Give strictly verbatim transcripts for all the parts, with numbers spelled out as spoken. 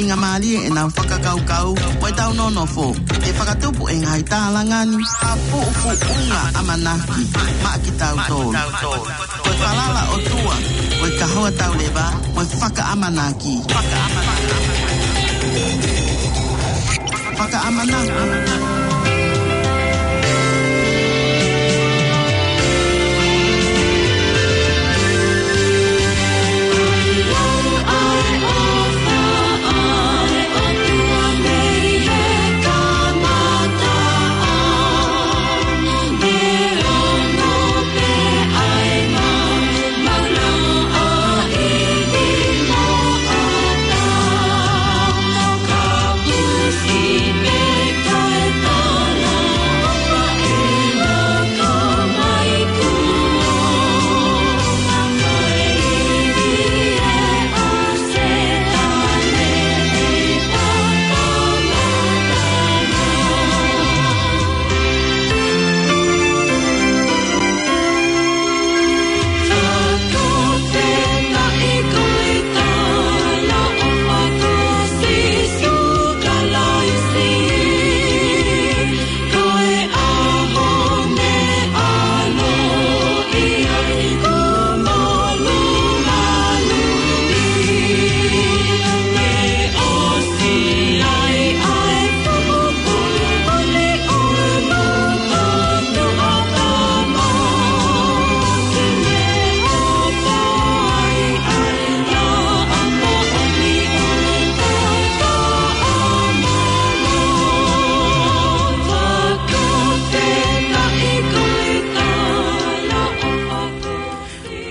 Faingamālie ʻenau fakakaukau mo ʻetau nonofo ke fakatupu e ngaahi tālanga ni ha fuʻu fuʻunga ʻamanaki maʻa kitautolu. Ko e falala ʻOtua, ko e kahoa tauleva, mo e fakaʻamanaki. Fakaʻamanaki.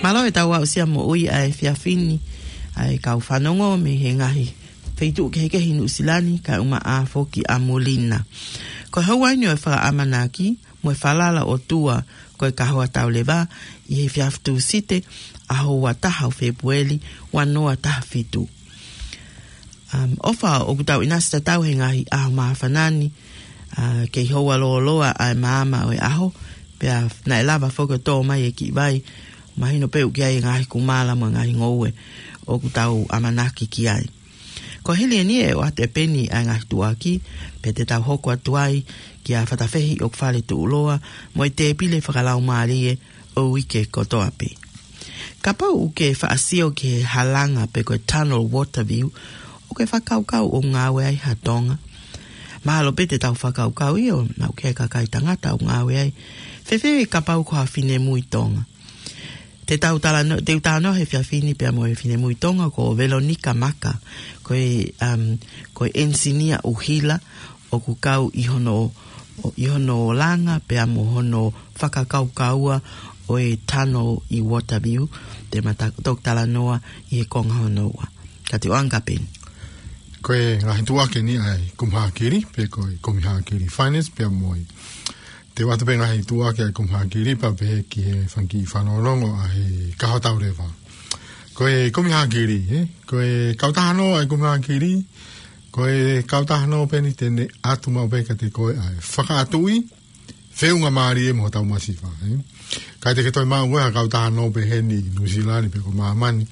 Mālō e tau aʻusia moʻui ʻa e efiafi ni, ʻa e kau fanongo mei he ngaahi feituʻu kehekehe ʻi Nuʻusila ni, kae ʻumaʻā foki ʻa Molina. Ko e houa eni ʻo e fakaʻamanaki mo e falala ʻOtua, ko e kahoa tauleva, ʻi he efiafi Tūsite, ʻaho ua taha ʻo Fēpueli, ua noa taha fitu. Um, ʻofa ʻoku tau ʻinasi tatau he ngaahi ʻaho māfana ni, uh, kei houa lōloa ʻa e maama ʻo e ʻaho, pea naʻe lava foki ʻo tō mai e kiʻi vai, mahino pē ʻoku ʻi ai e ngaahi kumala mo e ngaahi ngoue ʻoku tau ʻamanaki ki ai. Ko e hili eni ʻe ʻoatu ʻe Peni ʻa e ngaahi tuʻuaki, pea te tau hoko atu ai kia Fatafehi ʻOkufale Tuʻuloa, mo e tēpile fakalaumālie ʻo e uike kotoa pē. Kapau ʻoku ke faʻa sio ki he halanga pe ko e tunnel water view, ʻoku ke fakakaukau ʻoku ngāue ai ha Tonga? Mahalo pē te tau fakakaukau ʻio, naʻa ʻoku ʻi ai e kakai tangata ʻoku ngāue ai. Fēfē kapau ko ha finemui Tonga? Te tau talanoa, te u talanoa he efiafi ni pea mo e finemui Tonga ko Veronica Maka, ko e, um, ko e enisinia ʻuhila ʻoku kau ʻi hono, ʻi hono langa pea mo hono fakakaukaua ʻo e tunnel ʻi Waterview, te ma ta-, toki talanoa ʻi he konga hono ua. Ka te u ʻoange kia Peni. Ko e ngaahi tuʻuaki eni ʻa e Kumi Hākili, pe ko e Kumi Hākili Finance, pea mo e te u ʻoatu pē ngaahi tuʻuaki ʻa e Kumi Hākili pea pehē ki he fanga kiʻi fanongo ʻa e kahoa tauleva. Ko e Kumi Hākili, ē? Ko e kautaha nō ʻa e Kumi Hākili, ko e kautaha nō pē eni te ne ʻatu maʻu pē kiate koe ʻa e fakaʻatuʻi, feʻunga mālie mo hotau masiva, ē? Kae te ke toe maʻu ʻe koe ha kautaha nō pē heni ʻi Nuʻusila ni pe ko māmani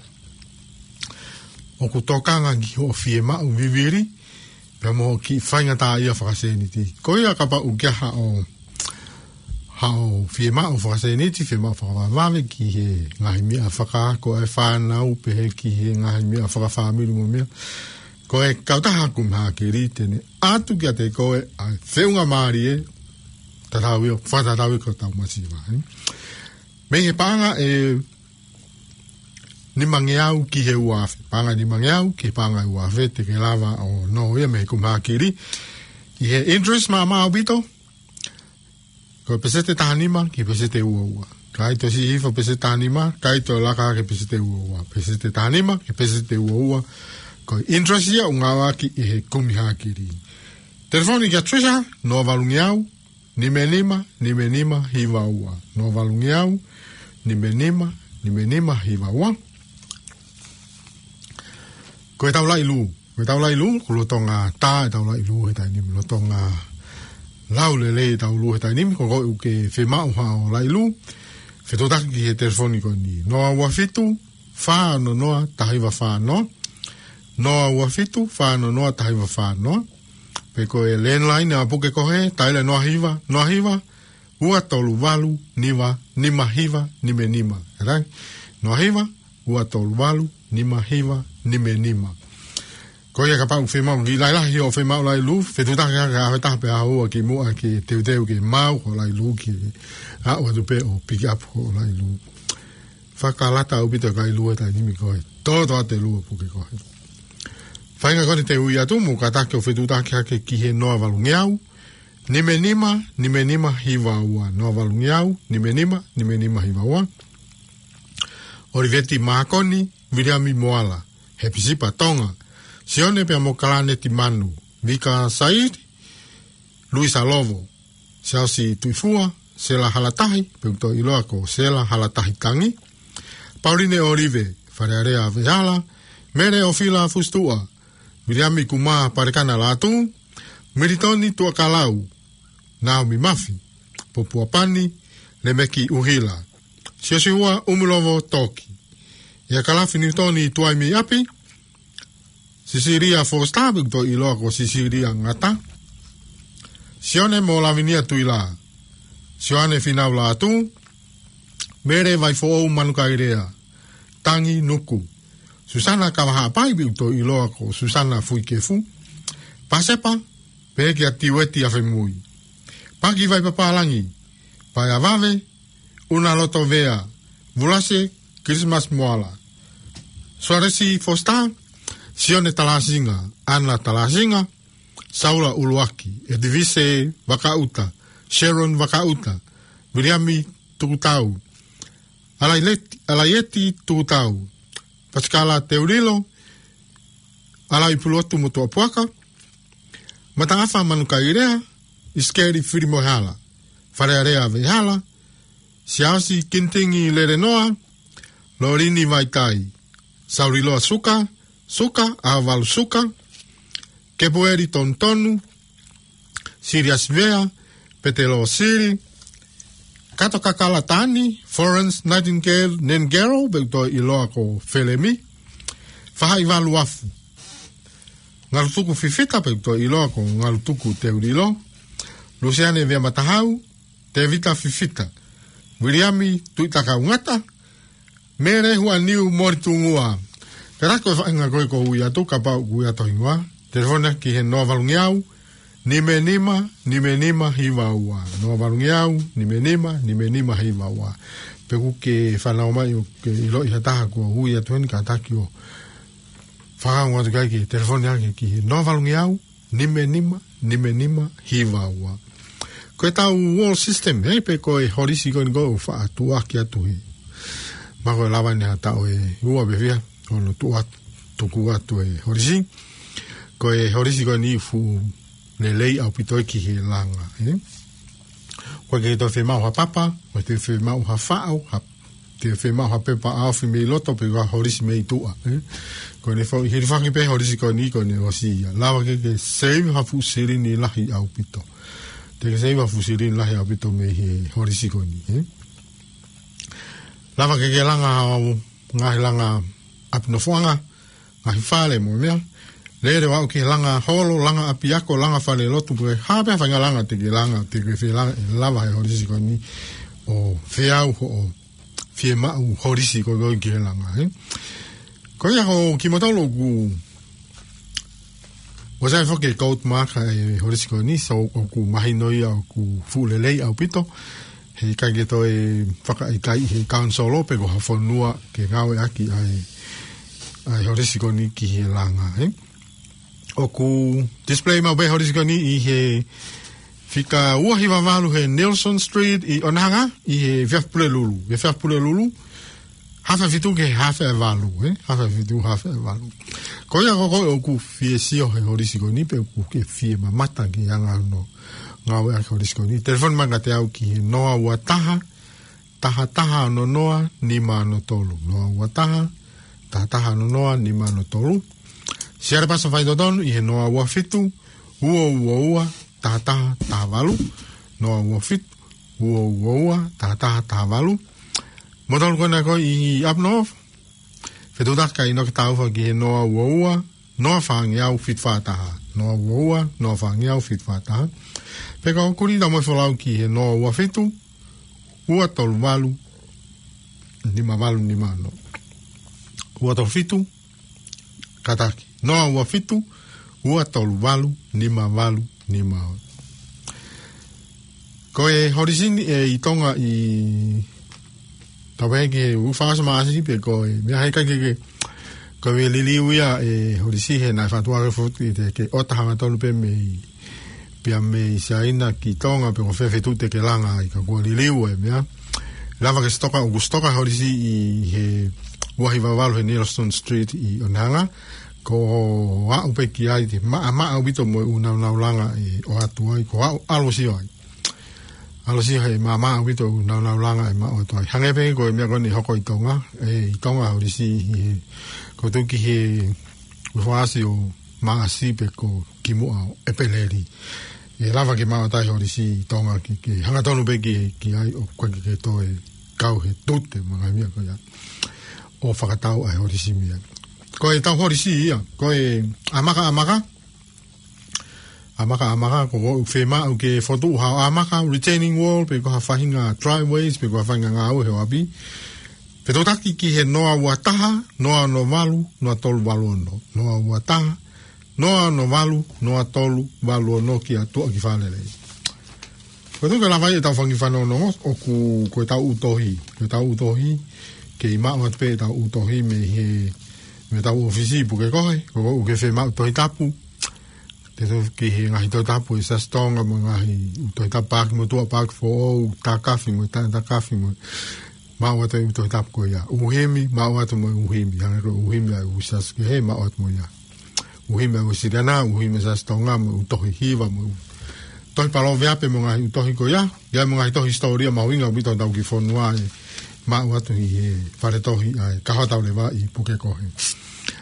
ʻoku tokanga ki hoʻo fiemaʻu vivili, pea mo e kiʻi faingataʻaʻia fakasēniti. Ko ia kapau ʻoku ʻi ai haʻo, haʻo fiemaʻu fakasēniti, fiemaʻu fakavavevave ki he ngaahi meʻa fakaako ʻa e fānau, pehē ki he ngaahi meʻa fakafāmili mo e meʻa. Ko e kautaha Kumi Hākili te ne ʻatu kiate koe ʻa e feʻunga mālie, tatau ia, fakatatau ia ki hotau masiva, ē? Mei he paʻanga ʻe nimangeau ki he ua afe. Paʻanga nimangeau ki he paʻanga ua afe te ke lava ʻo nō ia mei he Kumi Hākili. ʻI he interest maʻamaʻa ʻaupito, ko e peseti taha nima ki he peseti ua ua. Ka ʻi ai toe siʻi hifo peseti taha nima, ka ʻi ai toe laka ki he peseti ua ua. Peseti taha nima ki he peseti ua ua. Ko e interest ia ʻoku ngāueʻaki ʻi he Kumi Hākili. Telefoni kia Trisha, noa valungeau, nima nima, nima nima, hiva ua. Noa valungeau, nima nima, nima nima, hiva ua. Ko e tau laʻi lū. Ko e tau laʻi lū, ko e lolotonga tā e tau laʻi lū he taimi ni, lolotonga lau lelei e tau lū he taimi ni, ko koe ʻoku ke fiemaʻu haʻo laʻi lū, fetuʻutaki ki he telefoni ko eni. Noa ua fitu, fā ono noa, taha hiva fā noa. noa ua fitu, fā noa noa, taha hiva fā noa. Pe ko e landline ʻa Puke Kohe, taila noa hiva, noa hiva, ua tolu valu, nima, nima hiva, nima nima. Ē, noa hiva, ua tolu valu, nima hiva, nima nima. Ko ia kapau ʻoku fiemaʻu ke lahi lahi hoʻo fiemaʻu lailū, fetuʻutaki hake ʻaho ʻe taha pē ʻaho ua kimuʻa ke teuteu ke maʻu hoʻo lailū, ke aʻu atu pē ʻo pick up hoʻo lailū. Fakalata ʻaupito e kailua he taimi ko ē. Tō tō atu e lua Puke Kohe. Faʻahinga ko eni te u ui atu mo kātaki ʻo fetuʻutaki hake ki he noa valungeau, nima nima, nima nima hiva ua. Noa valungeau, nima nima, nima nima hiva ua. ʻOliveti Mākoni, Viliami Moala, Hepisipa Tonga, Sione pea mo Kalane Timanu, Vika Saidi, Luisa Lovo, Siaosi Tuifua, Sela Halatahi, pe ʻoku toe ʻiloa ko Sela Halatahi Tangi, Pauline ʻOlive, Falealea Vehala, Mele ʻOfila Fusituʻa, Viliami Kumā Palekana Lātū, Militoni Tuʻakalau, Naomi Mafi, Popua Pani, Lemeki ʻUhila, Siosiua ʻUmilovo Toki, ʻIa Kalafi Niutoni Tuaimi ʻApi, Sisilia Foster, pe ʻoku toe ʻiloa ko Sisilia Ngata, Sione mo Lavinia Tuila, Sioane Finau Lātū, Mele Vaifoʻou Manukaelea, Tangi Nuku, Susana Kavahaʻapai, pe ʻoku toe ʻiloa ko Susana Fuikefu, Pasepa, pehē kia Tiueti ʻAfemui, Paki Vaipapālangi, Paea Vave, ʻUna Loto Vea, Vulase Christmas Moala, Suaresi Foster, Sione Talasinga, ʻAna Talasinga, Saula ʻUluaki, ʻEtivise Vakaʻuta, Sharon Vakaʻuta, Viliami Tukutau, ʻAlaileti, ʻAlaieti Tukutau, Pasikala Teulilo, ʻAlaipulotu Motuʻapuaka, Mataʻafa Manukaelea, ʻIsikeli Filimoehala, Falealea Vehala, Siaosi Kinitingi Lelenoa, Lolini Vaitai, Sauliloa Suka, Suka, ʻAvalu Suka, Kepueli Tonutonu, Siliasi Vea, Petelo Sili, Kato Kakala Tani, Florence Nightingale Nengero, pe ʻoku toe ʻiloa ko Felemi, Fahaʻi Valuafu, Ngalutuku Fifita, pe ʻoku toe ʻiloa ko Ngalutuku Teulilo, Lusiane Vea Matahau, Tevita Fifita, Viliami Tuʻitakaungata, Mele Huaniu Molitungua. Pea ko e faʻahinga ko ē ʻoku ou ui atu kapau ʻoku ʻi ai ha hingoa. Telefoni ki he noa valungeau, nima nima, nima nima hiva ua. Noa valungeau, nima nima, nima nima hiva ua. Pe ʻoku ke fanongo mai ʻo ke ʻiloʻi ha taha kuo ui atu heni kātaki ʻo fakaongo atu ki ai ki he telefoni hake ki he noa valungeau, nima nima, nima nima hiva ua. Ko e tau wall system, ē, pe ko e holisi ko eni ʻoku faʻa tuʻuaki atu he. Ma ko e lava eni ha taʻu ʻe ua pe fiha, ʻo ne tuʻu atu, tuku atu e holisi. Ko e holisi ko eni fuʻu lelei ʻaupito ki he langa, ē. ʻOku ʻikai ke toe fiemaʻu ha papa, ʻoku ʻikai toe fiemaʻu ha faʻo, ha, toe fiemaʻu ha pepa ʻaofi mei loto pe ko ha holisi mei tuʻa, ē. Ko ʻene fo-, hilifaki pē holisi ko eni ko ʻene ʻosi ia. Lava ke ke save ha fuʻu silini lahi ʻaupito. Te ke save ha fuʻu silini lahi ʻaupito mei he holisi ko eni, ē. Lava ke ke langa ʻo ngaahi langa ʻapi nofoʻanga, ngaahi fale mo e meʻa. Lele ʻo aʻu ki he langa holo, langa ʻapiako, langa falelotu, pe ko e hā pē ha faʻahinga langa te ke langa, te ke fie langa, ʻe lava he holisi ko eni ʻo feau hoʻo fiemaʻu holisi ko ē ki he langa, ē. Ko ia ko kimoutolu ʻoku ʻosi ʻi ai foki e gold mark ʻa e holisi ko eni, so ʻoku mahino ia ʻoku fuʻu lelei ʻaupito. Heʻikai ke toe fakaʻikaiʻi he kaunisolo pe ko ha fonua ke ngāueʻaki ʻa e, ʻa e holisi ko eni ki he langa, ē. ʻOku display maʻu pē holisi ko eni ʻi he fika ua hiva valu he Nelson Street ʻi Onehunga, ʻi he efiafi Pulelulu. Efiafi Pulelulu, hafe fitu ki he hafe valu, ē? Hafe fitu, hafe valu. Ko ia ko koe ʻoku fie sio he holisi ko eni pe ʻoku ke fie mamata ki he anga hono ngāueʻaki e holisi ko eni, telefoni mai kiate au ki he noa ua taha, taha taha ono noa, nima ono tolu. Noa ua taha, taha taha ono noa, nima ono tolu. Siale pasa faitotonu ʻi he noa ua fitu, ua ua ua, taha taha taha valu. Noa ua fitu, ua ua ua, taha taha taha valu. Mo tolu ko ena ko ē ʻi up north, fetuʻutaki ʻo ʻino ke tau fai ki he noa ua ua, noa fāngeau fitu fā taha. Noa ua ua, noa fāngeau fitu fā taha. Pea ka ʻoku lī ʻetau moʻui folau ki he noa ua fitu, ua tolu valu, nima valu nima ono. Ua tolu fitu, kātaki. Noa ua fitu, ua tolu valu, nima valu nima ono. Ko e holisi ni ʻi Tonga ʻi tau pehē ki he ʻū fāsi Maʻasi pe ko e meʻa he ʻikai ke, ke, ko e liliu ia e holisi he naʻe fatu ake foki te ke ʻota hangatonu pē mei, pea mei Siaina ki Tonga pe ko fē feituʻu te ke langa ai ka kuo liliu e meʻa. Lava ke sitoka, ʻoku sitoka holisi ʻi he ua hiva valu he Neilson Street ʻi Onehunga. Ko e aʻu pē ki ai te maʻamaʻa ʻaupito mo e ʻū naunau langa ʻe ʻoatu ai, ko e aʻu ʻalu ʻo sio ai. ʻAlu ʻo sio he maʻamaʻa ʻaupito ʻū naunau langa ʻe maʻu atu ai. Hangē pē ko e meʻa ko eni ʻe hoko ʻi Tonga, ʻe, ʻi Tonga holisi ʻi he, ko e tuʻu ki he ʻū fāsi ʻo Maʻasi pe ko kimuʻa ʻo ʻEpeleli. ʻE lava ke maʻu atu ai holisi ʻi Tonga ke, ke hangatonu pē ki, ki ai ʻoku ʻikai ke, ke toe kau he tute mo e ngaahi meʻa ko ia ʻo fakatau ai holisi meʻa. Ko ʻetau holisi ia, ko e ʻamaka ʻamaka, ʻamaka ʻamaka, ko, ko e fiemaʻu ke fokotuʻu ha ʻamaka, retaining wall, pe ko ha faʻahinga driveways, pe ko ha faʻahinga ngāue he ʻapi. Fetuʻutaki ki he noa ua taha, noa ono valu, noa tolu valu ono. Noa ua taha, noa ono valu, noa tolu valu ono ki ʻAtua ki Fālelei. Ko e tuʻu ke lava ai ʻetau fanga kiʻi fanongonongo, ʻoku, ko ʻetau ʻū tohi. Ko ʻetau ʻū tohi, kei maʻu atu pē ʻetau ʻū tohi mei he, mei heʻetau ʻōfisi ʻi Pukekohe, ko ʻoku ke fiemaʻu Tohi Tapu. Te tau ki he ngaahi Tohi Tapu ʻa e Siasi Tonga mo e ngaahi ʻū Tohi Tapu, Paaki Motuʻa, Paaki Foʻou, Takafi mo e Taʻe Takafi mo e, maʻu atu e ʻū Tohi Tapu ko ia. ʻŪ himi, maʻu atu mo e ʻū himi. Hangē ko e ʻū himi ʻa e ʻū siasi kehe, maʻu atu mo ia. ʻŪ himi ʻa e ʻū Siliana, ʻū himi ʻa e Siasi Tonga mo e ʻū tohi hiva mo e ʻū tohi palōveape mo e ngaahi ʻū tohi ko ia. ʻI ai mo e ngaahi tohi hisitōlia mahuʻinga ʻaupito ʻetau kiʻi fonua ʻe maʻu atu ʻi he fale tohi ʻa e Kahoa Taulevaʻi ʻi Pukekohe.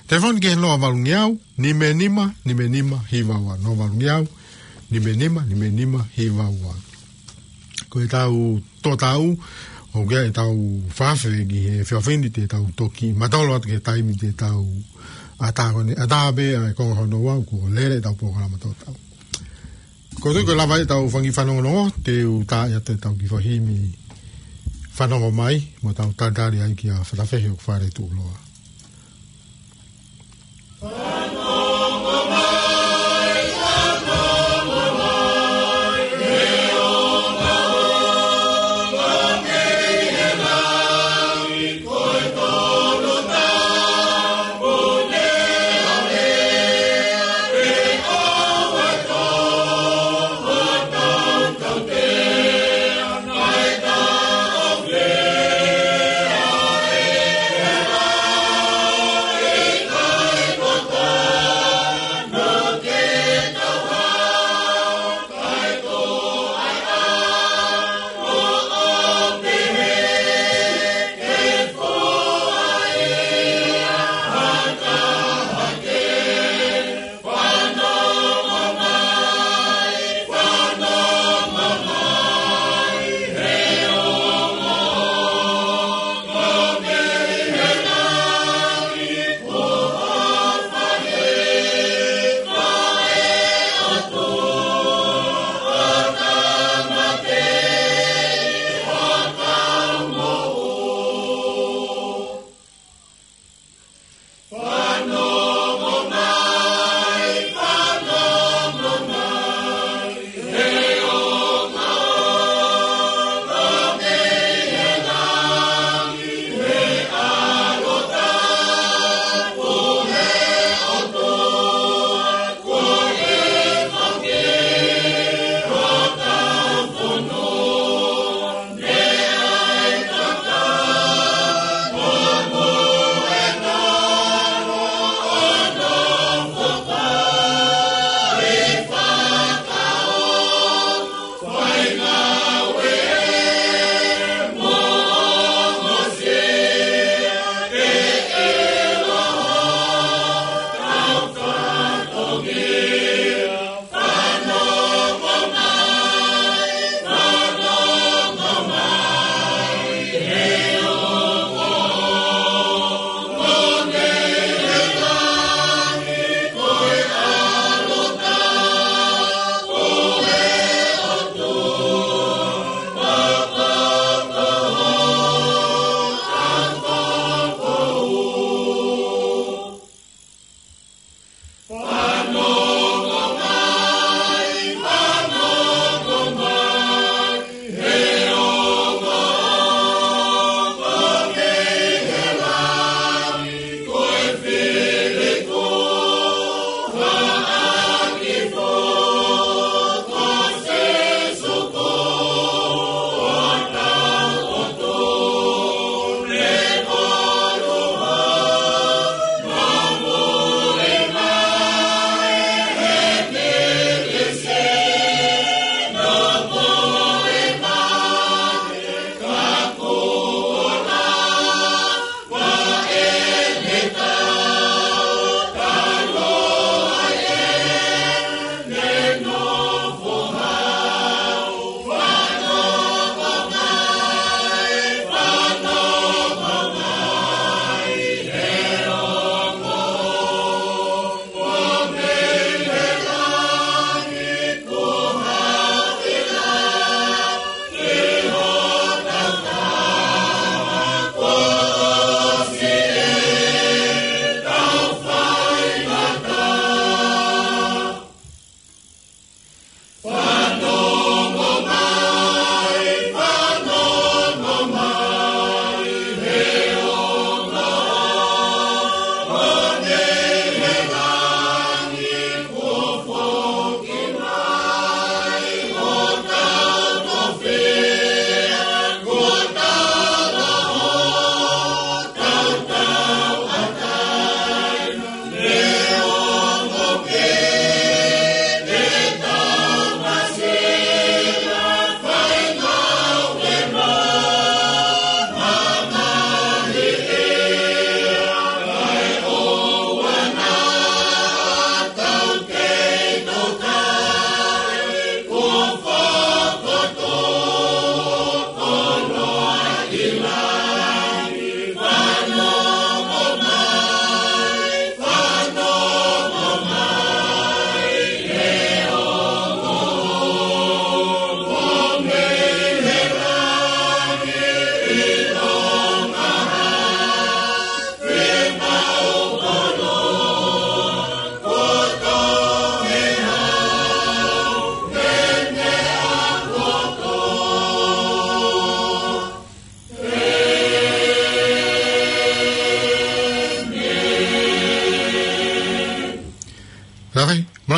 Telefoni ki he noa valungeau, nima nima, nima nima, hiva ua. Noa valungeau, nima nima, nima nima, hiva ua. Ko ʻetau tō tau, ʻoku ʻi ai ʻetau fakaafeʻi he efiafi ni te tau toki mātolo atu ki he taimi te tau ʻatā ko eni, ʻatā pē ʻa e konga hono ua, kuo lele ʻetau polokalama tō tau. Ko e tuʻu ke lava ai ʻetau fanga kiʻi fanongonongo, te u tā atu ʻetau kiʻi fanga himi fanongo mai, mo tau talitali ai kia Fatafehi ʻoku fale tuʻuloa.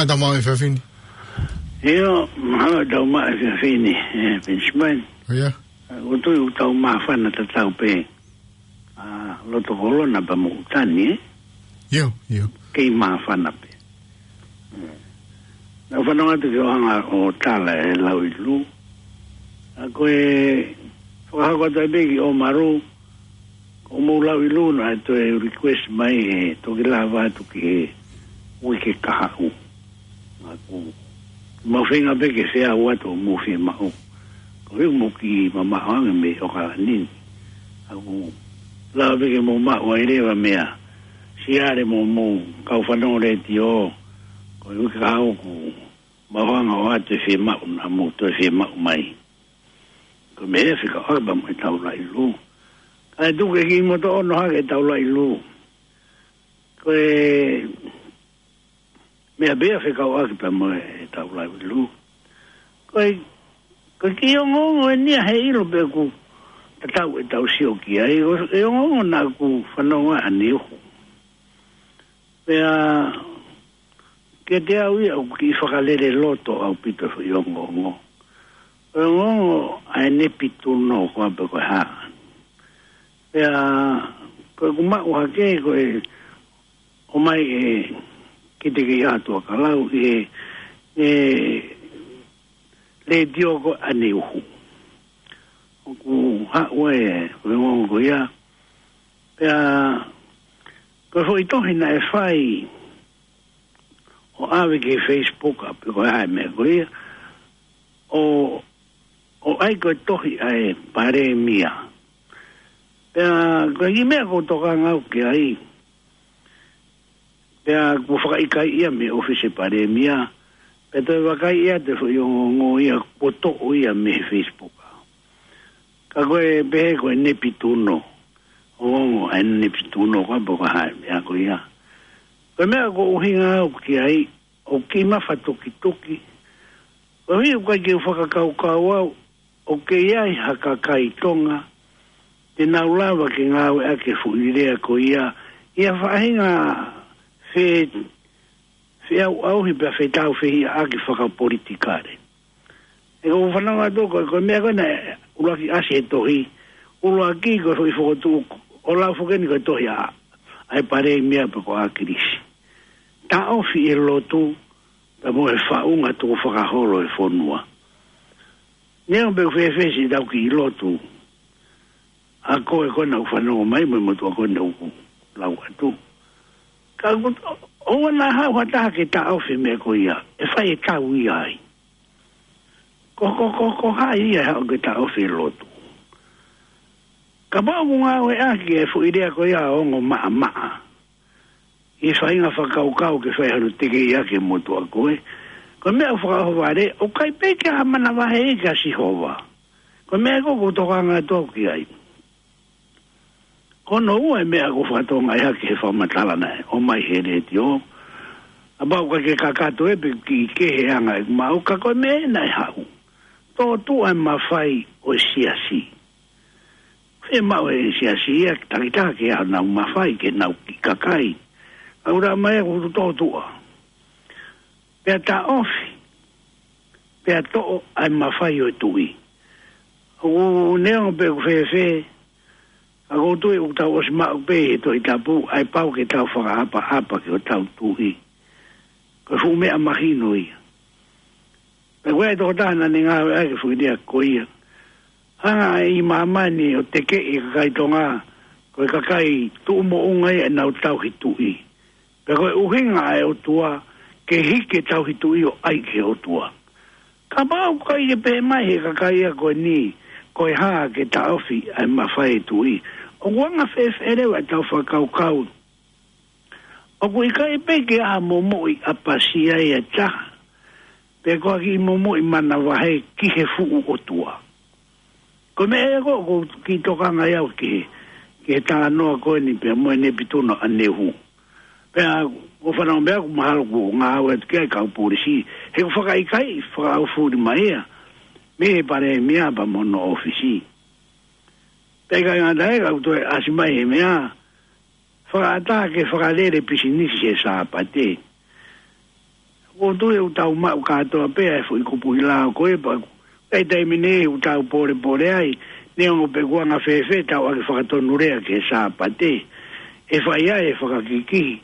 ʻA tau maʻu e efiafi ni. ʻIo, mahalo ʻe tau maʻu e efiafi ni, ē, Penisimani. ʻIo. ʻOku ou tui ʻoku tau māfana tatau pē. ʻA, loto kolona pea mo ʻUtani, ē? ʻIo, ʻio. Kei māfana pē. Naʻa ku fanongo atu ki hoʻo hanga ʻo tala e Lauʻilū. ʻA ko e fakahoko atu ai pē ki ʻOmalu, ko hoʻomou Lauʻilū naʻe toe request mai he toki lava atu ki he uike kahaʻu. ʻA ʻoku mau feinga pē ke feau atu hoʻomou fiemaʻu. Ko e ʻuhi ʻoku mou kiʻi mamaʻo ange mei ʻOkalani ni. ʻA ʻoku lava pē ke mou maʻu ai leva meia Siale mo hoʻomou kau fanongo letiō. Ko e uike kahaʻu ʻoku mau hanga ʻo ʻoatu e fiemaʻu naʻa mou toe fiemaʻu mai. Ko e meʻa ia fekauʻaki pea mo ʻetau Lauʻilū. Kae tuku ke kiʻi moto ono hake ʻetau Lauʻilū. Ko e meʻa pē ia fekauʻaki pea mo ʻetau Lauʻilū. Ko e, ko e kiʻi ongoongo eni ia he ʻilo pē ʻoku tatau ʻetau sio ki ai. Ko e ongoongo naʻa ku fanongo ai ʻaneuhu. Pea kiate au ia ʻoku kiʻi fakalele loto ʻaupito e foʻi ongoongo. Ko e ongoongo ʻa e Nepituno ko ā pe ko e hā. Pea ko ʻeku maʻu hake ko e ʻomai ʻe Kitekeʻiaho Tuʻakalau ʻi he, ʻi he letiō ko ē ʻaneuhu. ʻOku haʻu ai e ongoongo ko ia. Pea ko e foʻi tohi naʻe fai ʻo ʻave ki he Facebook ʻa pe ko e hā e meʻa ko ia. ʻO, ʻo ʻai ko e tohi ʻa e Palēmia. Pea ko e kiʻi meʻa ʻoku ou tokanga au ki ai. Pea kuo fakaʻikaiʻi ia mei he ʻōfisi Palēmia. Pea toe vakaiʻi atu e foʻi ongoongo ia kuo toʻo ia mei he Facebook. Ka ko e pehē ko e Nepituno. Ongoongo ʻa e Nepituno ko ā pe ko e hā e meʻa ko ia. Ko e meʻa ʻoku ou ʻuhinga au ki ai, ʻoku kiʻi mafatukituki. Ko e ʻuhi ʻoku ʻikai ke u fakakaukau au, ʻoku kei ʻi ai ha kakai Tonga te nau lava ke ngāueʻaki e foʻi lea ko ia ʻi ha faʻahinga fe-, feʻauʻauhi pea fetāufehiʻaʻaki fakapolitikale. ʻOku ou fanongo atu ko e, ko e meʻa ko ē naʻe ʻuluaki ʻasi he tohi, ʻuluaki ko e foʻi fokotuʻu ʻo lau foki eni ko e tohi ʻa, ʻa e Palēmia pe ko ʻAkilisi. Taʻofi e lotu, pea mo e faʻunga tukufakaholo e fonua. Neongo pe ʻoku fēfē siʻetau kiʻi lotu ʻa ko ē ko ē naʻa ku fanongo mai mo e motuʻa ko ē naʻa ku lau atu. Ka ʻoku, ʻoua naʻa haʻu ha taha ke taʻofi e meʻa ko ia, ʻe fai e tau ia ai. Ko, ko, ko, ko hai ia ʻe haʻu ke taʻofi e lotu? Kapau ʻoku ngāueʻaki e foʻi lea ko ia ʻo ongo maʻamaʻa ʻi he faʻahinga fakakaukau ke fai hano tekeʻiʻaki e motuʻa ko ē. Ko e meʻa ʻoku fakaʻohovale, ʻoku ʻikai pē ke ʻi ai ha manavahē ia kia Sihova. Ko e meʻa ko ē ʻoku ou tokanga atu au ki ai. Ko hono ua e meʻa ʻoku ou fakatokangaʻi hake he fakamatala naʻe ʻomai he letiō. Kapau ʻoku ʻikai ke kakato ē pe kiʻi kehe e anga ʻeku maʻu, ka ko e meʻa naʻe haʻu. Tōtuʻa e mafai ʻo e siasi. Fiemaʻu e siasi ia ke takitaha ke ʻi ai honau mafai ki heʻenau kiʻi kakai. Ka ʻoku ʻomai ʻoku tōtuʻa. Pea taʻofi, pea toʻo ʻa e mafai ʻo e tuʻi. ʻOku neongo pe ʻoku fēfē, ka ʻoku ou tui ʻoku tau ʻosi maʻu pē ʻi he Tohi Tapu, ʻa e pau ke tau fakaʻapaʻapa ki hotau tuʻi. Ko e fuʻu meʻa mahino ia. Pea ko e tokotaha naʻa ne ngāueʻaki e foʻi lea ko ia. Hanga ʻe māmani ʻo tekeʻi e kakai Tonga, ko e kakai tuʻu moʻunga ia ʻenau tauhi tuʻi. Pea ko e ʻuhinga ʻa e ʻOtua, ke hiki e tauhi tuʻi ʻo ʻai ki he ʻOtua. Kapau ʻoku ʻikai ke pehē mai he kakai ia ko eni, ko e hā ke taʻofi ʻa e mafai e tuʻi. ʻOku anga fēfē leva ʻetau fakakaukau. ʻOku ʻikai pē ke ʻi ai ha momoʻi ʻapasia ia ʻe taha. Pe ko ha kiʻi momoʻi manavahē ki he fuʻu ʻOtua. Ko e meʻa ia ko ē ʻoku ou kiʻi tokanga ai au ki he, ki he talanoa ko eni pea mo e Nepituno ʻaneuhu. Pea ʻoku ou fanongo pē au ʻoku mahalo kuo ngāueʻaki ʻe he kau polisi. He ʻoku fakaʻikaiʻi, fakaʻaufuli mai ia mei he Palēmia pea mo hono ʻōfisi. Pea ʻikai ngata ai ka ʻoku toe ʻasi mai he meʻa, fakaʻatā ke fakalele pisinisi he Sāpate. ʻOku ou tui ʻoku tau maʻu kātoa pē ʻa e foʻi kupuʻi lao ko ē pea ʻoku ʻi ai e taimi ʻoku tau pōlepole ai, neongo pe ʻoku anga fēfē ʻetau ʻaki fakatonu lea ki he Sāpate, ʻe fai ai e fakakikihi.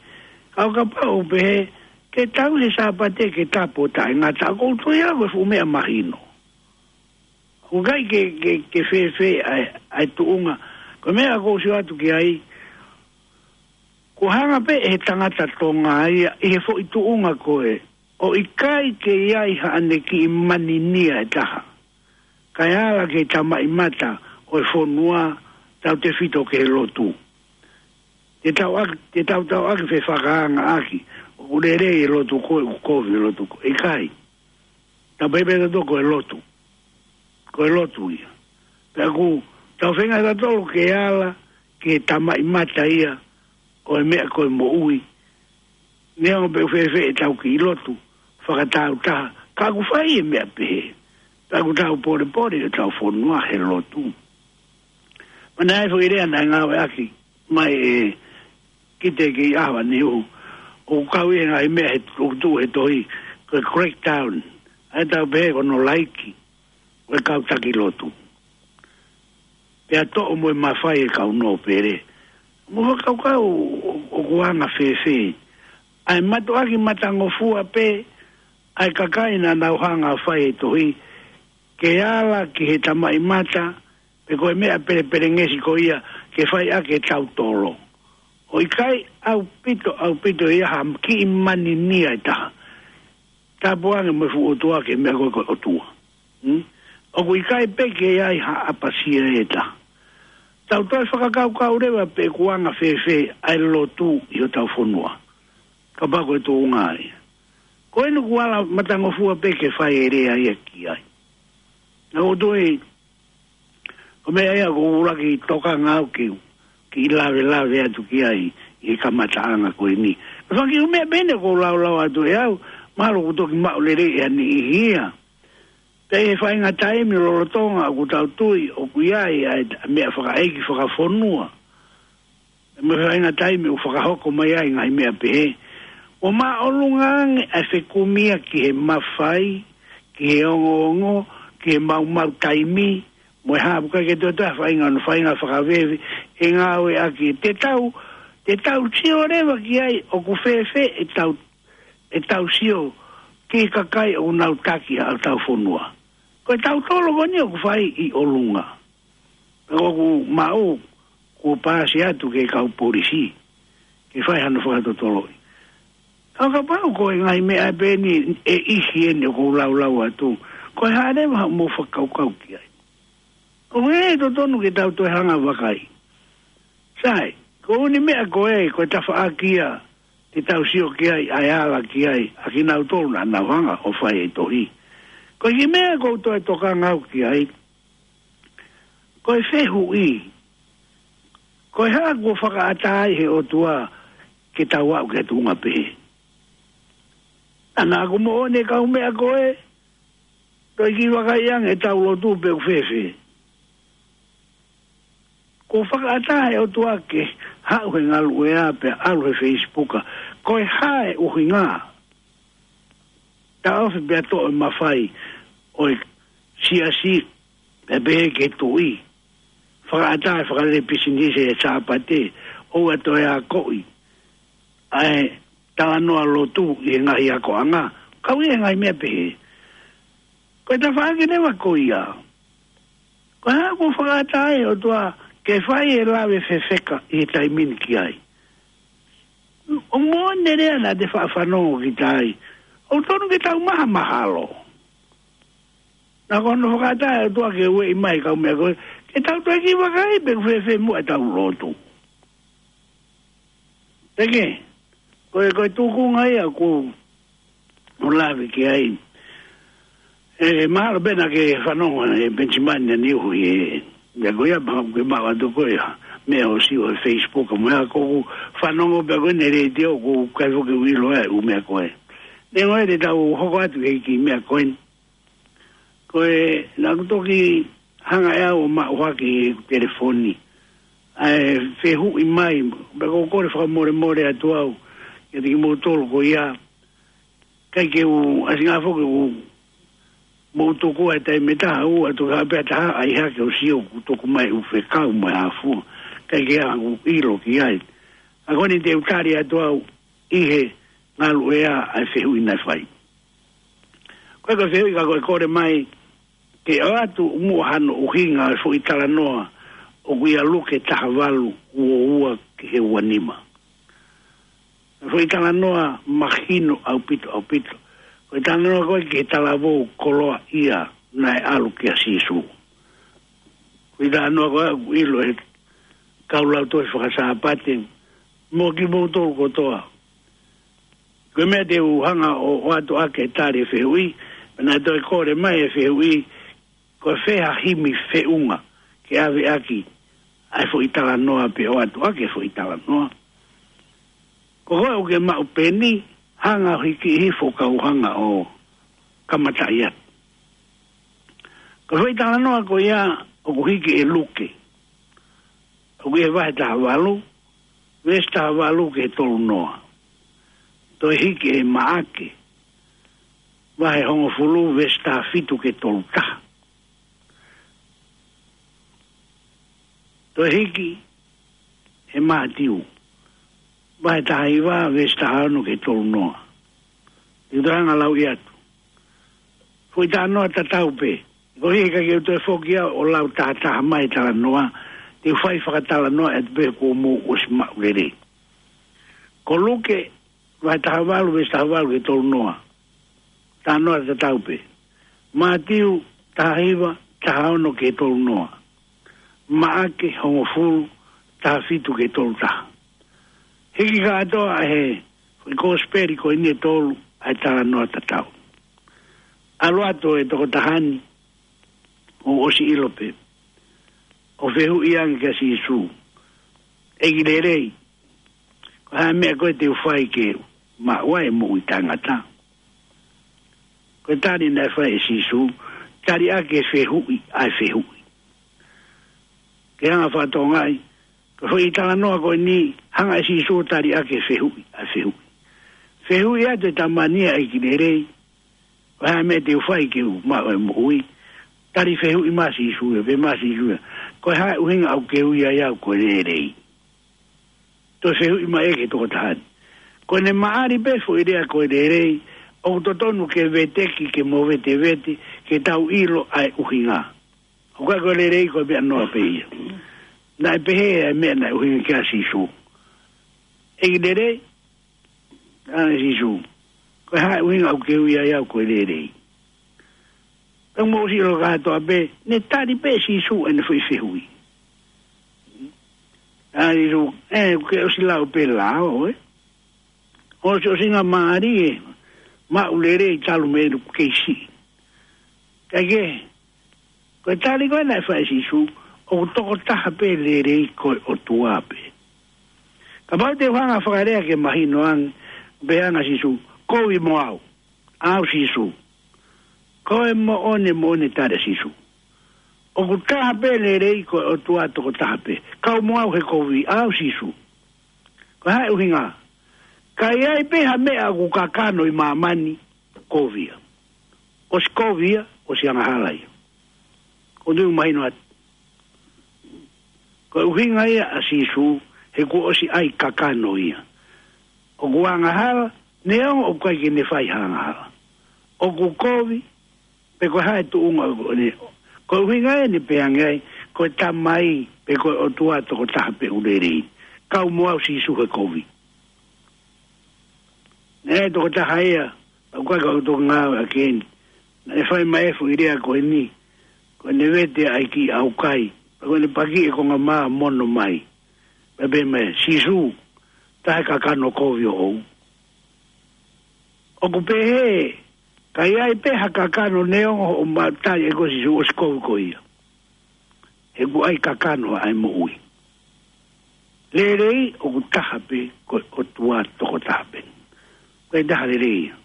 Ka ʻo kapau ʻoku pehē ke tau he Sāpate ke tapu ʻo taʻengata, ʻoku ou tui au ko e fuʻu meʻa mahino. ʻOku ʻikai ke, ke, ke fēfē ʻa e, ʻa e tuʻunga. Ko e meʻa ʻoku ou sio atu ki ai, kuo hanga pē ʻe he tangata Tonga ia ʻi he foʻi tuʻunga ko ē, ʻo ʻikai ke ʻi ai haʻane kiʻi maninia ʻe taha, kae ala ki he tamaʻimata ʻo e fonua, tautefito ki he lotu. Te tau ʻaki, te tau tau ʻaki fefakaanga ʻaki, ʻoku lelei e lotu ko ē, ʻoku kovi e lotu ko ē. ʻIkai. Tau pehē pē tautolu ko e lotu. Ko e lotu ia. Pea ʻoku tau feinga tautolu ke ala ki he tamaʻimata ia ʻo e meʻa ko e moʻui. Neongo pe ʻoku fēfē ʻetau kiʻi lotu fakatāutaha, ka ʻoku fai e meʻa pehē. Pea ʻoku tau pōlepole ʻi hotau fonua he lotu. Mana e foʻi lea naʻe ngāueʻaki mai ʻe Kite ki ʻAvaniu, ʻoku kau ʻi he ngaahi meʻa he tuʻutuʻu he tohi, ko e crackdown, ʻa ia tau pehē ko hono laiki ʻo e kau taki lotu. Pea toʻo mo e mafai e kau nōpele. Mo fakakaukau ʻo, ʻoku anga fēfē ʻa e mātuʻaki matangofua pē ʻa e kakai naʻa nau hanga ʻo fai e tohi, ke ala ki he tamaʻimata, pe ko e meʻa pelepelengesi ko ia ke fai ʻaki e tautolo. ʻO ʻikai ʻaupito, ʻaupito ia ha kiʻi maninia ʻe taha. Tapu ange mo e fuʻu ʻOtua ki he meʻa ko ē ko e ʻOtua. Hmm? ʻOku ʻikai pē ke ʻi ai ha ʻapasia ʻe taha. Tau toe fakakaukau leva pe ʻoku anga fēfē ʻa e lotu ʻi hotau fonua. Kapau ko e tuʻunga ia. Ko eni ʻoku ala matangofua pē ke fai e lea ia ki ai. Naʻa ʻoku ou tui, ko e meʻa ia ʻoku ou ʻuluaki tokanga au ke, ke lavelave atu ki ai ʻi he kamataʻanga ko eni. Ko e fanga kiʻi meʻa pē eni ʻoku ou laulau atu ʻe au, mahalo ʻoku toki maʻu lelei ʻe ha niʻihi ia. Pea ʻi he faʻahinga taimi lolotonga ʻoku tau tui ʻoku ʻi ai ʻa e meʻa fakaʻeiki fakafonua, mo e faʻahinga taimi ʻoku fakahoko mai ai ngaahi meʻa pehē, ʻoku māʻolunga ange ʻa e fekumi ia ki he mafai, ki he ongoongo, ki he maumau taimi, mo e hā pē ʻoku ʻikai ke toe toe faʻahinga, ʻo faʻahinga fakaveve ʻe ngāueʻaki. Te tau, te tau sio leva ki ai ʻoku fēfē ʻetau, ʻetau sio ki he kakai ʻoku nau taki ʻa hotau fonua. Ko e tautolo ko eni ʻoku fai ʻi ʻolunga. Pea ʻoku maʻu kuo paasi atu ki he kau polisi ke fai hano fakatotoloʻi. Ka kapau ko e ngaahi meʻa pē eni ʻe ʻihi eni ʻoku ou laulau atu, ko e hā leva haʻamou fakakaukau ki ai? ʻOku ʻi ai e totonu ke tau toe hanga ʻo vakai. Sai, ko eni meʻa ko ē, ko e tafaʻaki ia te tau sio ki ai, ʻa e ala ki ai ʻa kinautolu naʻa nau hanga ʻo fai e tohi. Ko e kiʻi meʻa ʻoku ou toe tokanga au ki ai, ko e fehuʻi, ko e hā kuo fakaʻatā ai ʻe he ʻOtua ke tau aʻu ki he tuʻunga pehē? Naʻa ʻoku moʻoni e kau meʻa ko ē, toe kiʻi vakai ange ʻetau lotu pe ʻoku fēfē. Kuo fakaʻatā ʻe he ʻOtua ke haʻu he ngaluʻea pea ʻalu he Facebook. Ko e hā e ʻuhinga? Taʻofi pea toʻo e mafai ʻo e siasi, pea pehē ki he tuʻi, fakaʻatā e fakalele pisinisi he Sāpate, ʻoua toe akoʻi ʻa e talanoa lotu ʻi he ngaahi akoʻanga, kau ʻi he ngaahi meʻa pehē. Ko e tafaʻaki leva ko ia, ko e hā kuo fakaʻatā ai ʻe he ʻOtua ke fai e lave fefeka ʻi he taimi ni ki ai? ʻOku moʻoni e lea naʻa te faʻa fanongo kita ai, ʻoku totonu ke tau mahamahalo. Naʻa ko hono fakaʻatā ʻe he ʻOtua ke ueʻi mai e kau meʻa ko ē, ke tau toe kiʻi vakai pe ʻoku fēfē muʻa ʻetau lotu. Pea ko e, ko e tuʻunga ia ʻoku ou lave ki ai. ʻE, mahalo pē naʻa ke fanongo ʻe Penisimani ʻa Niuhu ʻi he, ʻi he ko ia, mahalo ke maʻu atu ko ia, meʻa ʻo sio he Facebook, mo ia ʻoku ou fanongo pē ko eni he letiō, ʻoku ʻikai foki ke u ʻilo ʻa e ʻū meʻa ko ē. Neongo ia te tau hoko atu he kiʻi meʻa ko eni. Ko e, naʻa ku toki hanga ʻe au ʻo maʻu hake he telefoni ʻa e fehuʻi mai, pea ʻoku ou kole fakamolemole atu au kiate kimoutolu ko ia, ʻIkai ke u, ʻa e singafo ke u, mou tuku ai taimi ʻe taha ʻo ʻatu ka pea taha ʻai hake ʻo sio ʻoku tuku mai ʻū fekau mo e hā fua. ʻIkai ke ʻaʻaku ʻilo ki ai. ʻA ko eni te u tali atu au ʻi he ngaluʻea ʻa e fehuʻi naʻe fai. Ko e ko e fehuʻi ka ko e kole mai ke ʻoatu muʻa hano ʻuhinga e foʻi talanoa ʻoku ʻia Luke taha valu ua ua ki he ua nima. Foʻi talanoa mahino ʻaupito, ʻaupito. Ko e talanoa ko ē ki he talavou koloaʻia naʻe ʻalu kia Sīsū. Foʻi talanoa ko ē ʻoku ʻilo ʻe he kau lau tohi faka-Sāpate, mo kimoutolu kotoa. Ko e meʻa te u hanga ʻo, ʻoatu ʻaki e tali e fehuʻi, pea naʻe toe kole mai e fehuʻi, ko fē ha himi feʻunga ke ʻave ʻaki ʻa e foʻi talanoa pe ʻoatu ʻaki e foʻi talanoa. Ko koe ʻoku ke maʻu peni, hanga ʻo hiki hifo ka u hanga ʻo kamataʻi atu. Ko e foʻi talanoa ko ia ʻoku hiki ʻe Luke. ʻOku ʻi he vahe taha valu, veesi taha valu ki he tolu noa. Toe hiki ʻe Maʻake, vahe hongofulu, veesi taha fitu ki he tolu taha. Toe hiki ʻe Mātiu, vahe taha hiva, veesi taha ono ki he tolu noa. Te u toe hanga ʻo lauʻi atu. Foʻi talanoa tatau pē. Ko e ʻikai ke u toe foki au ʻo lau tahataha mai e talanoa, te u fai fakatalanoa atu pē kuo mou ʻosi maʻu lelei. Ko Luke, vahe taha valu, veesi taha valu ki he tolu noa. Talanoa tatau pē. Mātiu, taha hiva, taha ono ki he tolu noa. Maʻake, hongofulu, taha fitu ki he tolu taha. Hiki kātoa ʻe he foʻi kosipeli ko eni ʻe tolu ʻa e talanoa tatau. ʻAlu atu e tokotaha ni, ʻo ʻosi ʻilo pē, ʻo fehuʻi ange kia Sīsū, ʻEiki lelei, ko e hā e meʻa ko ē te u fai ke maʻu ai e moʻui taʻengata? Ko e tali naʻe fai ʻe Sīsū, tali ʻaki e fehuʻi ʻa e fehuʻi. Ke hanga ʻo fakatokangaʻi, ko e foʻi talanoa ko eni, hanga ʻe Sīsū ʻo tali ʻaki e fehuʻi ʻa e fehuʻi. Fehuʻi atu e tama ni ia, ʻEiki lelei, ko e hā e meʻa te u fai ke u maʻu ai e moʻui? Tali fehuʻi mai ʻa Sīsū ia, pehē mai ʻe Sīsū ia, ko e hā e ʻuhinga ʻoku ke ui ai au ko e lelei? Toe fehuʻi mai ʻe he tokotaha ni. Ko ʻene maʻali pē foʻi lea ko e lelei, ʻoku totonu ke veteki, ke mo vetevete, ke tau ʻilo ʻa e ʻuhinga. ʻOku ʻikai ko e lelei ko e meʻa noa pē ia. Naʻe pehē ʻa e meʻa naʻe ʻuhinga ki ai ʻa Sīsū. ʻEiki lelei, ʻa Sīsū, ko e hā e ʻuhinga ʻoku ke ui ai au ko e lelei? Pea mou ʻosi ʻilo kātoa pē, ne tali pē ʻe Sīsū ʻene foʻi fehuʻi. ʻA Sīsū, ē, ke ʻosi lau pē lao, ē. ʻOsi, ʻosi ngaahi mālie, maʻu lelei talu mei he kei siʻi. Kae kehe, ko e tali ko ē naʻe fai ʻe Sīsū, ʻoku tokotaha pē lelei, ko e ʻOtua pē. Kapau te u hanga ʻo fakalea ke mahino ange, pehē ange ʻa Sīsū, kovi mo au, ʻa au Sīsū. Ko e moʻoni, moʻoni tali ʻa Sīsū. ʻOku taha pē lelei, ko e ʻOtua tokotaha pē. Kau mo au he kovi, ʻa au Sīsū. Ko e hā e ʻuhinga? Ka ʻi ai pē ha meʻa ʻoku kakano ʻi māmani, kovi ia. ʻOsi kovi ia, ʻosi angahala ia. ʻOku ou tui ʻoku mahino atu. Ko e ʻuhinga ia ʻa Sīsū, he kuo ʻosi ʻai kakano ia. ʻOku angahala, neongo ʻoku ʻikai ke ne fai ha angahala. ʻOku kovi, pe ko e hā e tuʻunga ʻoku ne. Ko e ʻuhinga ia ne pehē ange ai, ko e Tamai, pe ko e ʻOtua tokotaha pē ʻoku lelei. Kau mo au Sīsū he kovi. Naʻe tokotaha ia, ʻoku ʻikai ko au toki ngāueʻaki eni. Naʻe fai mai e foʻi lea ko eni, ko ʻene vete ʻa e kiʻi ʻaukai, pea ko ʻene paki e konga mā mono mai. Pea pehē mai, Sīsū, taha e kakano kovi ʻoʻou. ʻOku pehē, ka ʻi ai pē ha kakano neongo hoʻo maʻu tali ʻe koe Sīsū ʻosi kovi koe ia. He kuo ʻai kakano ʻa e moʻui. Lelei ʻoku taha pē ko e ʻOtua tokotaha pē. Ko e taha lelei ia.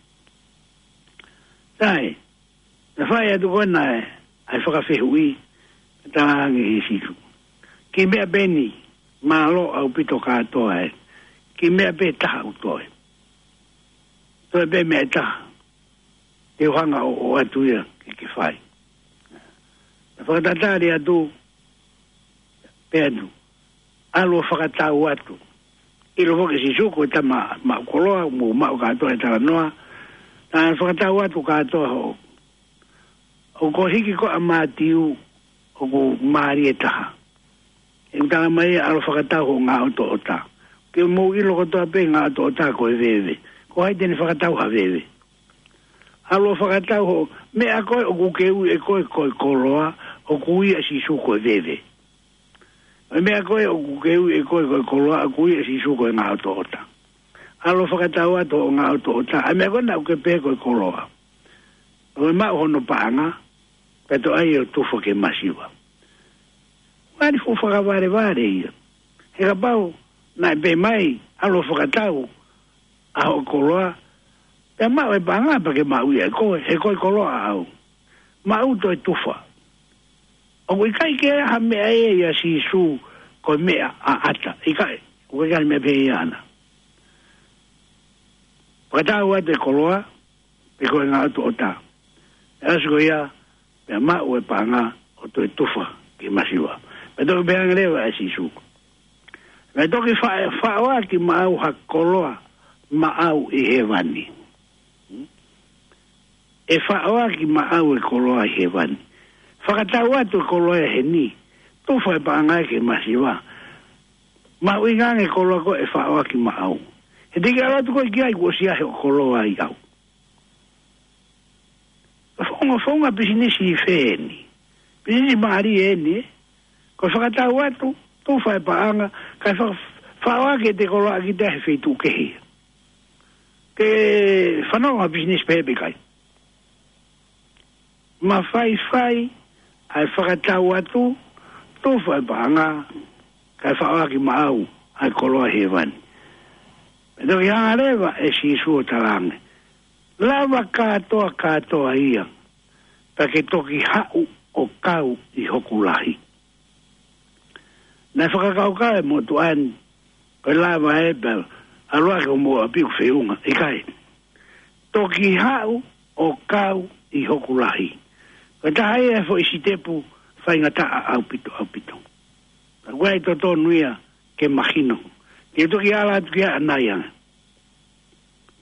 Sai, naʻe fai atu ko ena ʻa e, ʻa e fakafehuʻi, tala ange ʻe Sīsū. Kiʻi meʻa pē eni, mālō ʻaupito kātoa ē. Kiʻi meʻa pē taha ʻoku toe. Toe pē meʻa ʻe taha. te u hanga ʻo, ʻo ʻoatu ia ke, ke fai. Naʻe fakatatali atu, pehē atu, ʻalu ʻo fakatau atu. ʻIlo foki ʻe Sīsū ko e tama maʻu koloa, mo maʻu kātoa e talanoa. Naʻe fakatau atu kātoa hoʻo, ʻoku hiki ko ē ʻa Mātiu, ʻoku mālie taha. ʻOku tala mai ʻalu ʻo fakatau hoʻo ngaʻotoʻota. Ke mou ʻilo kotoa pē ngaʻotoʻota ko e veve. Ko hai te ne fakatau ha veve? ʻAlu ʻo fakatau hoʻo meʻa ko ē ʻoku ke ui ʻe koe ko e koloa, ʻoku ui ʻe Sīsū ko e veve. ʻA e meʻa ko ē ʻoku ke ui ʻe koe ko e koloa, ʻoku ui ʻe Sīsū ko e ngaʻotoʻota. ʻAlu ʻo fakatau atu hoʻo ngaʻotoʻota, ʻa e meʻa ko ē naʻa ke pehē ko e koloa. ʻO maʻu hono paʻanga, pea toe ʻai ʻo tufa ke masiva. Ngali fuʻu fakavalevale ia. He kapau naʻe pehē mai, ʻalu ʻo fakatau ʻa hoʻo koloa, pea maʻu e paʻanga pea ke maʻu ia ʻe koe, he ko e koloa ʻaʻau. Maʻu toe tufa. ʻOku ʻikai ke ʻi ai ha meʻa ia ʻia Sīsū ko e meʻa ʻaʻata. ʻIkai, ʻoku ʻikai ha meʻa pehē ia ʻaʻana. Fakatau atu e koloa, pe ko e ngaʻotoʻota. ʻE ʻasi ko ia, pea maʻu e paʻanga ʻo toe tufa ke masiva. Pea toki pehē ange leva ʻe Sīsū, pea toki fa-, faʻoaki maʻau ha koloa maʻau ʻi hēvani. ʻE faʻoaki maʻau e koloa ʻi hēvani. Fakatau atu e koloa ʻi heni, tufa e paʻanga ke masiva. Mahuʻinga ange e koloa ko ē ʻe faʻoaki maʻau. He te ke ʻalu atu koe ki ai kuo ʻosi ʻi ai hoʻo koloa ʻiate au. Founga, founga pisinisi ʻi fē eni? Pisinisi mālie eni, ē? Ko e fakatau atu, tufa e paʻanga, kae fa-, faʻoaki ʻete koloa ʻiate kita he feituʻu kehe. Ke fanongo ha pisinisi pehē pe ʻikai? Mafaifai ʻa e fakatau atu, tufa e paʻanga, kae faʻoaki maʻau ʻa e koloa ʻi hēvani. Pea toki hanga leva ʻe Sīsū ʻo talaange, lava kātoa kātoa ia, pea ke toki haʻu ʻo kau ʻi hoku lahi. Naʻe fakakaukau e motuʻa ni, ko e lava ē pea ʻalu hake hoʻomou ʻapi ʻoku feʻunga, ʻikai. Toki haʻu ʻo kau ʻi hoku lahi. Ko e taha ia e foʻi sitepu faingataʻa ʻaupito, ʻaupito. Ka ʻoku ʻi ai e totonu ia ke mahino. Ke toki ala atu ki ai ʻanai ange.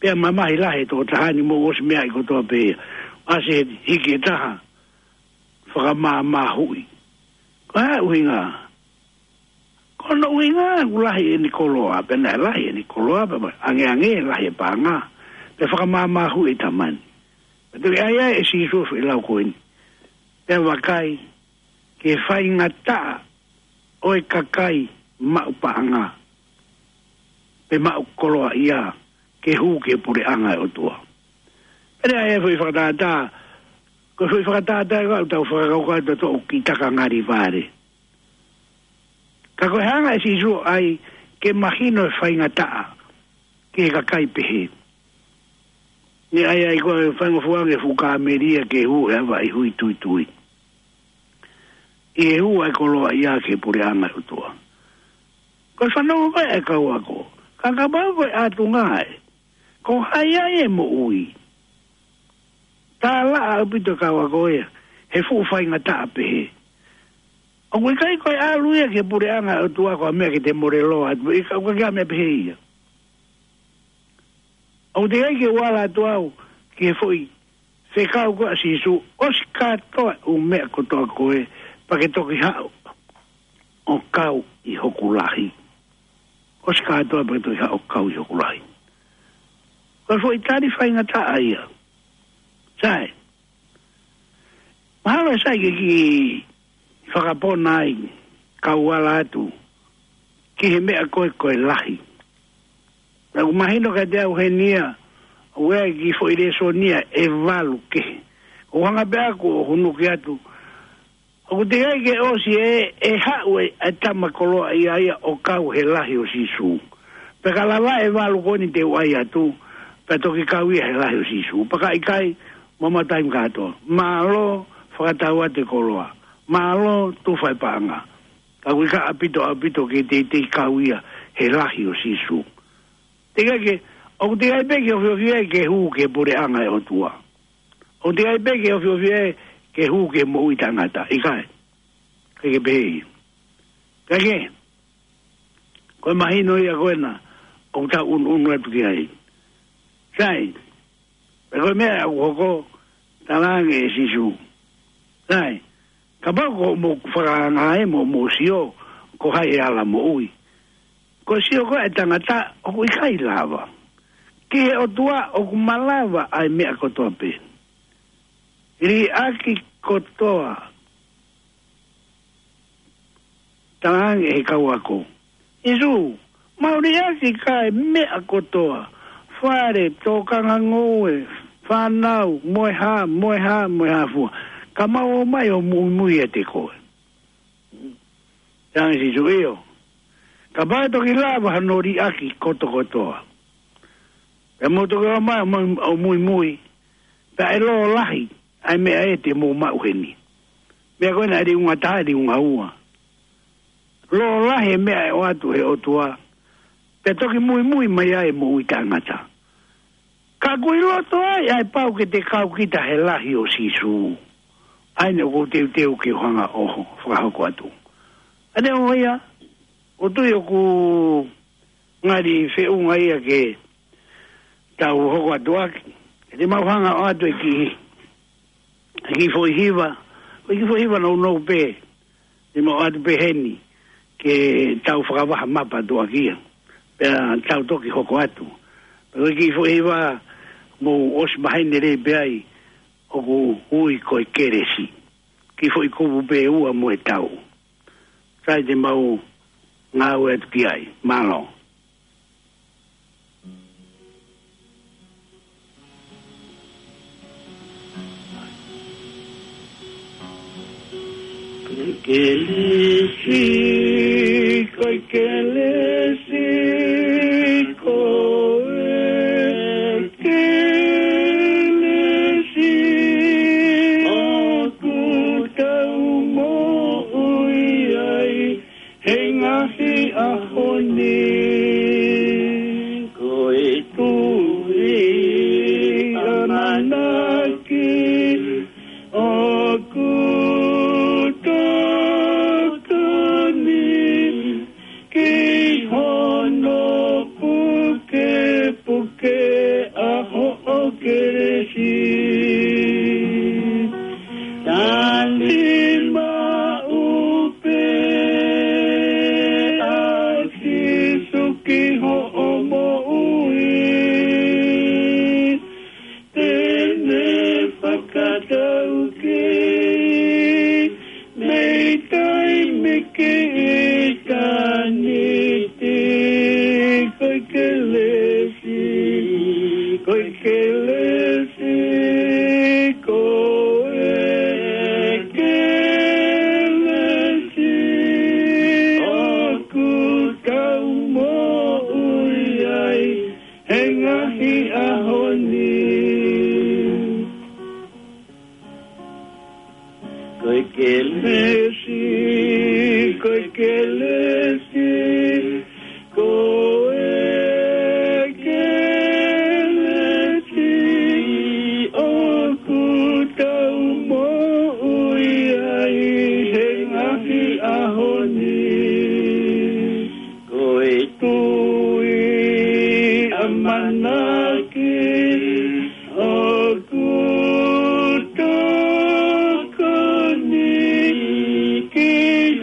Pea mamahi lahi e tokotaha ni, mou ʻosi meaʻi kotoa pē ia. ʻAsi hiki e taha, fakamāmāhuʻi. Ko e hā e ʻuhinga? Ko hono ʻuhinga ʻoku lahi ʻene koloa, pea naʻe lahi ʻene koloa, pea angeange lahi e paʻanga, pea fakamāmāhuʻi e tama ni. Pea toki ʻai ai ʻe Sīsū e foʻi lau ko eni. Pea vakai, ki he faingataʻa ʻo e kakai maʻu paʻanga, pe maʻu koloaʻia, ke hū ki he puleʻanga ʻo e ʻOtua. Pea ʻai e foʻi fakatātā, ko e foʻi fakatātā ko ē ʻoku tau fakakaukau ʻe tautolu ki he taka ngali vale. Ka ko e hanga ʻe Sīsū ʻo ʻai ke mahino e faingataʻa ki he kakai pehē. Naʻe ʻai ai ko e faingofua ange e fuʻu kāmeli ia ke hū he ʻava ʻi he hui tuitui. ʻI he hū ʻa e koloaʻia ki he puleʻanga ʻo e ʻOtua. Ko e fanongo ko ē ʻa e kau ako, ka kapau ko e ʻatunga ē, ko hai ai e moʻui? Tālaʻa ʻaupito e kau ako ia he fuʻu faingataʻa pehē. ʻOku ʻikai ko e ʻalu ia ki he puleʻanga ʻo e ʻOtua ko ha meʻa ke te mole loa atu, ʻikai, ʻoku ʻikai ha meʻa pehē ia. ʻOku teʻeki ai ke u ala atu au ki he foʻi fekau ko ē ʻa Sīsū, ʻosi kātoa e ʻū meʻa kotoa ko ē, pea ke toki haʻu ʻo kau ʻi hoku lahi. ʻOsi kātoa pea ke toki haʻu ʻo kau ʻi hoku lahi. Ko e foʻi tali faingataʻa ia. Sai. Mahalo sai ke kiʻi fakapona ai, kau ala atu ki he meʻa ko ē ko e lahi. Naʻa ku mahino kiate au heni ia, ʻoku ʻi ai e kiʻi foʻi lēsoni ia ʻe valu kehe. ʻOku hanga pē ʻaku ʻo hunuki atu. ʻOku teʻeki ai ke ʻosi ē, ʻe haʻu e, e tama koloaʻia ia ʻo kau he lahi ʻo Sīsū. Pea ka lava e valu ko eni te u ʻai atu, pea toki kau ia he lahi ʻo Sīsū. Pea ka ʻikai, mamaʻo taimi kātoa. Mālō, fakatau atu e koloa. Mālō, tufa e paʻanga. Ka ʻoku ʻikai ʻaupito, ʻaupito ke teitei kau ia he lahi ʻo Sīsū. Teʻeki ai ke, ʻoku teʻeki ai pē ke ofiofi ai ke hū ki he puleʻanga ʻo e ʻOtua. ʻOku ʻikai pē ke ofiofi ē ke hū ki he moʻui taʻengata. ʻIkai. ʻIkai ke pehē ia. Kae kehe, ko e mahino ia ko ena ʻoku tau ʻunuʻunu atu ki ai. Sai, pea ko e meʻa ʻoku hoko, talaange ʻe Sīsū. Sai, kapau ko hoʻomou fakaangaanga mo hoʻomou sio, ko hai ʻe ala moʻui. Ko e sio ko ē ʻa e tangata ʻoku ʻikai lava. Ki he ʻOtua ʻoku malava ʻa e meʻa kotoa pē. Liʻaki kotoa, talaange ʻe he kau ako. Sīsū, mau liʻaki ka e meʻa kotoa. Fale, tokanga ngoue, fānau, mo e hā, mo e hā, mo e hā fua. Ka mau ō mai ʻo muimui ʻiate koe. Talaange ʻe Sīsū, ʻio. Kapau ʻe toki lava hano liʻaki kotokotoa, pea mou toki ō mai ʻo mui-, ʻo muimui, pea ʻe lōlahi ʻa e meʻa ē te mou maʻu heni. Meʻa ko ena ʻa e liunga taha, liunga ua. Lōlahi e meʻa ʻe ʻoatu ʻe he ʻOtua, pea toki muimui mai ai e moʻui taʻengata. Ka ʻoku ʻi loto ai ʻa e pau ke te kau kita he lahi ʻo Sīsū. ʻA eni ʻoku ou teuteu ke u hanga ʻo fakahoko atu. ʻA eni ʻo ia, ʻoku ou tui ʻoku ngali feʻunga ia ke tau hoko atu ʻaki. Te mau hanga ʻo ʻoatu e kiʻi, e kiʻi foʻi hiva, ko e kiʻi foʻi hiva nounou pē, te mau ʻoatu pē heni, ke tau fakavaha mapa atu ʻaki ia. Pea tau toki hoko atu. Pea ko e kiʻi foʻi hiva mou ʻosi maheni lelei pē ai, ʻoku ui ko e kelesi. Kiʻi foʻi kupu pē ʻe ua mo e tau. Sai, te mau ngāue atu ki ai. Mālō. Kelesi, ko e kelesi, ko e kelesi ʻoku tau moʻui ai he ngaahi ʻaho ni. Ko e tui ʻamanaki ʻoku tokoni ki hono pukepuke ʻa hoʻo kelesi. Tali maʻu pē ʻa Sīsū ki hoʻo moʻui. Te ne fakataukei mei taimi ki ʻitāniti. Ko e kelesi, ko e kelesi, ko e kelesi ʻoku tau moʻui ai he ngaahi ʻaho ni. Ko e kelesi, ko e kelesi, ko e kelesi ʻoku tau moʻui ai he ngaahi ʻaho ni. Ko e tui ʻamanaki ʻoku tokoni ki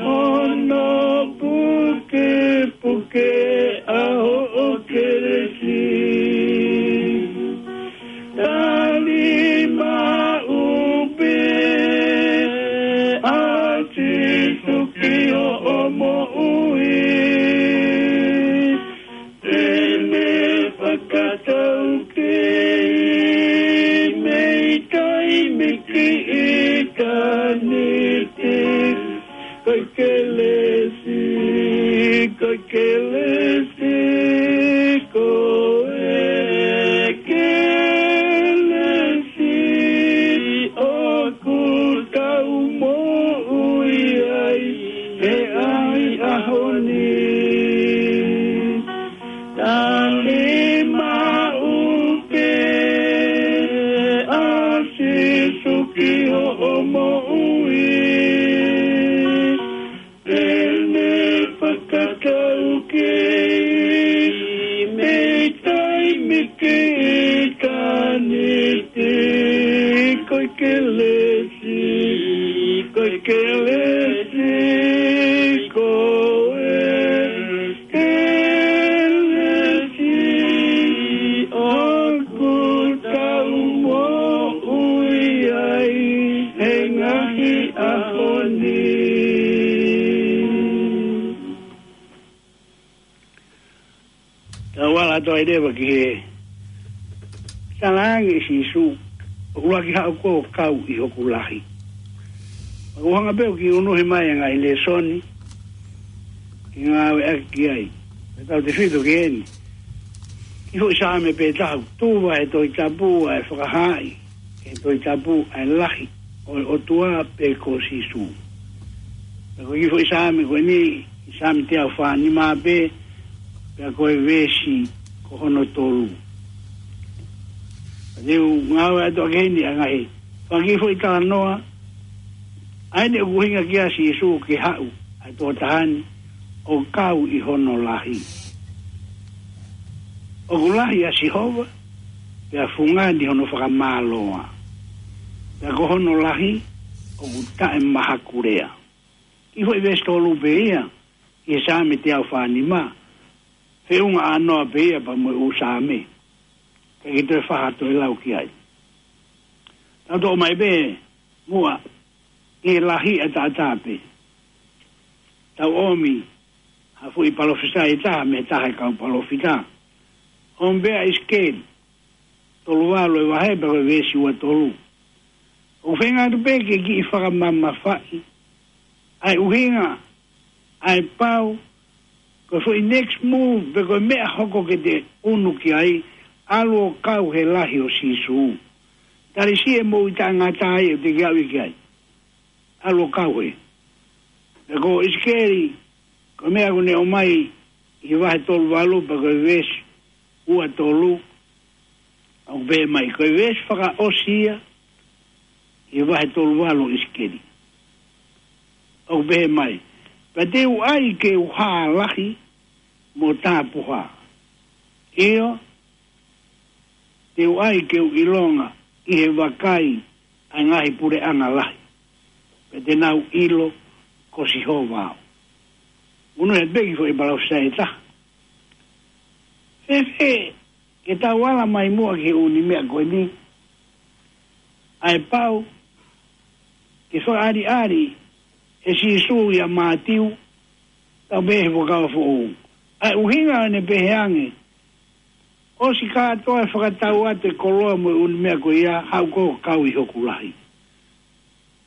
hono pukepuke ʻa hoʻo kelesi. Tali maʻu pē ʻa Sīsū ki hoʻo moʻui. Te ne fakataukei mei taimi ki ʻitāniti. Ko e kelesi, ko e kelesi, ko e kelesi ʻoku tau moʻui ai he ngaahi ʻaho ni. Tali maʻu pē ʻa Sīsū Fala atu ai leva ki he talaange ʻe Sīsū, ʻoku ʻuluaki haʻu koe ʻo kau ʻi hoku lahi. ʻOku hanga pē ʻo kiʻi unuhi mai e ngaahi lēsoni ke ngāueʻaki ki ai. Tautautefito ki heni, kiʻi foʻi Saame pē taha ʻoku tuva he Tohi Tapu ʻa e fakahaaʻi he Tohi Tapu ʻa e lahi ʻo e ʻOtua pe ko Sīsū. Pea ko e kiʻi foʻi Saame ko eni, Saame teau fā nima pē, pea ko e veesi ko hono tolu. Te u ngāueʻaki atu ʻaki heni ʻa e ngaahi fanga kiʻi foʻi talanoa, ʻa eni ʻoku ʻuhinga ki ai ʻa Sīsū ke haʻu ʻa e tokotaha ni ʻo kau ʻi hono lahi. ʻOku lahi ʻa Sihova, pea fungani hono fakamālō. Pea ko hono lahi ʻoku taʻemahakulea. Kiʻi foʻi veesi tolu pē ia ʻi he Saame teau fā nima, feʻunga ʻānoa pē ia pea mo e ʻū Saame. Ka ke toe faha toe lau ki ai. Tau toʻo mai pē muʻa ʻi he lahi ʻataʻatā pē. Tau ʻomi ha foʻi palōfisai ʻe taha mei he taha e kau palōfita. ʻOmi pē ʻa ʻIsikeli tolu valu e vahe pea ko e veesi ua tolu. ʻOku feinga atu pē ke kiʻi fakamamafaʻi ʻa e ʻuhinga, ʻa e pau, ko e foʻi next move pe ko e meʻa hoko ke te unu ki ai, ʻalu ʻo kau he lahi ʻo Sīsū. Tali siʻi e moʻui taʻengata ai ʻoku te kiʻi aʻu ki ai. ʻAlu ʻo kau he. Pea ko ʻIsikeli, ko e meʻa ʻoku ne ʻomai ʻi he vahe tolu valu pea ko e veesi ua tolu, ʻoku pehē mai, ko e veesi fakaʻosi ia ʻi he vahe tolu valu ʻo ʻIsikeli. ʻOku pehē mai, pea te u ʻai ke u hā lahi mo tapuhā. ʻIo, te u ʻai ke u ʻilonga ʻi he vakai ʻa e ngaahi puleʻanga lahi. Pea te nau ʻilo ko Sihova au. Unu e peki foʻi palōfisai ʻe taha. Fēfē ke tau ala mai muʻa ki he ʻū meʻa ko eni. ʻA e pau ke fakaʻaliʻali ʻe Sīsū ʻia Mātiu, tau pehē he Fuakava Foʻou. ʻA e ʻuhinga ʻo ʻene pehē ange, ʻosi kātoa e fakatau atu e koloa mo e ʻū meʻa ko ia, haʻu koe ʻo kau ʻi hoku lahi.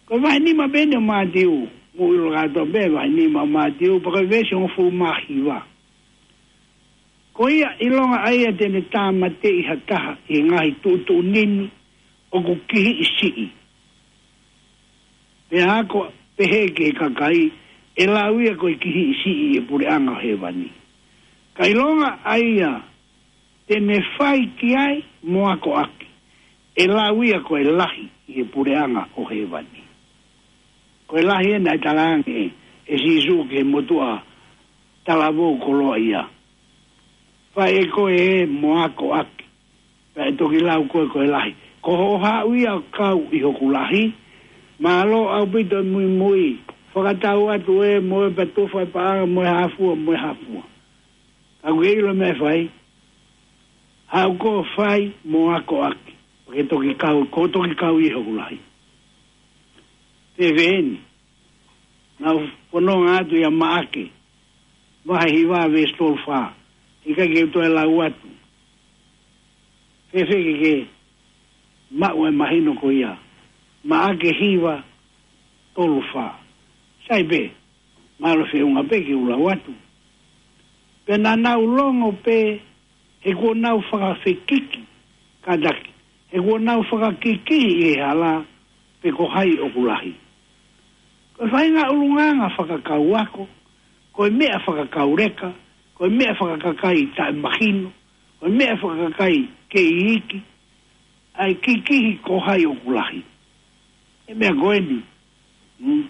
Ko e vahe nima pē eni ʻo Mātiu, mou ʻilo kātoa pē vahe nima ʻo Mātiu, pea ko e veesi hongofulu mā hiva. Ko ia ʻilonga ʻa ia te ne tāmateʻi ha taha ʻi he ngaahi tuʻutuʻuni ni ʻoku kihiʻi siʻi. Pea ako pehē ki he kakai, ʻe lau ia ko e kihiʻi siʻi ʻi he puleʻanga ʻo hēvani. Ka ʻilonga ʻa ia te ne fai ki ai mo akoʻaki, ʻe lau ia ko e lahi ʻi he puleʻanga ʻo hēvani. Ko e lahi ena ʻe talaange ʻe Sīsū ki he motuʻa talavou koloaʻia. Fai ʻe koe ē mo akoʻaki, pea ʻe toki lau koe ko e lahi. Ko hoʻo haʻu ia ʻo kau ʻi hoku lahi, mālō ʻaupito e muimui, fakatau atu ē mo e patufa e paʻanga mo e hā fua mo e hā fua. Ka ʻoku ke ʻilo e meʻa ʻe fai, haʻu koe ʻo fai mo akoʻaki, ke toki kau, ko toki kau ʻi hoku lahi. Fēfē eni, naʻa ku fononga atu ʻia Maʻake, vahe hiva veesi tolu fā, ʻikai ke u toe lau atu. Fēfē ke ke maʻu e mahino ko ia, Maʻake hiva tolu fā. Sai pē, mālō feʻunga pē ke u lau atu. Pea naʻa nau longo pē, he kuo nau fakafekiki, kātaki, he kuo nau fakakikihi ʻi he hala, pe ko hai ʻoku lahi. Ko e faʻahinga ʻulungaanga fakakau ako, ko e meʻa fakakau leka, ko e meʻa fakakakai taʻemahino, ko e meʻa fakakakai kei iiki, ʻa e kikihi ko hai ʻoku lahi. E meʻa ko eni. Mm.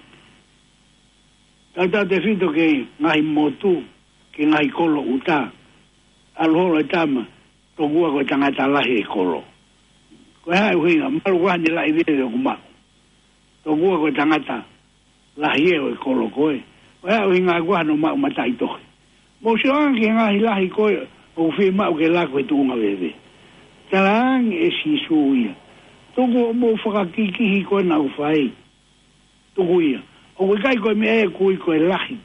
Tautautefito ki he ngaahi motu, ki he ngaahi kolo ʻuta. ʻAlu holo e tama, tokua ko e tangata lahi e kolo. Ko e hā e ʻuhinga, mahalo ko e hā ʻene laʻi veve ʻoku maʻu. Tokua ko e tangata lahi ē ʻo e kolo ko ē. Ko e hā e ʻuhinga ko e hā hono maʻu mataʻitohi. Mou sio ange ki he ngaahi lahi ko ē ʻoku fiemaʻu ke laku he tuʻunga veve. Talaange ʻe Sīsū ia, tuku hoʻomou fakakikihi ko ē naʻa ku fai. Tuku ia. ʻOku ʻikai ko e meʻa ē ʻoku ui ko e lahi.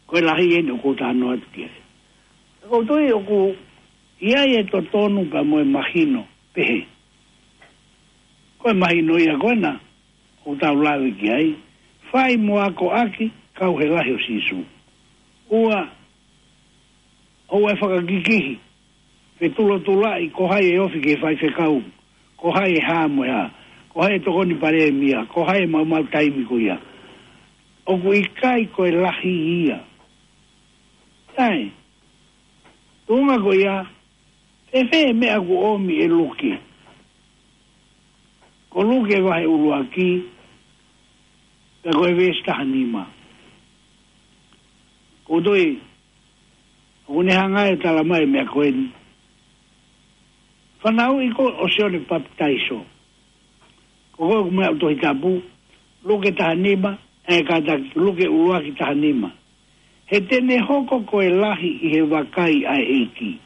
Ko e lahi eni ʻoku ou talanoa atu ki ai. Ko u tui ʻoku ʻi ai e totonu pea mo e mahino pehē. Ko e mahino ia ko ena ʻoku tau lave ki ai. Fai mo akoʻaki kau he lahi ʻo Sīsū. Ua, ʻoua ʻe fakakikihi, fetulotulaʻi ko hai e ofi ki he faifekau, ko hai e hā mo e hā, ko hai e tokoni palēmia, ko hai e maumau taimi ko ia. ʻOku ʻikai ko e lahi ia. Sai, tuʻunga ko ia, fēfē e meʻa ʻoku ʻomi ʻe Luke? Ko Luke vahe ʻuluaki, pea ko e veesi taha nima. Ko u tui, ʻoku ne hanga ʻe tala mai e meʻa ko eni. Fanauʻi ko ʻo Sione Papitaiso. Ko ko ʻoku meʻa ʻoku Tohi Tapu, Luke taha nima, ʻe kātaki, Luke ʻuluaki taha nima. He te ne hoko ko e lahi ʻi he vakai ʻa e ʻEiki.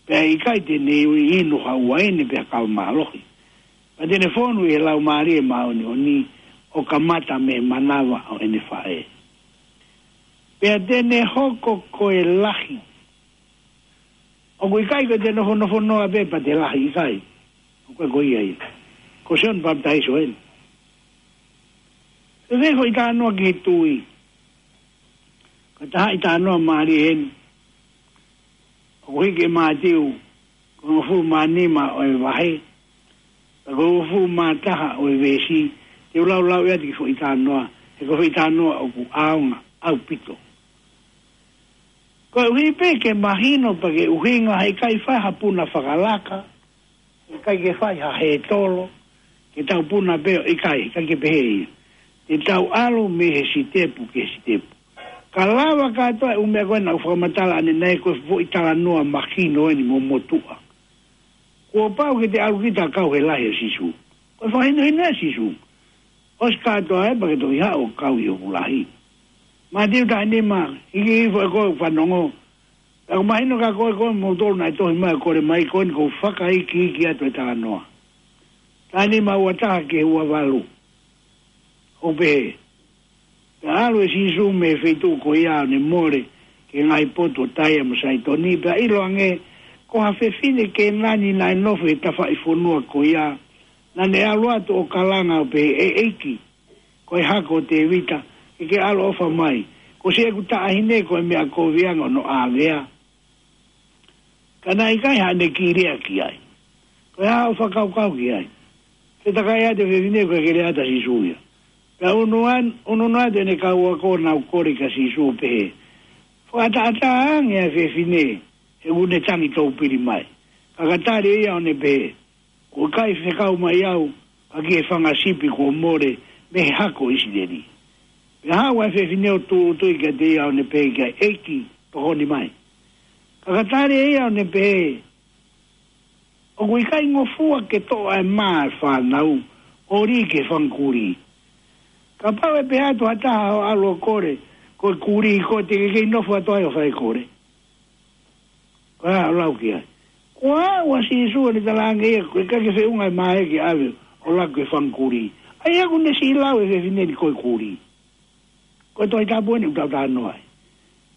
Pea ʻikai te ne inu ha uaine pe ha kava mālohi. Pea te ne fonu ʻi he Laumālie Māʻoniʻoni ʻo kamata mei he manava ʻo ʻene faʻē. Pea te ne hoko ko e lahi. ʻOku ʻikai ko e te nofonofo noa pē pea te lahi, ʻikai. ʻOku ʻikai ko ia ia. Ko Sione Papitaiso eni. Fēfē foʻi talanoa ki he tui? Ko e taha ʻi talanoa mālie eni. ʻOku hiki ʻe Mātiu, ko e hongofulu mā nima ʻo e vahe, pea ko e hongofulu mā taha ʻo e veesi, te u laulau atu e kiʻi foʻi talanoa, he ko e foʻi talanoa ʻoku ʻaonga ʻaupito. Koeʻuhi pē ke mahino pea ke ʻuhinga he ʻikai fai ha puna fakalaka, ʻikai ke fai ha hētolo, ke tau puna pē ʻo ʻikai, ʻikai ke pehē ia. Te tau ʻalu mei he sitepu ki he sitepu. Ka lava kātoa e ʻū meʻa ko ena ʻoku fakamatala ʻanenai ko e foʻi talanoa mahino eni mo motuʻa. Kuo pau ke te ʻalu kita ʻo kau he lahi ʻo Sīsū. Ko e fakahinohino ʻa Sīsū. ʻOsi kātoa ē pea ke toki haʻu ʻo kau ʻi hoku lahi. Mātiu taha nima, hiki hifo ʻe koe ʻo fanongo. Pea ʻoku mahino kia koe, ko moutolu naʻe tohi mai ʻo kole mai, ko eni ʻoku ou fakaikiiki atu e talanoa. Taha nima, ua taha ki he ua valu. ʻOku pehē. Pea ʻalu ʻe Sīsū mei he feituʻu ko ia ʻo ne mole ki he ngaahi potu ʻo Taia mo Saitoni, pea ʻiloange, ko ha fefine Kēnani naʻe nofo he tafaʻifonua ko ia, naʻa ne ʻalu atu ʻo kalanga ʻo pehē, ʻE ʻEiki, ko e hako ʻo Tēvita, ke ke ʻaloʻofa mai, kuo ʻosi ʻeku taʻahine ko e meʻa kovi ange hono ʻāvea. Ka naʻe ʻikai haʻane kiʻi lea ki ai. Ko e hā hoʻo fakakaukau ki ai? Fetakai atu e fefine, ʻoku ʻikai ke lea atu ʻa Sīsū ia. Pea ʻunu an-, ʻunu atu ʻene kau ako ʻo nau kole kia Sīsū ʻo pehē, Fakaʻataʻatā ange ʻa e fefine, he ʻoku ne tangi toupili mai. Ka ka tali ʻe ia ʻo ne pehē, Kuo ʻikai fekau mai au, ka ki he fanga sipi kuo mole mei he hako ʻo ʻIsileli. Pea haʻu ʻa e fefine ʻo tūʻulutui kiate ia ʻo ne pehē ki ai, ʻEiki, tokoni mai. Ka ka tali ʻe ia ʻo ne pehē, ʻOku ʻikai ngofua ke toʻo ʻa e mā ʻa e fānau ʻo lī ki he fanga kulī. Kapau ʻe pehē atu ha taha hoʻo ʻalu ʻo kole, Ko e kulī koe, te ke kei nofo atu ai ʻo fai e kole? Ko e hā hoʻo lau ki ai? Kuo aʻu ʻa Sīsū ʻo ne talaange ia, ʻoku ʻikai ke feʻunga e mā ia ke ʻave ʻo laku ki he fanga kulī. ʻA ia ʻoku ne siʻi lau e fefine ni ko e kulī. Ko e Tohi Tapu eni ʻoku tau talanoa ai.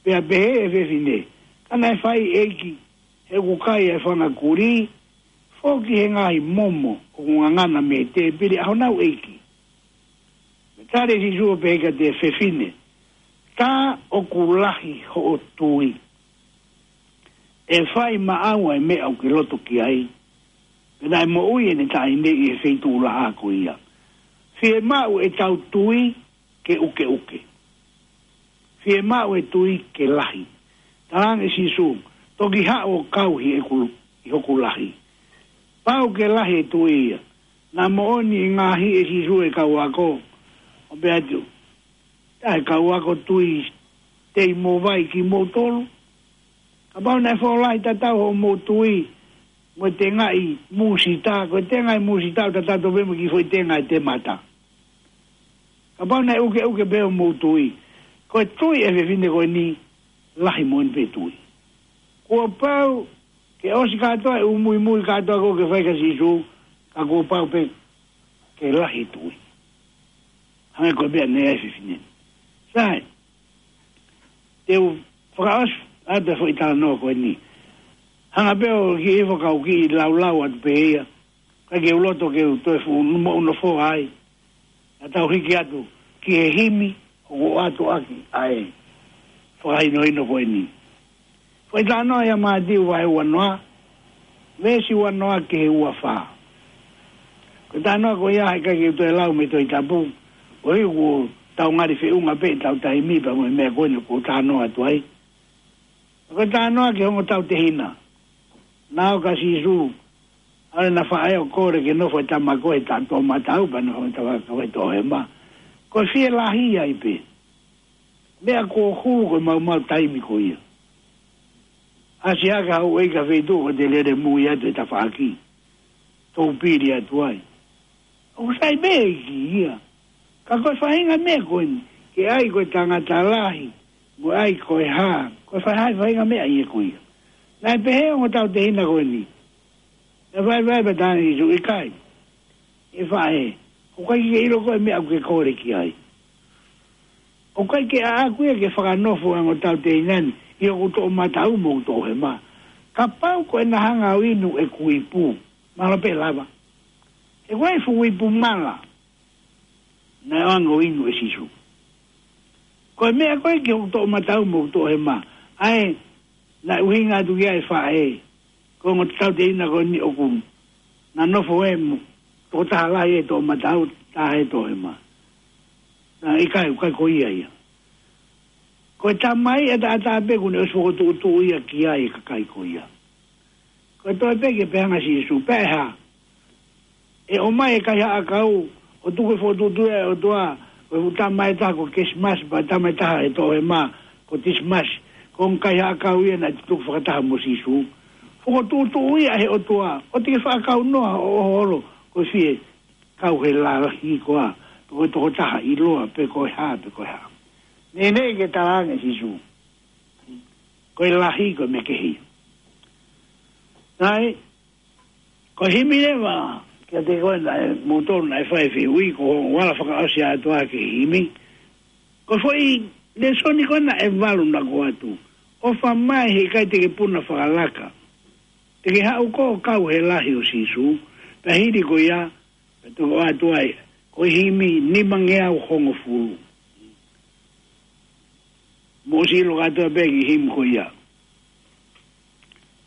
Pea pehē ʻe he fefine, Ka naʻe fai, ʻEiki, he ʻoku kai ʻa e fanga kulī, foki he ngaahi momo ʻoku ngangana mei he tēpile ʻa honau ʻeiki. Pea tali ʻe Sīsū ʻo pehē kiate ia, Fefine, tā ʻoku lahi hoʻo tui. ʻE fai maʻau ʻa e meʻa ʻoku ke loto ki ai. Pea naʻe moʻui ʻene taʻahine ʻi he feituʻu laʻā ko ia. Fiemaʻu ʻetau tui ke ʻukeʻuke. Fiemaʻu e tui ke lahi. Talaange ʻe Sīsū, Toki haʻu ʻo kau ʻi heʻeku, ʻi hoku lahi. Pau ke lahi e tui ia. Naʻa moʻoni e ngaahi ʻe Sīsū e kau ako. ʻO pehē atu, Tā e kau ako tui tei mo vai kimoutolu. Kapau naʻe fuʻu lahi tatau hoʻomou tui mo e tengaʻi mūsita, ko e tengaʻi mūsita ʻoku tatau pē mo e kiʻi foʻi tengaʻi temata. Kapau naʻe ʻukeʻuke pē hoʻomou tui, ko e tui ʻa e fefine ko eni, lahi moʻoni pē tui. Kuo pau ke ʻosi kātoa e ʻū muimui kātoa ko ē ʻoku ke fai kia Sīsū, ka kuo pau pē ke lahi e tui. Hangē ko e meʻa naʻe ʻi ai e fefine ni. Sai, te u fakaʻosi ʻA e foʻi talanoa ko eni. Hanga pē ʻo kiʻi foʻi kau kiʻi laulau atu pē ia. Ka ke u loto ke u toe fuʻu moʻu nofoa ai. Naʻa tau hiki atu ki he himi ʻoku ʻoatu ʻaki ʻa e fakahinohino ko eni. Foʻi talanoa ia Mātiu vahe uanoa, veesi uanoa ki he uafā. Ko e talanoa ko ia he ʻikai ke u toe lau mei he Tohi Tapu, koeʻuhi kuo tau ngali feʻunga pē ʻetau taimi pea mo e meʻa ko eni ʻoku ou talanoa atu ai. Ko e talanoa ki he ongo tautehina. Naʻe ʻoka Sīsū, ʻa ē naʻe faʻa ʻo kole ke nofo e tama ko ē he toʻomataʻu pea nofo e tama ko ē he toʻohema. Ko e fielahi ai pē. Meʻa kuo hulu ko e maumau taimi ko ia. ʻAsi hake hau ʻi ha feituʻu ko ē te lele mui atu he tafaʻaki. Tau pili atu ai. ʻOku sai pē ʻEiki ia. Ka ko e faʻahinga meʻa ko eni, ke ʻai ko e tangata lahi, mo ʻai ko e hā, ko e faʻahinga, faʻahinga meʻa ia ko ia. Naʻe pehē ongo tautehina ko eni. Naʻe vaivai pē ʻa Sīsū, ʻikai. ʻE faʻē, ʻoku ʻikai ke ke ʻilo koe e meʻa ʻoku ke kole ki ai. ʻOku ʻikai ke ʻaʻaku ia ke fakanofo ʻa e ongo tautehina ni ʻi hoku toʻomataʻu mo hoku toʻohema. Kapau ko ʻena hanga ʻo inu ʻeku ipu, mahalo pē lava. He ko e fuʻu ipu mala naʻe ʻoange ʻo inu ʻe Sīsū. Ko e meʻa ko ē ki hoku toʻomataʻu mo hoku toʻohema, ʻa ē naʻe ʻuhinga atu ki ai e faʻē, ko e ongo tautehina ko eni ʻoku na nofo ē mo e tokotaha lahi he toʻomataʻu, taha he toʻohema. Naʻe ʻikai, ʻikai ko ia ia. Ko e tamai ʻataʻatā pē kuo ne ʻosi fokotuʻutuʻu ia ki ai e kakai ko ia. Ko e toe pē ke pehē ange ʻa Sīsū, pea ʻe hā? ʻE ʻomai e kaihaʻa ʻakau, ʻo tuku e fokotuʻutuʻu ʻa e ʻOtua, ko e fuʻu tama ʻe taha ko Kesimasi, pea tama ʻe taha he toʻohema ko Tisimasi, ko e ongo kaihaʻa ʻakau ia naʻe tutuku fakataha mo Sīsū. Fokotuʻutuʻu ia ʻe he ʻOtua, ʻoua te ke faʻa kaunoa hoʻo holo, koeʻuhi ko e kau he lalahi koā, pe ko e tokotaha ʻiloa, pe ko e hā, pe ko e hā. Neʻineʻi ke talaange ʻe Sīsū, ko e lahi ko e meʻa kehe. Sai, ko e himi leva, kiate koe naʻe, moutolu naʻe fai e fehuʻi, ko hoʻo ala fakaʻosi atu ā ki he himi. Ko e foʻi lēsoni ko ē naʻe valu naʻa ku ʻoatu. ʻOfa mai he ʻikai te ke puna fakalaka. Te ke haʻu koe ʻo kau he lahi ʻo Sīsū, pea hili ko ia, pea toki ʻoatu ai, ko e himi nimangeau hongofulu. Mou ʻosi ʻilo kātoa pē ki he himi ko ia.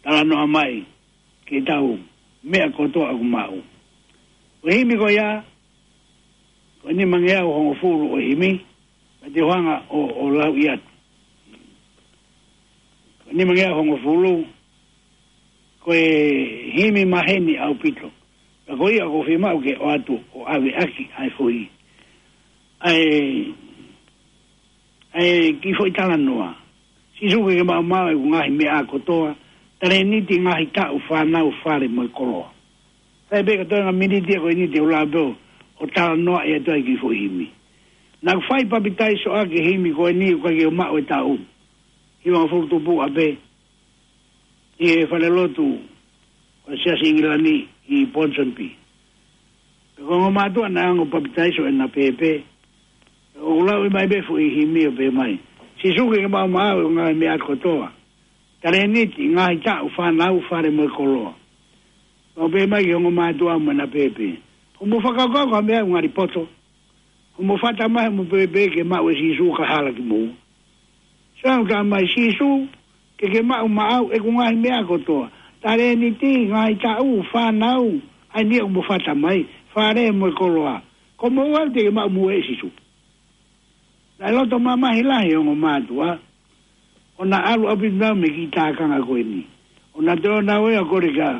Talanoa mai ki heʻetau meʻa kotoa ʻoku maʻu. Ko e himi ko ia, ko e nimangeau hongofulu ʻo e himi, pea te u hanga ʻo, ʻo lauʻi atu. Ko e nimangeau hongofulu, ko e himi maheni ʻaupito. Pea ko ia ʻoku ou fiemaʻu ke ʻoatu ʻo ʻave ʻaki ʻa e foʻi, ʻa e, ʻa e kiʻi foʻi talanoa. Sīsū ke ke maʻumaʻu ʻeku ngaahi meʻa kotoa, talēniti, ngaahi taʻu, fānau, fale mo e koloa. Sai pē ka toenga miniti ia ko eni te u lava pē ʻo talanoaʻi atu ai e kiʻi foʻi himi. Naʻa ku fai papitaiso ʻaki e himi ko eni ʻoku ʻikai ke u maʻu e taʻu. Hivangofulu tupu ʻa pē ʻi he falelotu ʻo e Siasi ʻIngilani ʻi Ponsonby. Pea ko e ongo mātuʻa naʻe hanga ʻo papitaiso ʻena pēpē. ʻOku lauʻi mai pē foʻi himi ʻo pehē mai, Sīsū ke ke maʻumaʻu ʻeku ngaahi meʻa kotoa. Talēniti, ngaahi taʻu, fānau, fale mo e koloa. Pea u pehē mai ki he ongo mātuʻa mo ʻena pēpē, hoʻomou fakakaukau ko e hā e meʻa ʻoku ngali poto? Hoʻomou fata mai hoʻomou pēpē ke maʻu ʻe Sīsū kae hala kimoua. Sai, ʻoku talamai ʻe Sīsū ke ke maʻumaʻu ʻeku ngaahi meʻa kotoa. Talēniti, ngaahi taʻu, fānau, ʻa eni ʻoku mou fata mai, fale mo e koloa. Ko moua te ke maʻu moʻui ʻe Sīsū. Naʻe loto mamahi lahi e ongo mātuʻa, ʻo na ʻalu ʻaupito nau mei he kiʻi tākanga ko eni. ʻO na toe ō nau ʻo kole ki he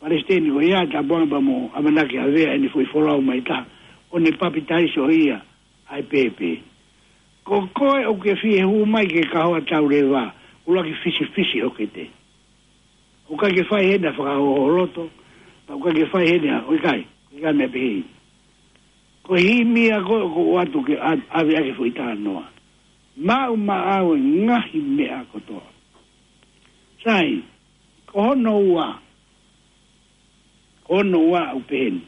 palesiteni ko ia, Tapuaʻanga, pea mo ʻamanaki ʻave ʻene foʻi folau mai ʻe taha, ʻo ne papitaiso ia ʻa e pēpē. Ko koe ʻoku ke fie hū mai ki he kahoa tauleva, ʻuluaki fisifisi ʻo kete. ʻOku ʻikai ke fai heni ha fakahoholoto, pea ʻoku ʻikai ke fai heni ha, ʻoku ʻikai, ʻikai meʻa pehē. Ko e himi ia ko ē ʻoku ou ʻoatu ke ʻa-, ʻave ʻaki e foʻi talanoa. Maʻumaʻu e ngaahi meʻa kotoa. Sai, ko hono ua, ko hono ua ʻoku pehē ni.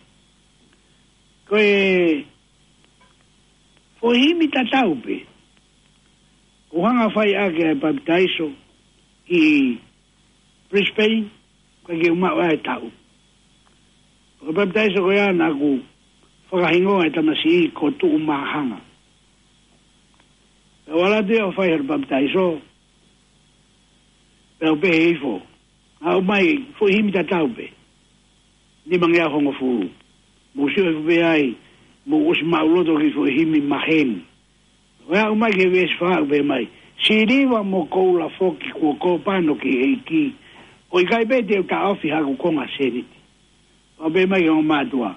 Ko e foʻi himi tatau pē. ʻOku hanga ʻo fai ʻaki ʻa e papitaiso, ʻi Brisbane, ka ke uma ʻa e taʻu. Ko e papitaiso ko ia naʻa ku fakahingoa e tamasiʻi ko Tuʻumahanga. Pea u ala atu ia ʻo fai haʻaku papitaiso, pea u pehē hifo, ʻomai foʻi himi tatau pē, nimangeau hongofulu. Mou sio hifo pē ai, mou ʻosi maʻuloto ki he foʻi himi maheni. ʻO aʻu mai ki he veesi fā, ʻoku pehē mai: Siliva mo koula foki kuo kōpano ki he ʻEiki, ʻo ʻikai pē te u taʻofi haʻaku konga sēniti. ʻOku pehē mai ki he ongo mātuʻa: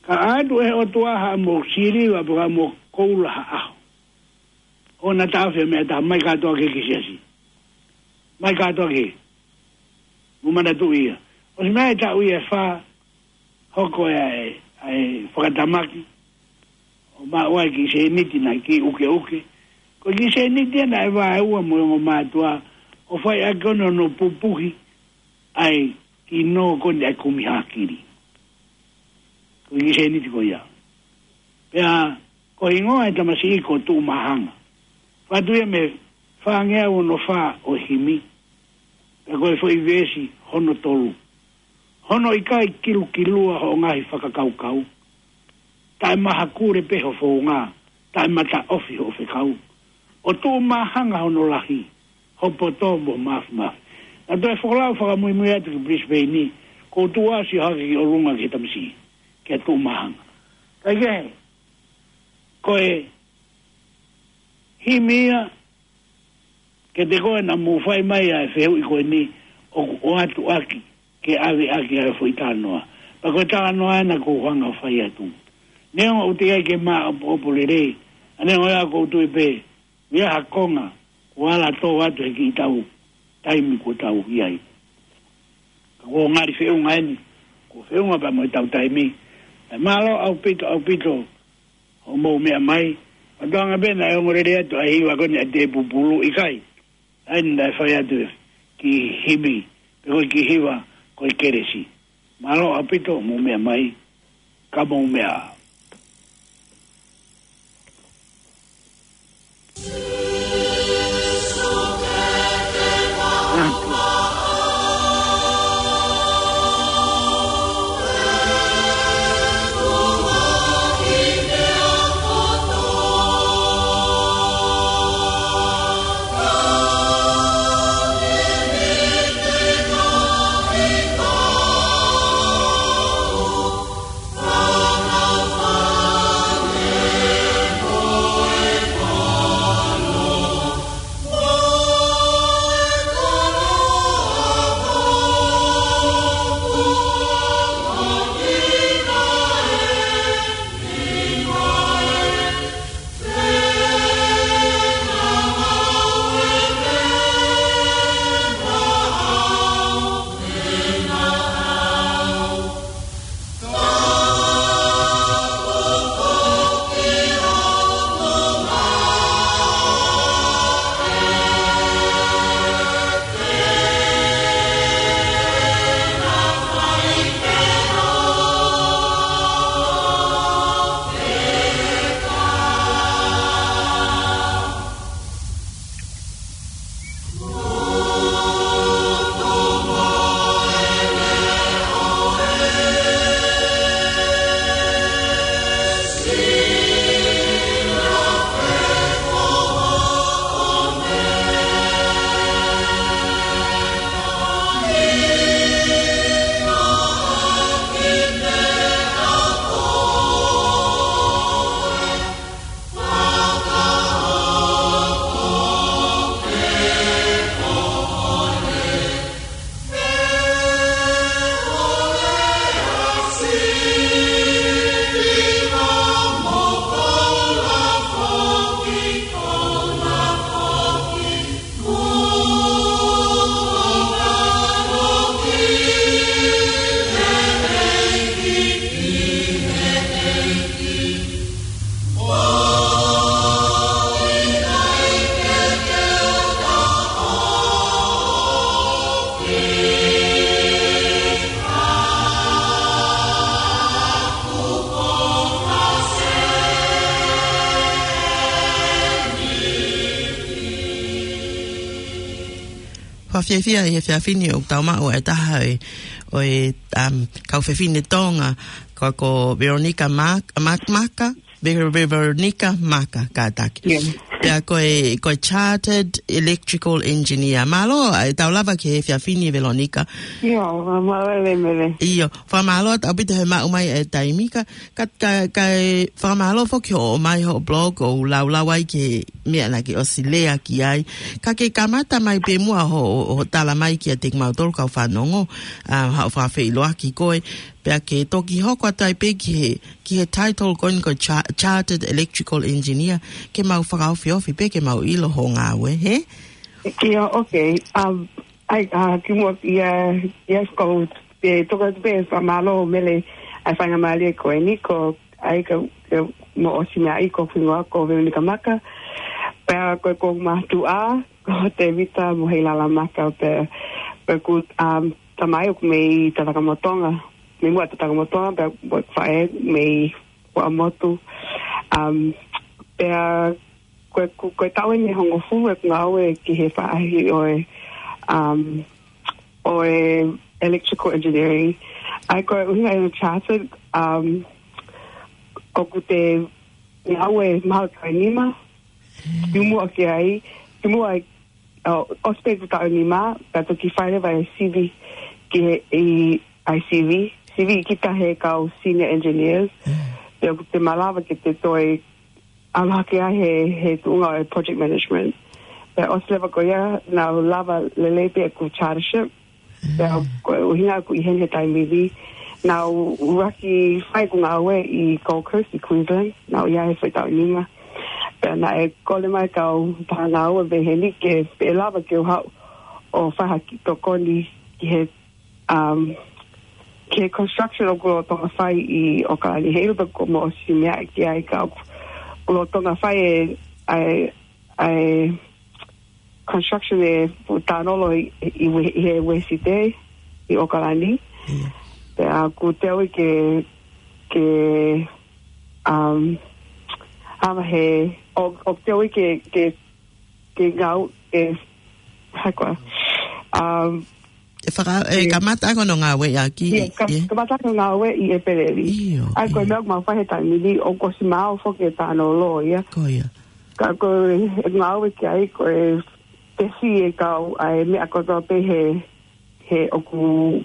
Ka ʻoatu ʻe he ʻOtua haʻamo siliva pe ko haʻamo koula ha ʻaho, ʻoua naʻa taʻofi ha meʻa ʻe taha, ʻomai kātoa ki he siasi. ʻOmai kātoa ki he. Mou manatuʻi ia. ʻOsi mai e taʻu ia ʻe fā, hoko ʻa e, ʻa e fakatamaki, ʻo maʻu ai e kiʻi sēniti naʻe kiʻi ʻukeʻuke. Ko e kiʻi sēniti ia naʻe vaeua mo e ongo mātuʻa, ʻo fai ʻaki ʻo ne ʻo ne pupuhi ʻa e kiʻi nō ko eni ʻa e kumi hākili. Ko e kiʻi sēniti ko ia. Pea ko e hingoa e tamasiʻi ko Tuʻumahanga. Fatu ia mei he fāngeau ono fā ʻo e himi. Pea ko e foʻi veesi hono tolu: Hono ʻikai kilukilua hoʻo ngaahi fakakaukau, taʻemahakule pē ho founga, taʻemataʻofi hoʻo fekau. ʻO Tuʻumahanga hono lahi, ho poto mo ho māfimafi. Naʻa toe folau fakamuimui atu ki Brisbane ni, ko u tuʻu ʻo sio hake ki ʻolunga ki he tamasiʻi, kia Tuʻumahanga. Kaikehe, ko e himi ia, kiate koe naʻa mou fai mai ʻa e fehuʻi ko eni, ʻoku ʻoatu ʻaki ke ʻave ʻaki ʻa e foʻi talanoa. Pea ko e talanoa ena ʻoku ou hanga ʻo fai atu. Neongo ʻoku teʻeki ai ke māʻopoʻopo lelei, ʻa neongo ia ʻoku ou tui pē ʻoku ʻi ai ha konga kuo ala tō atu he kiʻi tau taimi kuo tau ʻi ai. Ka kuo ngali feʻunga eni, kuo feʻunga pea mo e tau taimi. Kae mālō ʻaupito, ʻaupito hoʻomou meʻa mai. Mātuʻa, ʻoku pehē naʻe ongo lelei atu ʻa e hiva ko eni ʻa e Tēpupulu, ʻikai. ʻA ia naʻe fai atu e kiʻi himi, pe ko e kiʻi hiva ko e kelesi. Mālō ʻaupito hoʻomou meʻa mai, ka mou meʻa ā. Fakafiefia ʻi he efiafi ni ʻoku tau maʻu ʻa e taha ʻo e, ʻo e, um, kau fefine Tonga, ko, ko Veronica Mark, Mark Maka, Ve-, Ve-, Veronica Maka, kātaki. Pea ko e, ko e Chartered Electrical Engineer. Mālō, ʻa e tau lava ki he efiafi ni Veronica. ʻIo, mālō e mele. ʻIo, fakamālō atu ʻaupito he maʻu mai e taimi ka, ka, ka, ka e fakamālō foki hoʻo ʻomai hoʻo blog ʻo laulau ai ki he meʻa naʻa ke ʻosi lea ki ai. Ka ke kamata mai pē muʻa hoʻo, hoʻo tala mai kiate kimautolu kau fanongo, ʻa, haʻo fakafeʻiloaki koe. Pea ke toki hoko atu ai pē ki he, ki he title ko eni ko Cha-, Chartered Electrical Engineer, ke mau fakaofiofi pē ke mau ʻilo hoʻo ngāue, hē? ʻIo, okay. Um, ʻai, ʻa, kimuʻa ia, ia ko e toka atu pē fakamālō mele ʻa e faingamālie ko eni ko ʻai ka, ka mo ʻosi meʻa ʻi ko hingoa ko Veronica Maka. Pea ko e ko mātuʻa, ko Tevita mo Heilala Maka pea, pea ko, um, tamai ʻoku mei Tatakamotonga. Mei muʻa Tatakamotonga, pea ko e faʻē mei Fuaʻamotu. Um, pea ko e, ko e, ko e taʻu eni ʻe hongofulu ʻeku ngāue ki he faʻahi ʻo e, um, ʻo e electrical engineering. ʻAi ko e ʻuhinga ʻi he chartered, um, ʻoku te ngāue mahalo taʻu ʻe nima. Kimuʻa ki ai, kimuʻa ai, ʻo, ʻosi pē ʻeku taʻu ʻe nima, ka toki fai leva e sivi ki he, ʻi, ʻai sivi, sivi kita he kau senior engineers. Pea ʻoku te malava ke te toe ʻalu hake ai he, he tuʻunga ʻo e project management. Pea ʻosi leva ko ia, naʻa ku lava lelei pē ʻeku chartership. Pea ko e ʻuhinga ʻoku ʻi heni he taimi ni, naʻa ku ʻuluaki fai ʻeku ngāue ʻi Gold Coast ʻi Queensland, naʻa ku ʻi ai he foʻi taʻu ʻe nima. Pea naʻe kole mai kau pā ngāue mei heni ke pe lava ke u haʻu ʻo fai ha kiʻi tokoni ki he, um, ki he construction ʻoku lolotonga fai ʻi ʻAokalani. Heiʻilo pe kuo mo ʻosi meʻa ki ai ka ʻoku, ʻoku lolotonga fai e, ʻa e, ʻa e construction e fuʻu tānolo ʻi, ʻi, ʻi he uēsite ʻi ʻAokalani. Pea ʻoku te ui ke, ke, um, ava he, ʻo, ʻoku te ui ke, ke, ke ngāu, ke, hā koā. Um, E faka-, e kamata ko hono ngāue ʻaki, ʻio, ka-, kamata ko hono ngāue ʻi ʻEpeleli. ʻAi ko e meʻa ʻoku mau fai he taimi ni, ʻoku ʻosi maau foki e tānolo ia. Ko ia. Ka ko e ngāue ki ai ko e tesi e kau, ʻa e meʻa kotoa pē he, he ʻoku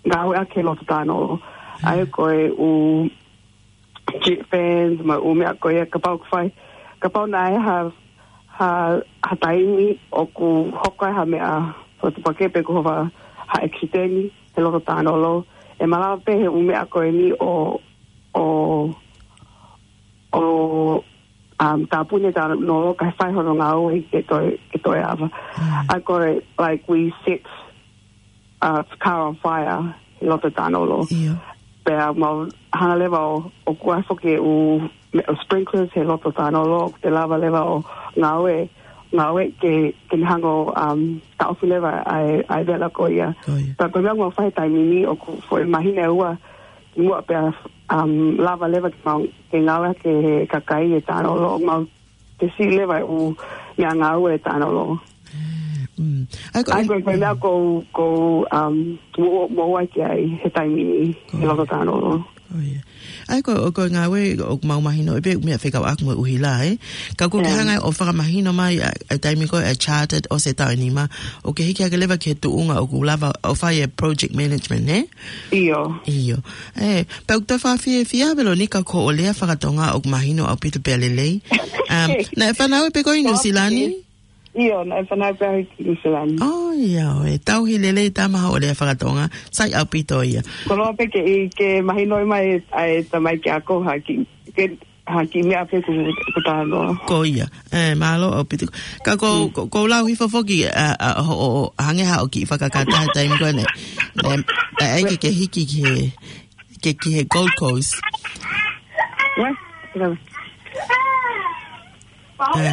ngāueʻaki he loto tānolo. ʻAi ko e ʻū jet fans, mo e ʻū meʻa ko ia, kapau ʻoku fai, kapau naʻe ʻi ai ha, ha, ha taimi ʻoku hoko ai ha meʻa, so te pake pe ko ha, ha ʻekisiteni he loto tānolo, ʻe malava pē he ʻū meʻa ko eni ʻo, ʻo, ʻo, um, tāpuni e tānolo kae fai hono ngāue ke toe, ke toe ava. ʻAi ko e, like, we set uh, car on fire he loto tānolo. Pea mau hanga leva ʻo, ʻo kuai foki e ʻū me-, ʻū sprinklers he loto tānolo, ʻoku te lava leva ʻo ngāue, ngāue ke, ke ne hanga ʻo, um, taʻofi leva ʻa e, ʻa e vela ko ia. Pea ko e meʻa ʻoku mau fai he taimi ni ʻoku foʻi māhina ʻe ua kimuʻa pea, um, lava leva ke mau, ke ngāueʻaki ʻe he kakai e tānolo, mau tesi leva e ʻū meʻangāue e tānolo. ʻAi ko e, ʻai ko e meʻa ʻoku, ʻoku, um, mo, mo ʻai ki ai he taimi ni, he loto tānolo. ʻAi ko, ko e ngāue ʻoku mau mahino ʻe pē meʻa fekauʻaki mo e ʻuhila, ē? Ka ʻoku ke hanga ʻo fakamahino mai ʻa, ʻa e taimi ko ē ʻa e chartered ʻosi e taʻu ʻe nima, ʻoku ke hiki hake leva ki he tuʻunga ʻoku lava ʻo fai e project management, ē? ʻIo. ʻIo. Ē, pea ʻoku toe fakafiefia Veronica ko hoʻo lea fakatonga ʻoku mahino ʻaupito pea lelei. Um, naʻe fanauʻi pē koe ʻi Nuʻusila ni? ʻIo, naʻe fanauʻi pē au ʻi Nuʻusila ni. ʻIo, ʻe tauhi lelei tama hoʻo lea fakatonga, sai ʻaupito ia. Koloa pē ke, ke mahinoʻi mai ʻa e tamai ke ako ha kiʻi, ke ha kiʻi meʻa pē ʻoku, ʻoku tānolo. Ko ia. Ē, mālō ʻaupito. Ka ko, ko, ko lau hifo foki, ʻa, ʻa, ho, ho, hangē haʻo kiʻi fakakata he taimi ko ē naʻe, naʻe, naʻe ʻai ke, ke hiki ki he, ke, ki he Gold Coast. Ē.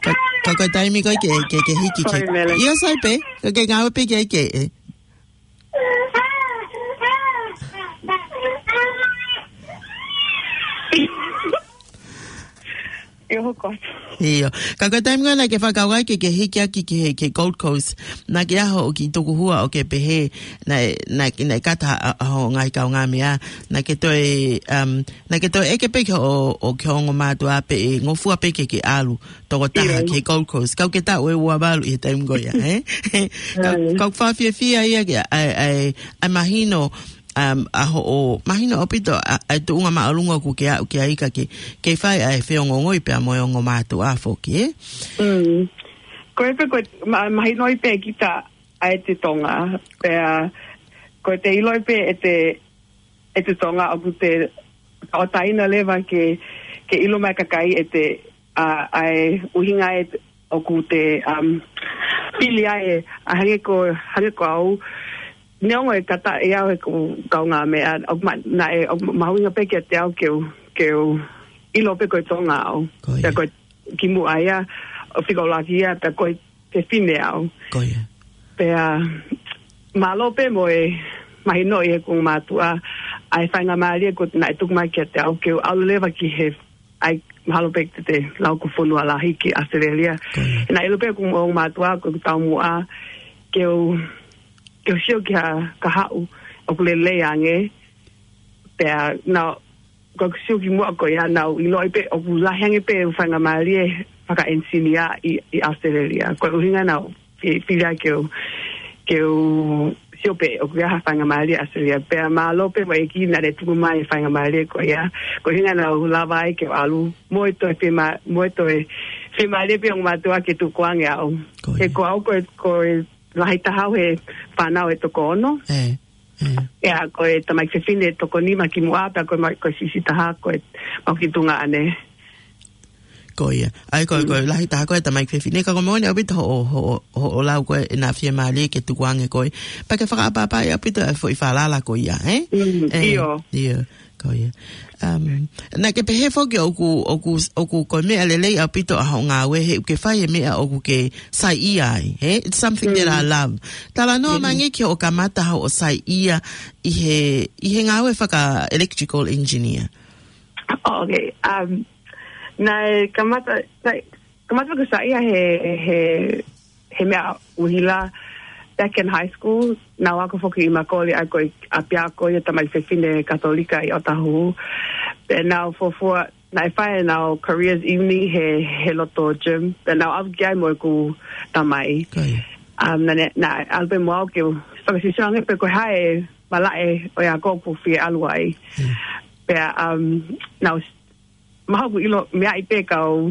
Ka, ka ko e taimi ko ē ke, ke, ke hiki ki he. Sorry, Mele. ʻIo, sai pē, ka ke ngāue pē ki ai ke, ē. ʻio, hoko atu. ʻIo. Ka ko e taimi ko ē naʻa ke fakakaukau ai ke, ke hiki hake ki he, ki he Gold Coast, naʻa ke ʻaho ʻo ke tukuhua ʻo ke pehē, naʻe, naʻe, naʻe kata ʻa, ʻa hoʻo ngaahi kaungāmeʻa, naʻa ke toe, um, naʻa ke toe ʻeke pē ki hoʻo, ʻo ki hoʻo ongo mātuʻa pe ʻe ngofua pē ke ke ʻalu tokotaha ʻIo. ki he Gold Coast. Kau ke taʻu ʻe ua valu ʻi he taimi ko ia, ē? Kau, Mm. kau fakafiefia ia ke, ʻa e, ʻa e, ʻa e mahino, um, ʻa hoʻo, mahino ʻaupito, ʻa, ʻa e tuʻunga māʻolunga ʻoku ke aʻu ki ai ka ke, ke fai ʻa e feongoongoi pea mo e ongo mātuʻa foki, ē? Mm. Ko e pē ko e, ma-, mahinoʻi pē kita ʻa e te Tonga, pea ko e te ʻiloʻi pē ʻe te, ʻe te Tonga ʻoku te, ʻo taina leva ke, ke ʻilo mai kakai ʻe te, ʻa, ʻa e ʻuhinga ʻe te, ʻoku te, um, pili ai ʻe, ʻa hangē ko, hangē ko au, neongo ʻe kata ʻe au he ko kaungāmeʻa, ʻoku ma-, naʻe, ʻoku mahuʻinga pē kiate au ke u, ke u ʻilo pē ko e Tonga au. Ko ia. Pea ko e kimuʻa ia, ʻo fika ʻuluaki ia, pea ko e fefine au. Ko ia. Pea, mālō pē mo e mahinoʻi ʻe he ongo mātuʻa, ʻa e faingamālie ko ē naʻe tuku mai kiate au, ke u ʻalu leva ki he ʻai mahalo pē te te lau ko fonua lahi ki ʻAositelēlia. Ko ia. Naʻe ʻilo pē ʻe he ongo mātuʻa ko e taumuʻa ke u, ke u sio ki ha kahaʻu ʻoku lelei ange. Pea naʻa, ko e sio kimuʻa ko ia naʻa ku ʻiloʻi pē ʻoku lahi ange pē ʻeku faingamālie fakaʻenisinia ʻi, ʻi ʻAositelēlia. Ko e ʻuhinga naʻa ku fi-, fili ai ke u, ke u sio pē ʻoku ʻi ai ha faingamālie ʻAositelēlia. Pea mālō pē mo e ʻEiki naʻa ne tuku mai e faingamālie ko ia. Ko e ʻuhinga naʻa ku lava ai ke u ʻalu mo e toe fiema-, mo e toe fiemālie pē ongo mātuʻa ke tukuange au. Ko ia. He ko au ko e, ko e lahi taha au he fānau ʻe toko ono. ʻE, ʻe. ʻIa, ko e tamaiki fefine toko nima kimuʻa, pea ko e ma-, ko e siʻisiʻi taha, ko e mau ki tuongaʻane. Ko ia. ʻAi, ko e, Mm. ko e lahi taha ko e tamaiki fefine, ka ko e moʻoni ʻaupito hoʻo, hoʻo, hoʻo lau ko ē naʻa fiemālie ke tukuange koe. Pea ke fakaʻapaʻapaʻi ʻaupito e foʻi falala ko ia, ē? Mm, ʻIo. ʻIo, ko ia. Um, naʻa ke pehē foki ʻoku, ʻoku, ʻoku ko e meʻa lelei ʻaupito ʻa hoʻo ngāue he ʻoku ke fai e meʻa ʻoku ke saiʻia ai, ē? It's something that I Mm. love. Talanoa Mm. mai angē ki hoʻo kamata hoʻo saiʻia ʻi he, ʻi he ngāue faka-electrical engineer. Okay, um, naʻe kamata, naʻe kamata ʻeku saiʻia he, he, he meʻa ʻuhila, back in high school, naʻa ku ako foki ʻi Makoli, ʻa ia ko e ʻapiako ia tamaiki fefine Katolika ʻi Otahuhu. Pea naʻa ku fuofua, naʻe fai ʻenau careers evening he, he loto gym. Pea naʻa ku ʻalu ki ai mo ʻeku tamai. Ko ia. Um, naʻa ne, naʻe ʻalu pē mo au ke u fakasīsū ange pe ko e hā e malaʻe ʻo e ako ʻoku ou fie ʻalu ai. Hmm. Pea, um, naʻa ku mahalo ʻoku ʻilo meaʻi pē kau,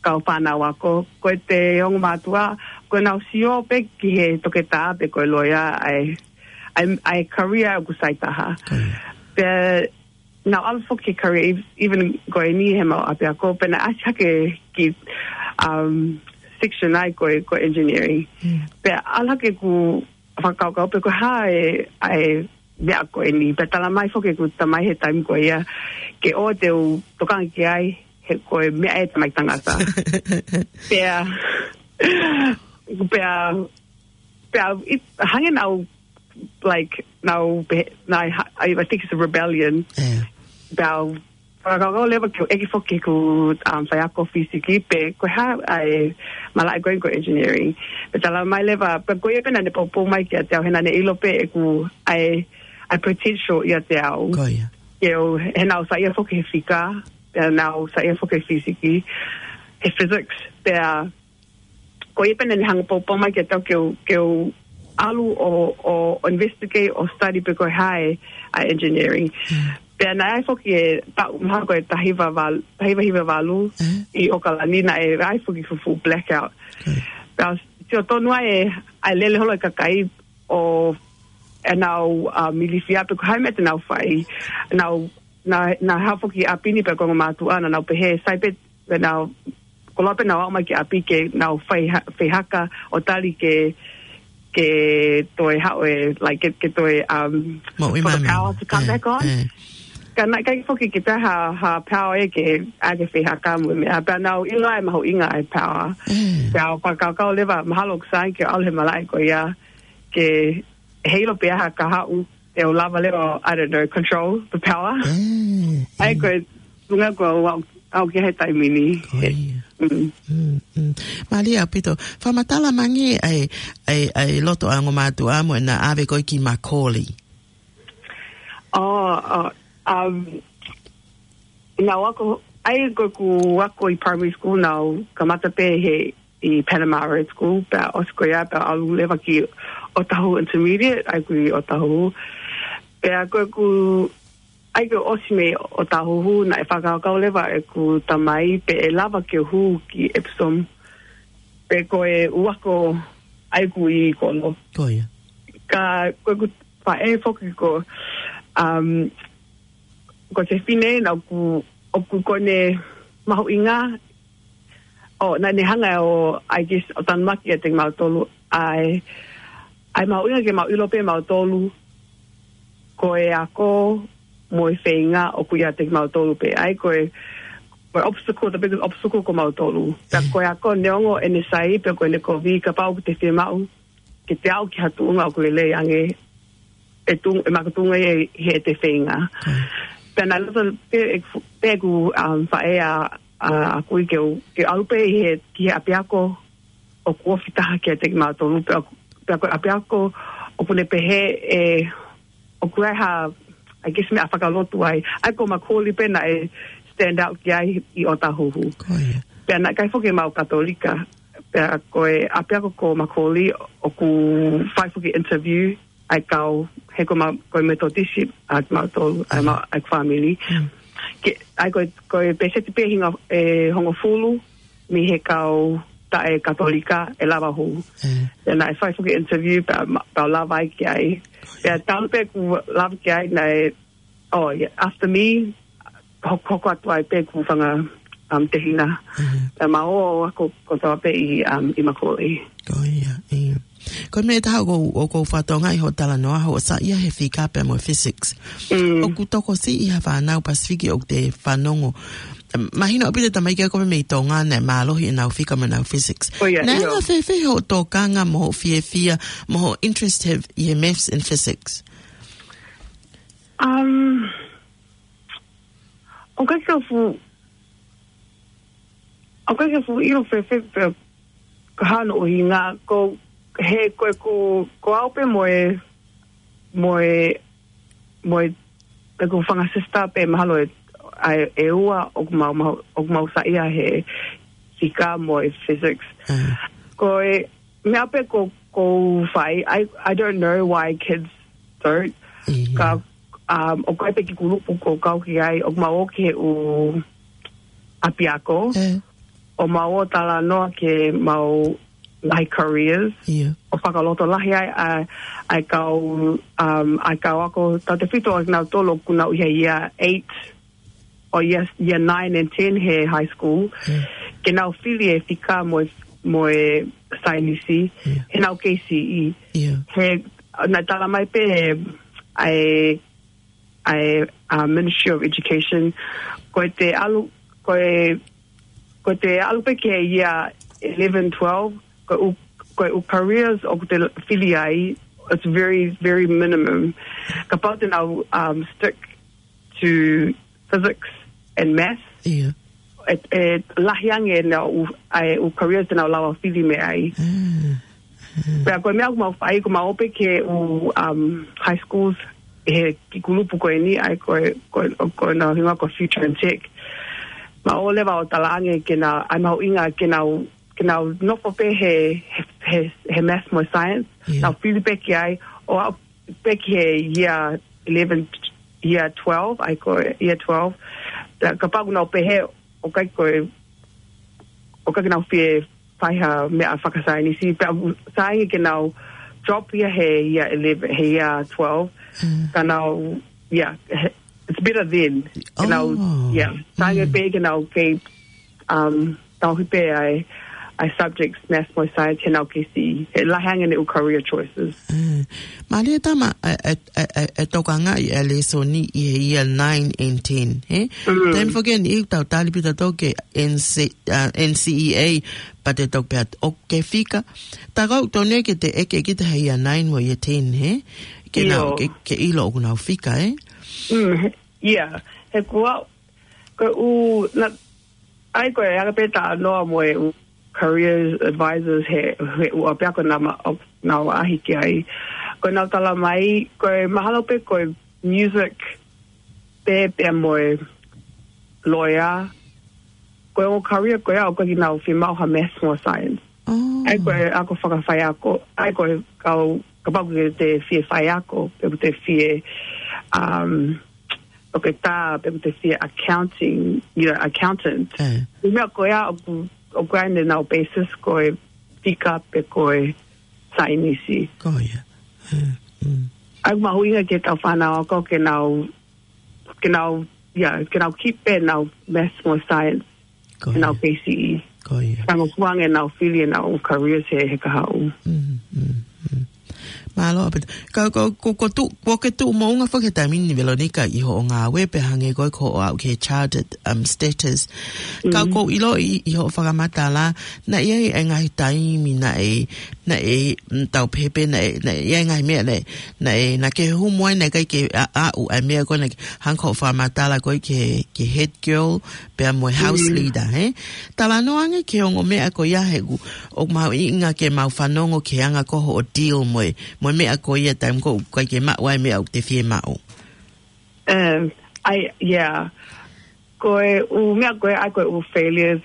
kau fānau ako. Ko e te ongo mātuʻa, ko ʻenau sio pē ki he toketā pe ko e loea ʻa e, ʻa e, ʻa e career ʻoku sai taha. Ko ia. Pea naʻa ku ʻalu foki ki he career ev-, even ko eni he mau ʻapiako, pea naʻe ʻasi hake ki, um, section ai ko e, ko e engineering. Mm. Pea ʻalu hake ʻeku fakakaukau pe ko e hā e, ʻa e meʻa ko eni. Pea tala mai foki ʻeku tamai he taimi ko ia, ke ʻoua te u tokanga ki ai, he ko e meʻa ʻa e tamaiki tangata. Pea, pea, pea, it, hangē naʻa ku, like, naʻa ku pe-, naʻa ku ha-, I, I think it's a rebellion. Yeah. Pea u fakakaukau leva ke u ʻeke foki ki heʻeku, um, faiako fīsiki pe ko e hā ʻa e malaʻe ko eni ko e engineering. Pea tala mai leva, pea ko ia pē naʻa ne poupou mai kiate au, he naʻa ne ʻilo pē ʻeku, ʻa e, ʻa e potential ʻiate au. Ko ia. Ke u, he naʻa ku saiʻia foki he fika, pea naʻa ku saiʻia foki he fīsiki, he physics, pea ko ia pē naʻa ne hanga ʻo poupou mai kiate au ke u, ke u ʻalu ʻo, ʻo, ʻo investigate, ʻo study pe ko e hā e, ʻa e engineering. Mm. Pea naʻe ʻi ai foki e taʻu mahalo ko e taha hiva valu, taha hiva hiva valu, Mm. ʻi ʻOkalani naʻe ʻi ai foki fuʻu blackout. Mm. Pea sio tonu ai e, ʻa e lele holo e kakai ʻo ʻenau, uh, ilifia pe ko e hā e meʻa te nau fai. Nau, na, naʻa haʻu foki ʻapi ni pe ko e ongo mātuʻa naʻa nau pehē sai pē pea nau, koloa pē nau aʻu mai ki ʻapi ke nau fai ha-, fai haka ʻo tali ke, ke toe haʻu e, like, ke, ke toe, um, Moʻui for the mai. power to come Eh, back on. eh. Ka naʻe ʻikai foki ke pehē ha, ha power ʻe ke, ʻa ke fai haka mo e meʻa. Pea nau ʻilo ai mahuʻinga ʻa e power. Eh. Pea u fakakaukau leva, mahalo ʻoku sai ke ʻalu he malaʻe ko ia, ke heiʻilo pē ha kahaʻu, te u lava leva, I don't know, control the power. Eh, ʻA ia eh. ko e, tuʻunga ko ē ʻoku ʻAʻu ki he taimi ni. Ko ia. Mm. Mm, mm. Mālie ʻaupito. Fakamatala mai ange ʻa e, ʻa e, ʻa e loto ʻa e ongo mātuʻa mo ʻena ʻave koe ki Macaulay. Oh, uh, um, naʻá ku ako, ʻa ia ko ʻeku ako ʻi primary school naʻá ku kamata pē he ʻi Panama Road School, pea ʻosi ko ia, pea ʻalu leva ki Otahuhu Intermediate, ʻa ia ko ʻi Otahuhu. Pea ko ʻeku, ʻa ia ko e ʻosi mei Otahuhu, naʻe fakakaukau leva ʻeku tamai pe ʻe lava ke u hū ki Epsom. Pe ko e ʻū ako ʻa ia ko ʻi kolo. Ko ia. Ka ko ʻeku faʻē foki ko, um, ko Sefine naʻá ku, ʻoku ʻikai ke ne mahuʻinga, ʻo, naʻá ne hanga ʻo, I guess, ʻo tanumaki ʻiate kimautolu, ʻa e, ʻa e mahuʻinga ke mau ʻilo pē mautolu, ko e ako mo e feinga ʻoku ʻiate kimautolu pē. ʻA ia ko e, ko e obstacle, the biggest obstacle ko mautolu. Pea ko e ako neongo ʻene sai, pea ko ʻene kovi, kapau ʻoku te fiemaʻu ke te aʻu ki ha tuʻunga ʻoku lelei ange, ʻe tu-, ʻe makatuʻunga ʻi he, he te feinga. Mm. Pea naʻe loto pē ʻeku, pē ʻeku, um, faʻē ʻa, ʻa, ʻa kui ke u, ke ʻalu pē ʻi he, ki he ʻapiako ʻoku ofi taha kiate kimautolu, pea, pea ko e ʻapiako ʻoku ne pehē ʻe, ʻoku ʻi ai ha, I guess, meʻa fakalotu ai. ʻA ia ko Macaulay pē naʻe stand out ki ai ʻi Otahuhu. Ko ia. Pea naʻe ʻikai foki ke mau Katolika. Pea ko e ʻapiako ko Macaulay ʻoku fai foki interview ʻa e kau, he ko ma-, ko e Metotisi ʻa kimautolu, ʻa e ma-, ʻa e family. Mm. Ke, ʻa ia ko e, ko e pēseti pē hinga, ʻe hongofulu mei he kau taʻe Katolika ʻe lava hū. Mm. Pea naʻe fai foki interview pea ma-, pea u lava ai ki ai. Pea talu pē ʻeku lava ki ai naʻe, oh, yeah, after me, hok-, hoko atu ai pē ʻeku fanga, um, tehina. Mm. Pea mau ō ʻo ako kotoa pē ʻi, um, ʻi Macaulay. Ko ia, ia. Ko e meʻa ʻe taha ʻoku ou, ʻoku ou fakatokangaʻi hoʻo talanoa, hoʻo saiʻia he fika pea mo e physics. Mm. ʻOku tokosiʻi ha fānau Pasifiki ʻoku te fanongo. Mahino ʻaupito e tamaiki ko ē mei Tonga naʻe mālohi ʻenau fika mo ʻenau physics. Ko ia, naʻe ʻi ai. Naʻe anga fēfē hoʻo tokanga mo hoʻo fiefia, mo hoʻo interest he, ʻi he maths and physics? Um, ʻoku ʻikai ke u fu-, ʻoku ʻikai ke u fuʻu ʻilo fēfē pē ko hono ʻuhinga, ko he, ko e, ko, ko au pē mo e, mo e, mo e, pē ko e fanga sister pē mahalo ʻe, ʻa e, ʻe ua ʻoku mau, mau, ʻoku mau saiʻia he fika mo e physics. Mm. Ko e, meʻa pē ko, ko fai, I, I don't know why kids don't. Ia. Ka, um, ʻoku ʻi ai pē kiʻi kulupu ʻoku kau ki ai, ʻoku mau ō ki he ʻū ʻapiako. Eh. ʻO mau ō talanoa ki he mau ngaahi careers. Ia. ʻO fakalotolahi ai, ʻa, ʻa e kau, um, ʻa e kau ako tautefito ʻa kinautolu ʻoku nau ʻi he year eight, ʻo year, year nine and ten he high school. Mm. Ke nau fili e fika mo e, mo e saienisi, yeah, heʻenau K C E. Yeah. He, naʻe tala mai pē ʻe, ʻa e, ʻa e, uh, Ministry of Education, ko e te ʻalu, ko e, ko e te ʻalu pē ki he year eleven, twelve, ko e ʻū, ko e ʻū careers ʻoku te fili ai, it's very, very minimum. Kapau te nau, um, stick to physics and math. Yeah. ʻE, ʻe lahi ange ʻenau ʻū, ʻa e ʻū careers te nau lava fili mei ai. Mm. Mm. Pea ko e meʻa ʻoku mau fai, ʻoku mau ō pē ki he ʻū, um, high schools, he kiʻi kulupu ko eni, ʻa e ko e, ko e, ko ʻenau hingoa ko Future in Tech. Mau ō leva ʻo talaange ke nau, ʻa e mahuʻinga ke nau, ke nau nofo pē he, he, he, he math mo science. Yeah. Nau fili pē ki ai, ʻo aʻu pē ki he year eleven, year twelve, ʻa e ko e year twelve. Pea kapau ʻoku nau pehē, ʻoku ʻikai ko e, ʻoku ʻikai ke nau fie fai ha meʻa fakasaienisi, pea sai ange ke nau drop ia he year eleven, he year twelve. Mm. Ka nau, yeah, he, it's better then. Ke nau, oh, yeah, sai ange, mm, pē ke nau kei, um, tauhi pē ʻa e, ʻa e subjects, math mo science, heʻenau K C E. He lahi ange ʻenau career choices. Mm. Mālie e tama, e, e, e, e, e tokangaʻi e lēsoni ʻi he year nine and ten, he? Mm. Taimi foki eni ʻoku tau tali pē tautolu ki he N C, uh, N C E A, pea te toki pehē atu ʻoku ke fika. Tā ko ē ʻoku totonu ke te ʻeke kita he year nine mo year ten, he? Ke nau, ʻio, ke, ke ʻilo ʻoku nau fika, he? Mm, he, yeah. He ko au, ko e ʻū, na, ʻA ia ko e anga pē talanoa mo e ʻū career advisors he, he ʻū ʻapiako naʻa ma-, ʻo, naʻa ku ʻaʻahi ki ai. Ko ʻenau tala mai, ko e mahalo pē ko e music pē pea mo e lawyer. Ko e ongo career ko ia ʻoku ʻikai ke nau fiemaʻu ha maths mo science. Oh. ʻA ia ko e ako fakafaiako, ʻa ia ko e kau, kapau ʻoku te fie faiako, pe ʻoku te fie, um, ʻoku te tā, pe ʻoku te fie accounting, you know, accountant. Eh. Ko e meʻa ko ia ʻoku, ʻoku ʻi ai ʻenau basis ko e fika pe ko e saienisi. Ko ia. Eh, mm. ʻA ia ʻoku mahuʻinga ki heʻetau fānau ako ke nau, ke nau, yeah, ke nau keep pē ʻenau maths mo science. Ko ʻenau ia. K C E. Ko ia. Tango kuange ʻenau fili ʻenau careers he, he kahaʻu. Mm, mm, mm. Mālō ʻaupito. Ka, ka, ko, ko tu, ko ke tuʻu moʻunga foki he taimi ni Veronica ʻi hoʻo ngāue pea hangē ko e ko hoʻo aʻu ki he chartered, um, status. Ka Mm. ʻoku ou ʻiloʻi ʻi, ʻi hoʻo fakamatala, naʻe ʻi ai e ngaahi taimi naʻe, naʻe, mm, tau pehē pē naʻe, naʻe ʻi ai e ngaahi meʻa naʻe, naʻe, naʻa ke humu ai naʻe ʻikai ke a, aʻu ʻa e meʻa ko ē naʻe hangē ko hoʻo fakamatala ko ē ki he, ki he head girl, pea mo e house Mm. leader, he? Talanoa ange ki he ongo meʻa ko ia he ʻoku, ʻoku mahuʻinga ke mau fanongo ki he anga ko hoʻo deal mo e, mo e meʻa ko ia taimi ko ē ʻoku ʻikai ke maʻu ai e meʻa ʻoku te fie maʻu. Um, ʻa ia, yeah. Ko e ʻū meʻa ko ē, ʻa ia ko e ʻū failures,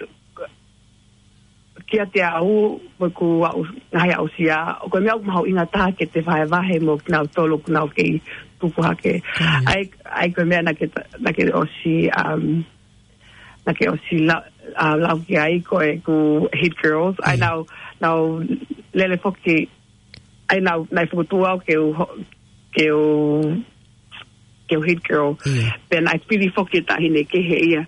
kiate au, mo ʻeku aʻu, ngaahi aʻusia, ko e meʻa ʻoku mahuʻinga taha ke te vahevahe mo kinautolu ʻoku nau kei tupu hake. Mm. ʻA ia, ʻa ia ko e meʻa naʻa ke, naʻa ke ʻosi, um, naʻa ke ʻosi la-, uh, lau ki ai ko ʻeku head girls. ʻA ia Mm. nau, nau lele foki, ʻa ia nau, naʻe fokotuʻu au ke u ho-, ke u, ke u head girl. Mm. Pea naʻe fili foki e taʻahine kehe ia.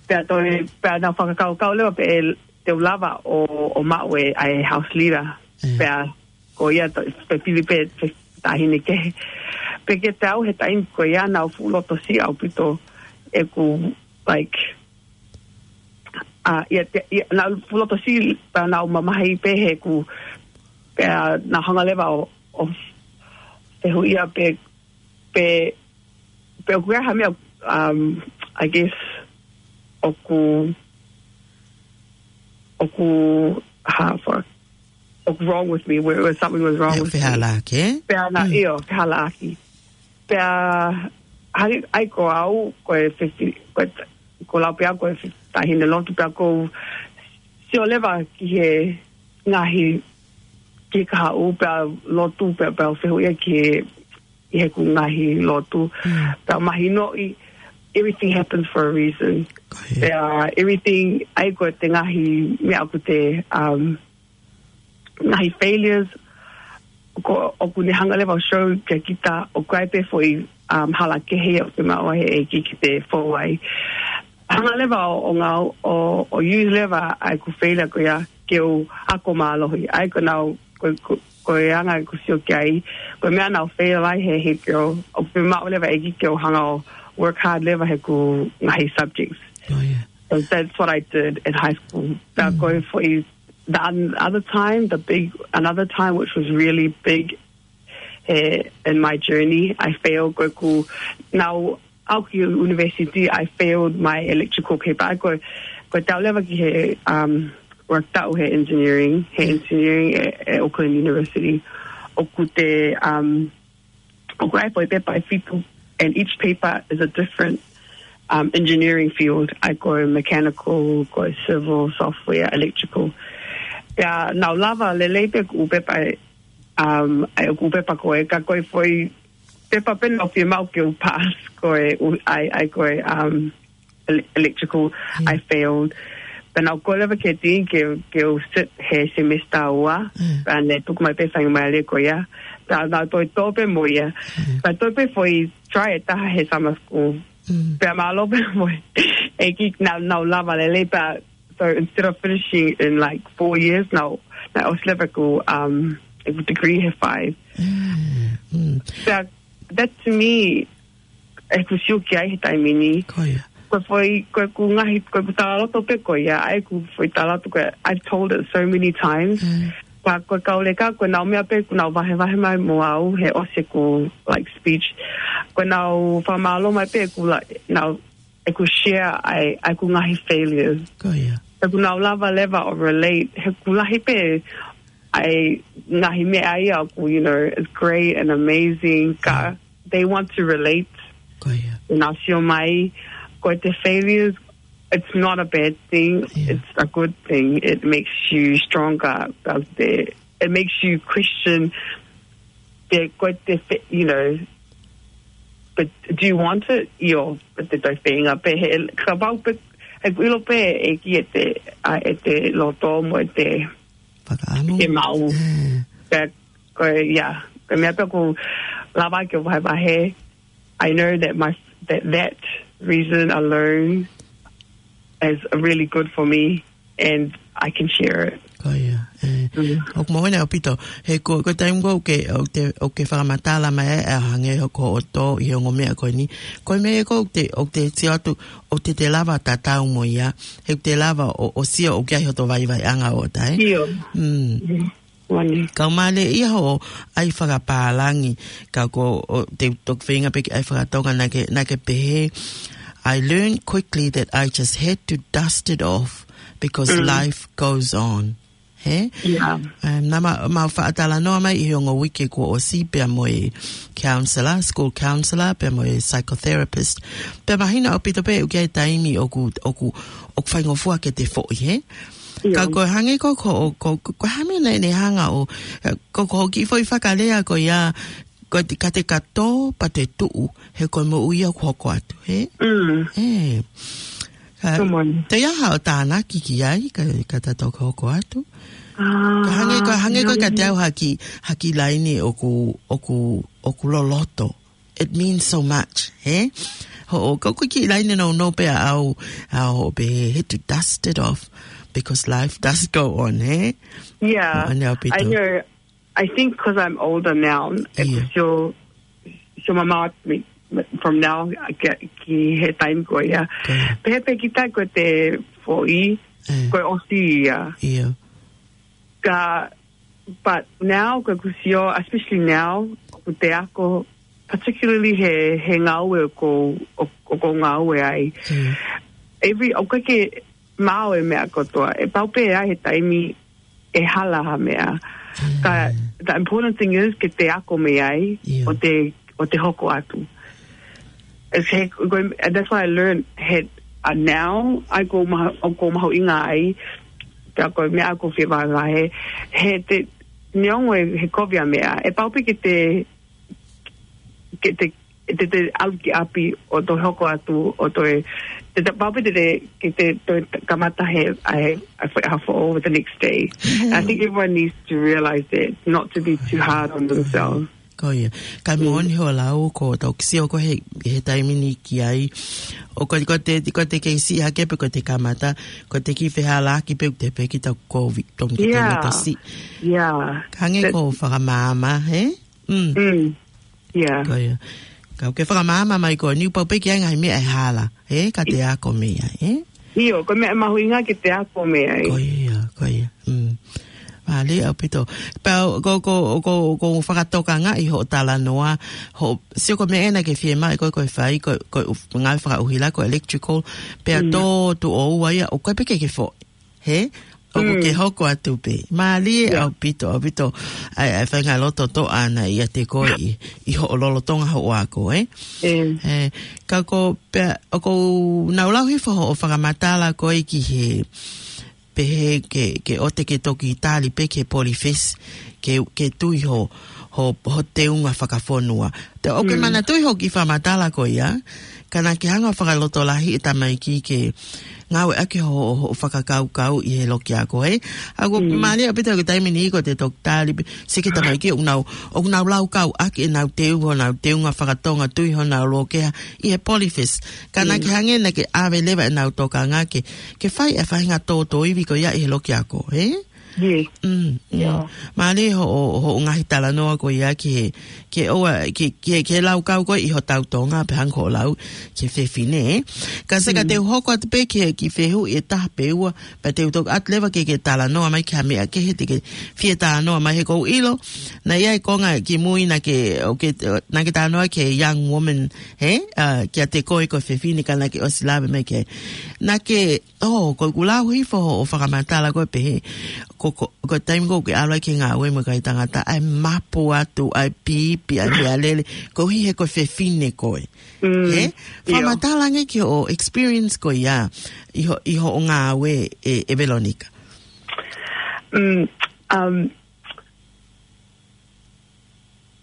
Pea toe, pea nau fakakaukau leva pe ʻe, te u lava ʻo, ʻo maʻu e, ʻa e house leader. Mm. Pea ko ia to, pe fili pē, pe taʻahine kehe. Pea kiate au he taimi ko ia naʻa ku fuʻu loto siʻi ʻaupito ʻeku, like, ʻa, ia, ia, ia, naʻa ku fuʻu loto siʻi pea naʻa ku mamahi pē he ʻeku, pea naʻa ku hanga leva ʻo, ʻo fehuʻia pe, pe, pe ʻoku ʻi ai ha meʻa, um, I guess, ʻoku, ʻoku, ha, fuck, ʻoku wrong with me, where, where something was wrong Meʻa with me. fehālaaki, ē? Pea naʻa, Mm. ʻio, fehālaaki. Pea, hangē, ʻa ia ko au, ko e fifi-, ko e t-, ko lau pē au ko e fi-, taʻahine lotu pea ʻoku ou sio leva ki he ngaahi, ki he kahaʻu pea lotu pea, pea fehuʻia ki he, ʻi heʻeku ngaahi lotu. Mm. Pea mahinoʻi, everything happens for a reason. Ko ia. Pea everything, ʻa ia ko e ngaahi meʻa ʻoku te, um, ngaahi failures, ko, ʻoku ne hanga leva ʻo show kia kita, ʻoku ʻi ai pē foʻi, um, hala kehe ʻoku te maʻu ai he ʻEiki ke te fou ai. Hanga leva ʻo, ʻo ngau, ʻo, ʻo use leva ʻa ʻeku failure ko ia ke u ako mālohi. ʻA ia ko ʻenau, ko, ko, ko e anga ʻeku sio ki ai, ko e meʻa naʻa ku fail ai he head girl, ʻoku ne maʻu leva e ʻEiki ke u hanga ʻo work hard leva heʻeku ngaahi subjects. Oh, yeah. So that's what I did in high school. Pea Mm. ko e foʻi, the un-, other time, the big, another time which was really big, eh, in my journey, I failed ko ʻeku, naʻa ku aʻu ki university, I failed my electrical paper. Ko, ko e tau leva ki he, um, work taʻu he engineering, he engineering at, at Auckland University. ʻOku te, um, ʻoku ʻi ai foʻi pepa ʻe fitu, and each paper is a different, um, engineering field. ʻA ia ko e mechanical, ko e civil, software, electrical. Pea naʻa ku lava lelei pē ʻeku pepa, um, ʻa ia ʻeku pepa ko ē, ka ko e foʻi pepa pē naʻa ku fiemaʻu ke u pass ko e, u-, ʻa ia, ʻa ia ko e, um, ele-, electrical, Mm. I failed. Pea naʻa ku kole leva ki he dean ke, ke u sit he semester ua, Mm. pea ne tuku mai pē faingamālie ko ia. Pea naʻa ku toe tō pē mo ia. Mm. Pea toe pē foʻi try ʻe taha he summer school. Mm. Pea mālō pē mo e ʻEiki naʻa, naʻa ku lava lelei pea, so instead of finishing in, like, four years, naʻa, naʻa ku ʻosi leva ʻeku, um, ʻeku degree he five. Mm, mm. Pea, that to me, ʻeku sio ki ai he taimi ni. Ko ia. Ko e foʻi, ko ʻeku ngaahi, ko ʻeku talaloto pē ko ia, ʻa ia ʻeku foʻi talaloto ko ia, I've told it so many times. Mm. Pea ko e kau leka, ko ʻenau meʻa pē, ʻoku nau vahevahe mai mo au, he ʻosi ʻeku, like, speech. Ko ʻenau fakamālō mai pē, ʻoku la-, nau ʻeku share ai, ʻeku ngaahi failures. Ko ia. ʻEku nau lava leva ʻo relate, he ʻoku lahi pē ʻa e ngaahi meʻa ia ʻoku, you know, it's great and amazing, ka they want to relate. Ko ia. Nau sio mai, ko e failures, it's not a bad thing, Yeah. it's a good thing. It makes you stronger, does the, it makes you question the, ko e fa-, you know, but do you want it? ʻIo, but the thing, pehē, kapau pē, ʻeku ʻilo pē ʻe ʻikai te, ʻa, ʻe te loto mo ʻete Fakaʻamu. ʻe maʻu. Yeah. Ka, ko e, yeah. Ko e meʻa pē ʻoku lava ke vahevahe. I know that my, that, that reason alone is really good for me and I can share it. Ko ia, ē. Mm. ʻOku moʻoni ʻaupito. He ko, ko e taimi ko ē ʻoku ke, ʻoku te, ʻoku ke fakamatala mai ē, ʻa hangē ko hoʻo tō ʻi he ongo meʻa ko eni. Ko e meʻa ko ē ʻoku te, ʻoku te sio atu, ʻoku te, te lava tatau mo ia. He ʻoku te lava ʻo, ʻo sio ʻoku ʻi ai hoto vaivaiʻanga ʻo tae. ʻIo. Mm. Mm. Moʻoni. Kau mālie ia hoʻo ʻai fakapālangi, ka ko ʻete toki feinga pē ke ʻai fakatonga naʻa ke, naʻa ke pehē, "I learned quickly that I just had to dust it off because Mm. life goes on." He? Yeah. Um, naʻa ma, mau faʻa talanoa mai ʻi he ongo uike kuo ʻosi pea mo e counselor, school counselor, pea mo e psychotherapist. Pea mahino ʻaupito pē ʻoku ʻi ai e taimi ʻoku, ʻoku, ʻoku faingofua ke te foʻi, he? Ka ʻIo. ko e hangē ko, ko, ko, ko, ko e hā e meʻa naʻe, naʻe hanga ʻo, ko, ko hoʻo kiʻi foʻi fakalea ko ia, ko e te, ka te ka tō, pea te tuʻu, he ko e moʻui ia ʻoku hoko atu, he? Mm. Ē. Ka, Come on. te ia haʻo tānaki ki ai, ka, ka ta toki hoko atu. Ah, Ka hangē, ka hangē ko e ka te au haki, haki laini ʻoku, ʻoku, ʻoku loloto. It means so much, he? Hoʻo, ko e kiʻi laini nounou pē ʻaʻau, ʻaʻau pē, had to dust it off because life does go on, he? Yeah, Moʻoni ʻaupito. I know. I think 'cause I'm older now, ʻeku Yeah. sio, sio mamaʻo atu mei, from now, ki, ki he taimi ko ia. Ko ia. Pehē pē kita ko ʻete foʻi, Yeah. ko e ʻosi ia. Yeah. Ka, but now, ko ʻeku sio, especially now, ʻoku te ako, particularly he, he ngāue ʻoku, ʻo, ʻoku ou ngāue ai. Mm. Every, ʻoku ʻikai ke maʻu e meʻa kotoa. ʻE pau pē ʻe ʻi ai he taimi ʻe hala ha meʻa. Mm. Ka, the important thing is ke te ako mei ai, Yeah. ʻo te, ʻo te hoko atu. It's he, ko, and that's why I learned he, uh, now, ʻa ia ʻoku ou mahu-, ʻoku ou mahuʻingaʻia ai, ka ko e meʻa ʻoku ou fie vahevahe, he te, neongo e, he kovi ʻa e meʻa, ʻe pau pē ke te, ke te, te, te ʻalu ki ʻapi ʻo toe hoko atu, ʻo toe, te, te pau pē te, te, ke te toe kamata he, ʻa e, ʻa e, ʻa e foʻou the next day. I think everyone needs to realize that, not to be too hard on themselves. Ko ia. Ka Mm. moʻoni hoʻo lau ko ʻetau kiʻi sio ko ē he, he taimi ni ki ai. ʻO ko, ko ʻete, ko ʻete kei siʻi hake pē ko ʻete kamata, ko ʻete kiʻi fehālaaki pē ʻoku te pehē kita ko ʻete Yeah. tasi. Yeah. Ka hangē That ko e fakamaama, he? Mm. Mm. Yeah. Ko ia. Ka ke fakamaama mai ko eni ʻoku pau pē ke ʻi ai e ngaahi meʻa ʻe hala, he? Ka te ako mei ai, he? ʻIo, ko e meʻa mahuʻinga ke te ako mei ai. Ko ia, ko ia. Mm. Mālie ʻaupito. Pea ko, ko, ko, ko e fakatokangaʻi hoʻo talanoa, hoʻo, sio ko e meʻa ena ke fiemaʻu ko ē ke fai, ko, ko e ʻū ngāue fakaʻuhila, ko e electrical, pea Mm. tō tuʻo ua ia, ʻoku ʻikai pē ke ke foʻi. He? ʻOku Mm. ke hoko atu pē. Mālie Yeah. ʻaupito, ʻaupito. ʻA e, ʻa e faʻahinga loto toʻa ʻana ʻiate koe ʻi, ʻi hoʻo lolotonga hoʻo ako, ē? Mm. Ē, ka ko pea, ʻoku ou nau lau hifo hoʻo fakamatala ko ē ki he pehē ke, ke ʻoua te ke toki tali pē ki he Polyfest, ke, ke tui ho, ho, ho teunga fakafonua. Te ʻoku ke Mm. manatuʻi hoʻo kiʻi fakamatala ko ia, ka naʻa ke hanga ʻo fakalotolahiʻi e tamaiki ke ngāueʻaki ho, ho, ho fakakaukau ʻi he loki ako, ē? ʻA ia ʻoku Mm. mālie ʻaupito he taimi ni ko ʻete toki tali pē, sio ki he tamaiki ʻoku nau, ʻoku nau laukau ʻaki ʻenau teu, honau teunga fakatonga tui honau loki ʻi he Polyfest. Ka naʻa Mm. ke hangē naʻa ke ʻave leva ʻenau tokanga ke, ke fai e faʻahinga tōtōivi ko ia ʻi he loki ako, ē? Yes. Mm, mm. Mālie hoʻo, hoʻo ngaahi talanoa ko ia ke, ke ʻoua, ke, ke, ke laukau ko ē ʻi hotau Tonga pe hangē ko hoʻo lau ki he fefine, ē. Ka se ka te u hoko atu pē ki he, ki he fehuʻi ʻe taha pe ua, pea te u toki ʻatu leva ke, ke talanoa mai ki ha meʻa kehe te ke fie talanoa mai he ʻoku ou ʻilo. Naʻe ʻi ai e konga kimui naʻa ke, ʻo ke, naʻa ke talanoa ki he young woman, hē? ʻA, kiate koe ko e fefine ka naʻa ke ʻosi lave mai ki ai. Naʻa ke, ʻo, ko ʻeku lau hifo hoʻo fakamatala ko ē pehē, ko, ko, ko e taimi ko ē ʻoku ke ʻalu ai ki he ngāue mo e kakai tangata, ʻai mapu atu, ʻai pipi, ʻai meʻalele, koeʻuhi he ko e fefine koe. Mm, hē? Fakamatala ange ki hoʻo experience ko ia, ʻi ho, ʻi hoʻo ngāue ē, ē Veronica. Mm, um,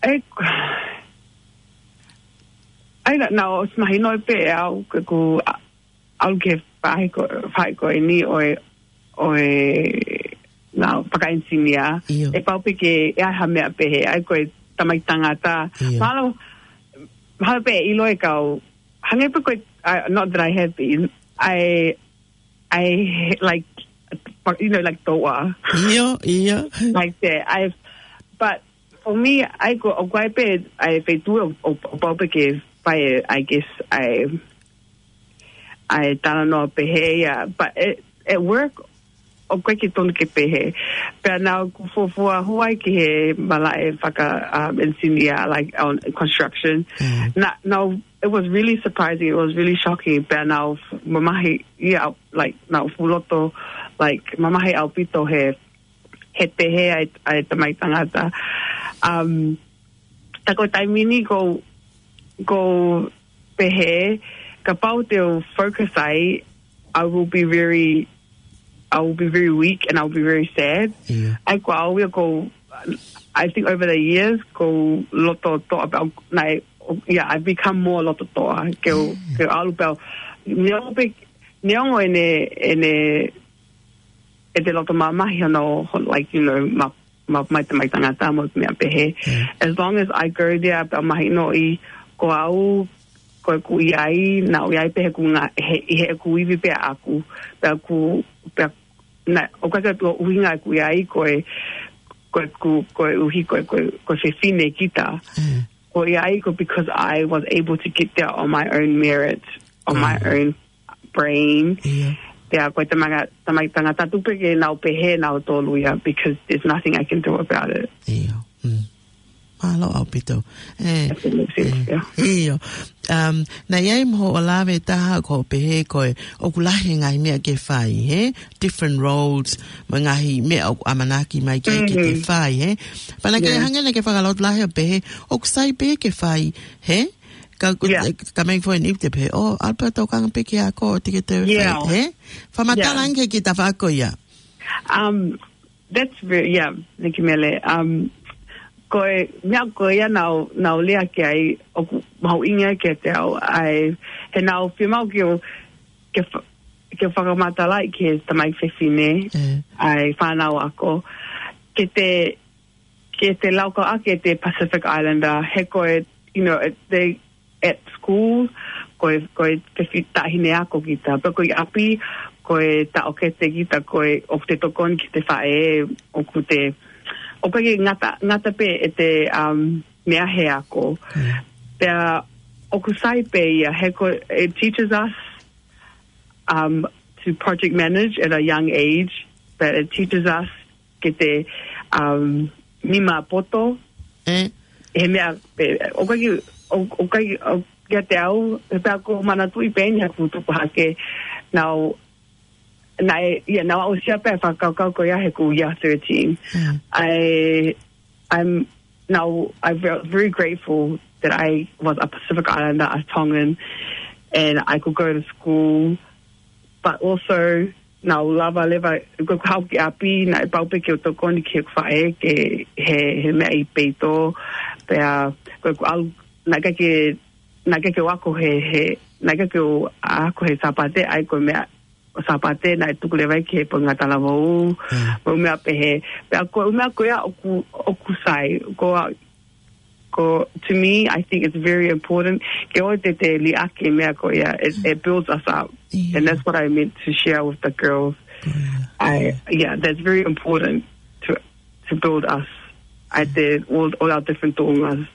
ʻe, ʻai la, naʻe ʻosi mahino pē ʻe au, ke ku, a, ʻalu ki he faʻahi ko, faʻahi ko eni ʻo e, ʻo e, naʻa, fakaenisinia. ʻIo. ʻE pau pē ke, ʻe ʻi ai ha meʻa pehē, ʻai ko e tamaiki tangata. ʻIo. Mahalo, mahalo pē ʻilo e kau, hangē pē ko e, uh, not that I have been, I, I, like, you know, like, toa. ʻIo, ʻio. Like that. I, but for me, ʻai ko, ʻoku ʻi ai pē, ʻai feituʻu ʻo, ʻo, ʻo pau pē ke fai, I guess, ʻai, ʻai talanoa pehē ia, but at, at work, ʻoku ʻikai ke tonu ke pehē. Pea naʻa ku fuofua hū ai ki he malaʻe faka, um, enisinia, like, on construction. Mm. Naʻa, naʻa, it was really surprising, it was really shocking. Pea naʻa ku f-, mamahi ia, like, naʻa ku fuʻu loto, like, mamahi ʻaupito he, he pehē ʻa e, ʻa e tamaiki tangata. Um, tā ko e taimi ni ʻoku ou, ʻoku ou pehē, kapau te u focus ai, I will be very, I will be very weak and I will be very sad. ʻIo. ʻAi ko au ia ʻoku ou, I think over the years, ʻoku ou loto toʻa pē au, naʻe, yeah, I've become more loto toʻa. Ke u, ke u ʻalu pē au, neongo pē, neongo ʻene, ʻene, ʻete loto mamahi hono, like, you know, ma, ma, mai tamaiki tangata mo e meʻa pehē. Mm. As long as I go there, pea mahinoʻi ko au, ko ʻeku ʻi ai, naʻa ku ʻi ai pē he ʻeku ngā, he, he ʻeku ivi pē ʻaʻaku, pea ʻoku, pea, naʻe, ʻoku ʻikai ke toe ʻuhinga ʻeku ʻi ai ko e, ko ʻeku, koeʻuhi ko e, ko e, ko e fefine kita. Mm. Ko e ʻi ai ko e because I was able to get there on my own merit, on my own brain. ʻIo. Pea ko e tamaiki, tamaiki tangata tuku pē ke nau pehē nautolu ia, because there's nothing I can do about it. ʻIo. Mm. Mālō ʻaupito. Ē, ē, ʻio. Um, naʻe ʻi ai mo hoʻo lave ʻe taha ʻoku pehē ko e, ʻoku lahi e ngaahi meʻa ke fai, hē? Different roles, mo e ngaahi meʻa ʻoku ʻamanaki mai ke, ke te fai, hē? Pea naʻa ke hangē naʻa ke fakaloto lahi ʻo pehē, ʻoku sai pē ke fai, hē? Ka, ka mai foʻi niʻihi te pehē, ʻo, ʻalu pē ʻo tokanga pē ki he ako, te ke te fai, hē? Fakamatala ange ki he tafaʻaki ko ia. Um, that's very, yeah, thank you, Mele. Um, ko e, meʻa ko ia naʻa ku, naʻa ku lea ki ai, ʻoku mahuʻinga kiate au, ʻai, he naʻa ku fiemaʻu ke u, ke fa-, ke fakamatalaʻi ki he tamaiki fefine, ʻai fānau ako, ke te, ke te laukau ʻaki ʻete Pacific Islander, he ko e, you know, it, they, at school, ko e, ko e fefi-, taʻahine ako kita. Pea ko e ʻapi, ko e taʻokete kita, ko e ʻoku te tokoni ki he faʻē, ʻoku te, ʻoku ʻikai ke ngata, ngata pē ʻete, um, meʻa he ako. Mm. Pea ʻoku sai pē ia, he ko, it teaches us, um, to project manage at a young age, but it teaches us ke te, um, nima poto. Mm. He meʻa, pē, ʻoku ʻikai, ʻo, ʻoku ʻikai, ʻo, kiate au, he pea ʻoku ou manatuʻi pē eni he ʻoku ou tupu hake, naʻa ku, naʻe, yeah, naʻa ku aʻusia pē e fakakaukau ko ia he ʻoku ou year thirteen. Mm. I, I'm, now, I'm ve-, very grateful that I was a Pacific Islander, a Tongan, and I could go to school, but also, naʻa ku lava leva, ko ʻeku haʻu ki ʻapi, naʻe pau pē ke u tokoni ki heʻeku faʻē, ke he, he meʻa ʻi peito, pea, ko ʻeku ʻalu, naʻe ʻikai ke, naʻe ʻikai ke u ako he, he, naʻe ʻikai ke u ako he Sāpate, ʻai ko e meʻa, ʻo Sāpate, naʻe tuku leva ia ki he pongipongi talavou, mo e meʻa pehē. Pea ko e meʻa ko ia ʻoku, ʻoku sai, ko a, ko, to me, I think it's very important. Ke ʻoua te te liʻaki e meʻa ko ia, it, it builds us up. Yeah. And that's what I meant to share with the girls. I, yeah, that's very important to, to build us at the, all, all our different tōngas.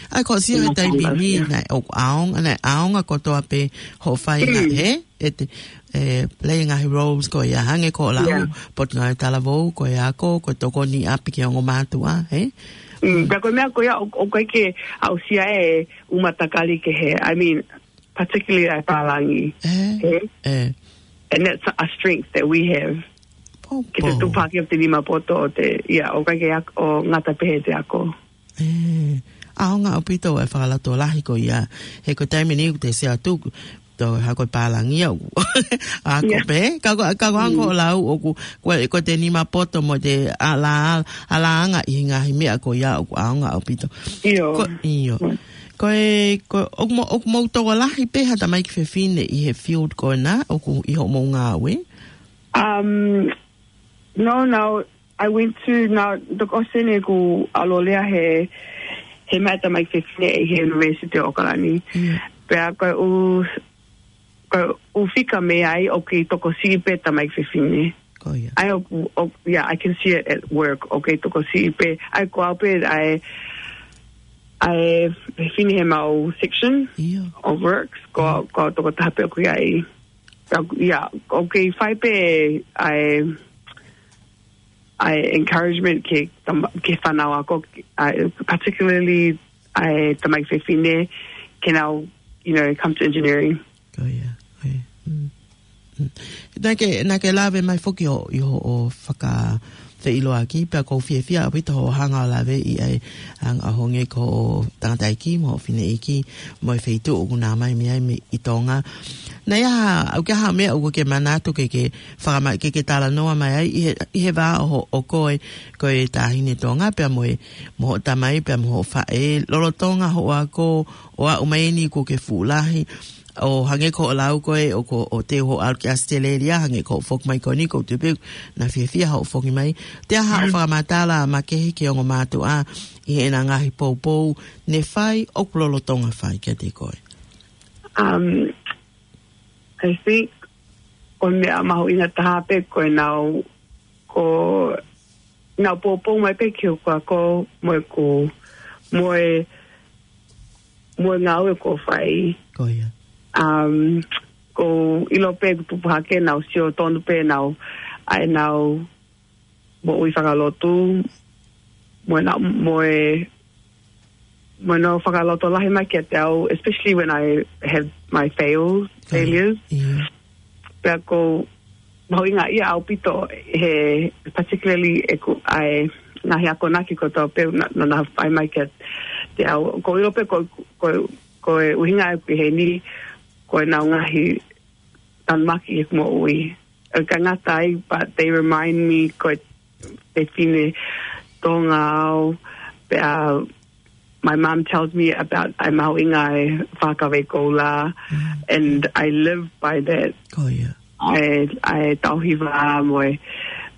ʻAi, ko e sio he taimi ni, naʻe ʻaonga, naʻe ʻaonga kotoa pē hoʻo fai ngaahi, he, ʻete, ʻe, play ngaahi roles ko ia hangē ko e lau, potungāue talavou, ko e ako, ko e tokoni ʻapi ki he ongo mātuʻa, he? Mm, pea ko e meʻa ko ia, ʻo, ʻoku ʻikai ke aʻusia ʻe he ʻū matakali kehe. I mean, particularly ʻa e pālangi. He? And that's a strength that we have. Ke te tupu hake ʻo te nima poto ʻo te, ia, ʻoku ʻikai ke ak-, ʻo ngata pē he te ako. ʻAonga ʻaupito e fakalotolahi ko ia. He ko e taimi ni ʻoku te sio atu, tō ha ko e pālangi au. Ako pē, ka ko, ka ko ʻango lau ʻoku, ko, ko te nima poto mo te ala, alaanga ʻi he ngaahi meʻa ko ia ʻoku ʻaonga ʻaupito. Ko, ʻio. Ko e, ko, ʻoku mou, ʻoku mou tokolahi pē ha tamaiki fefine ʻi he field ko ena, ʻoku ʻi hoʻomou ngāue? Um, no, no, I went to, now, the question ʻoku ʻalu ʻo lea he, he meʻa tamaiki fefine ʻi he University ʻo ʻAokalani. Pea ko e ʻū, ko e ʻū fika mei ai ʻoku kei tokosiʻi pē tamaiki fefine. Ko ia. ʻAi ʻoku, ʻoku, yeah, I can see it at work. ʻOku kei tokosiʻi pē. ʻAi ko au pē, ʻai, ʻai fefine he mau section of works. Ko, ko au tokotaha pē ʻoku ʻi ai. Ka, yeah, ʻoku kei fai pē ʻai, ʻai encouragement ki he tam-, ki he fānau ako, ʻai, particularly ʻai tamaiki fefine, ke nau, you know, come to engineering. Ko ia, ko ia. Mm. Mm. Naʻa ke, naʻa ke lave mai foki ʻo, ʻi hoʻo fakafeʻiloaki, pea ʻoku ou fiefia ʻaupito hoʻo hanga ʻo lave ʻi ai, ʻa e anga ʻo hangē ko hoʻo tangataʻeiki, mo hoʻo fineʻeiki, mo e feituʻu ʻoku nau ō mai mei ai mei ʻi Tonga. Naʻe ʻi ai ha, ʻoku ʻi ai ha meʻa ʻoku ke manatu ke, ke fakama-, ke, ke talanoa mai ai, ʻi he, ʻi he vā ʻo ho-, ʻo koe, ko e taʻahine Tonga, pea mo e, mo hoʻo tamai, pea mo hoʻo faʻē, lolotonga hoʻo ako, ʻo aʻu mai eni kuo ke fuʻu lahi, ʻo hangē ko hoʻo lau ko ē, ʻoku, ʻoku te u ʻalu ki ʻAositelēlia, hangē ko hoʻo foki mai ko eni, ʻoku ou tui pē naʻa fiefia hoʻo foki mai. Te aha hoʻo fakamatala makehe ki he ongo mātuʻa ʻi heʻena ngaahi poupou ne fai ʻoku lolotonga fai kiate koe? Um, I think ko e meʻa mahuʻinga taha pē ko ʻenau, ko ʻenau poupou mai pē ki hoku ako mo ʻeku, mo e, mo e ngāue ʻoku ou fai. Ko ia. Um, ʻoku ou ʻilo pē ʻeku tupu hake naʻa nau sio tonu pē ʻenau, ʻa ʻenau moʻui fakalotu, mo ʻenau, mo e, mo ʻenau fakalotolahi mai kiate au, especially when I have my fails, failures. Pea ʻoku mahuʻingaʻia ʻaupito he, particularly ʻeku ʻai ngaahi akonaki kotoa pē naʻa, naʻa nau fai mai kiate au. ʻOku ou ʻilo pē ko, ko, ko e ʻuhinga ʻeku ʻi heni, ko ʻenau ngaahi tanumaki ʻi heʻeku moʻui. ʻOku ʻikai ngata ai, but they remind me ko e fefine Tonga au, pea my mom tells me about ʻa e mahuʻinga ʻa e fakakaukau koula, and I live by that. Ko ia. ʻA e, ʻa e tauhi vā mo e,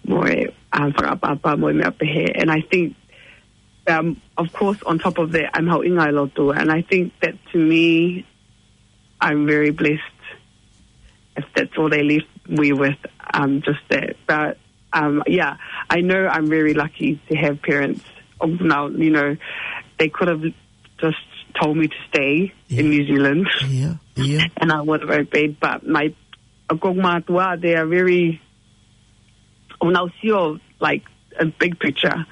mo e, um, fakaʻapaʻapa mo e meʻa pehē. And I think, um, of course, on top of that, ʻa e mahuʻinga ʻa e lotu. And I think that to me, I'm very blessed if that's all they left me with, um, just that. But, um, yeah, I know I'm very lucky to have parents. Oh, now, you know, they could have just told me to stay in New Zealand, and I would have obeyed. But my, ʻoku ou mātuʻa, they are very, ʻoku nau sio, like, a big picture.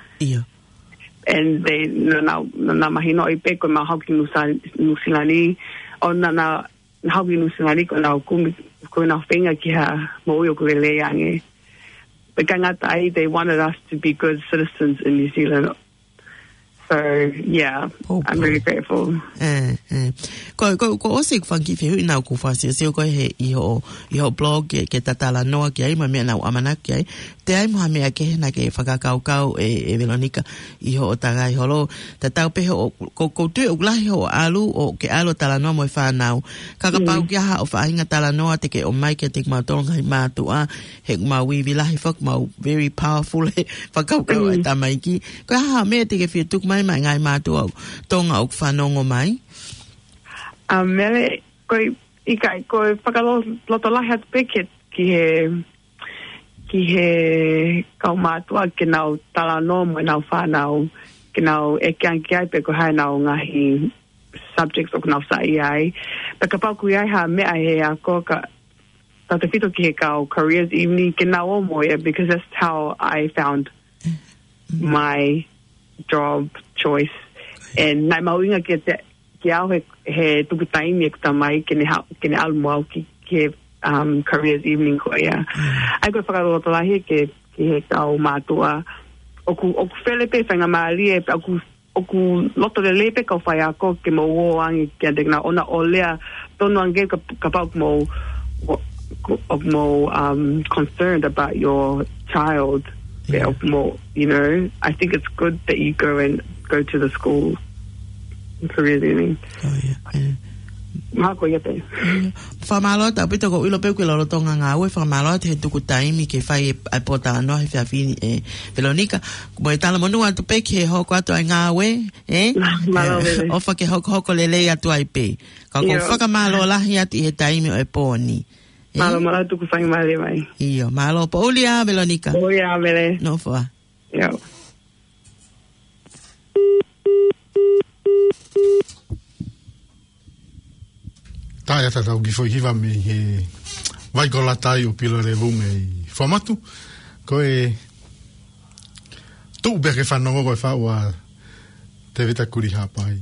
And they, naʻa nau, naʻa nau mahinoʻi pē ko ʻemau haʻu ki Nusa-, Nuʻusila ni, ʻo naʻa nau, haʻu ki Nuʻusila ni ko ʻenau kumi, ko ʻenau feinga ki ha moʻui ʻoku lelei ange. Pea ʻikai ngata ai, they wanted us to be good citizens in New Zealand. So, yeah, I'm very grateful. Ko, ko, ko ʻosi ʻeku fanga kiʻi fehuʻi naʻa ku fakasiosio ko ē he ʻi hoʻo, ʻi hoʻo blog ke, ke ta talanoa ki ai, mo e meʻa naʻa ku ʻamanaki ki ai. Te ʻi ai mo ha meʻa kehe naʻa ke fakakaukau ʻe, ʻe Veronica ʻi hoʻo tangaʻi holo. Tatau pē hoʻo, ko, ʻoku ou tui ʻoku lahi hoʻo ʻalu, ʻo ke ʻalu ʻo talanoa mo e fānau. Ka kapau ʻoku ʻi ai haʻo faʻahinga talanoa te ke ʻomai kiate kimautolu ngaahi mātuʻa, he ʻoku mau ivi lahi foki, mau very powerful he fakakaukau ʻa e tamaiki. Ko e hā ha meʻa te ke fie tuku mai maʻa e ngaahi mātuʻa Tonga ʻoku fanongo mai? ʻA, Mele, ko e, ʻikai, ko e fakalotolahi atu pē ke, ki he, ki he kau mātuʻa ke nau talanoa mo ʻenau fānau, ke nau ʻeke ange ki ai pe ko e hā ʻenau ngaahi subjects ʻoku nau saiʻia ai. Pea kapau ʻoku ʻi ai ha meʻa he ako ka, tautefito ki he kau careers evening, ke nau ō mo ia, because that's how I found my job choice. And naʻe mahuʻinga kiate, kiate au he, he tuku taimi ʻeku tamai ke ne ha-, ke ne ʻalu mo au ki, ki he, um, careers evening ko ia. ʻA ia ko e fakalotolahi ke, ki he kau mātuʻa. ʻOku, ʻoku fele pē faingamālie, pea ʻoku, ʻoku loto lelei pē kau faiako ke mou ō ange kiate kinautolu ʻo lea tonu ange ka, kapau ʻoku mou, ʻoku mou, um, concerned about your child. Yeah. Pea ʻoku mou, you know, I think it's good that you go and go to the school. It's a really, really. Oh, yeah, yeah. Mahalo ko ia pē. Yeah. Fakamālō atu ʻaupito, ʻoku ou ʻilo pē ʻoku ke lolotonga ngāue, fakamālō atu he tuku taimi ke fai e, e pōtalanoa he efiafi ni, ē, Veronica. Mo e talamonū atu pē ki he hoko atu ʻa e ngāue, ē? Mālō, Veronica. ʻOfa ke hokohoko lelei atu ai pē. Ka ʻoku ou fakamālō lahi atu ʻi he taimi ʻo e pō ni. Ē? Mālō, mālō tuku faingamālie mai. ʻIo, mālō, poʻuli ā, Veronica. Poʻuli ā, Vele. Nofo ā. ʻIo. Tā ia tatau ki he foʻi hiva mei he vai ko Lata ʻo Pilo Levu mei Fuamatu. Ko e tuʻu pē ke fanongo ko e faʻu ʻa Tevita Kuli Hapai.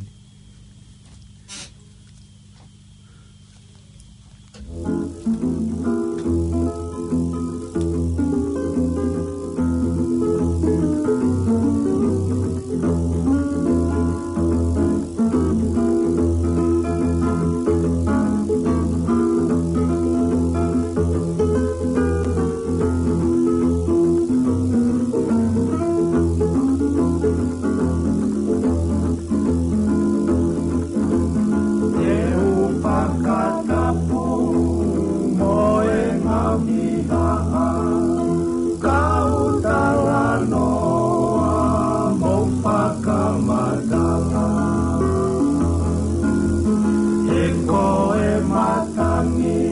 Te u fakatapu mo e ngaahi haʻa, kau talanoa mo fakamatala. He ko e matangi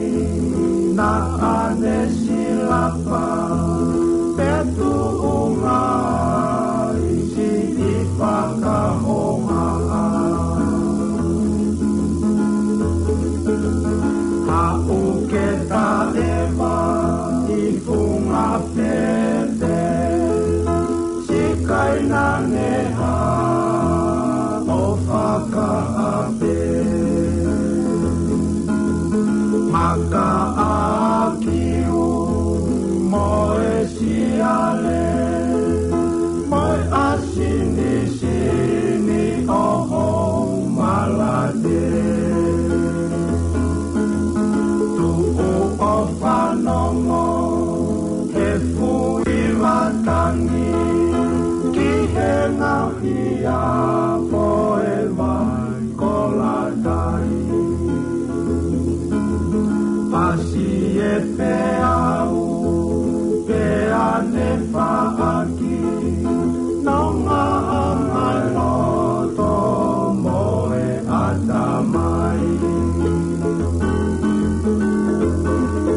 naʻa ne silapa, pe tuʻunga ʻi siʻi fakahohaʻa. Haʻu ke taʻeva ʻi funga fete, siʻi kainangeha ʻo fakaʻape. Maka ʻa kiu mo e siale, mo e ʻasi ni sini ʻo hou malate. Tuʻu ʻo fanongo he fui matangi ki he ngaahi ʻaho ʻe vai ko Lata ʻi. Pasi e peau, pea ne faʻaki, nonga ʻa e loto mo e ʻatamai.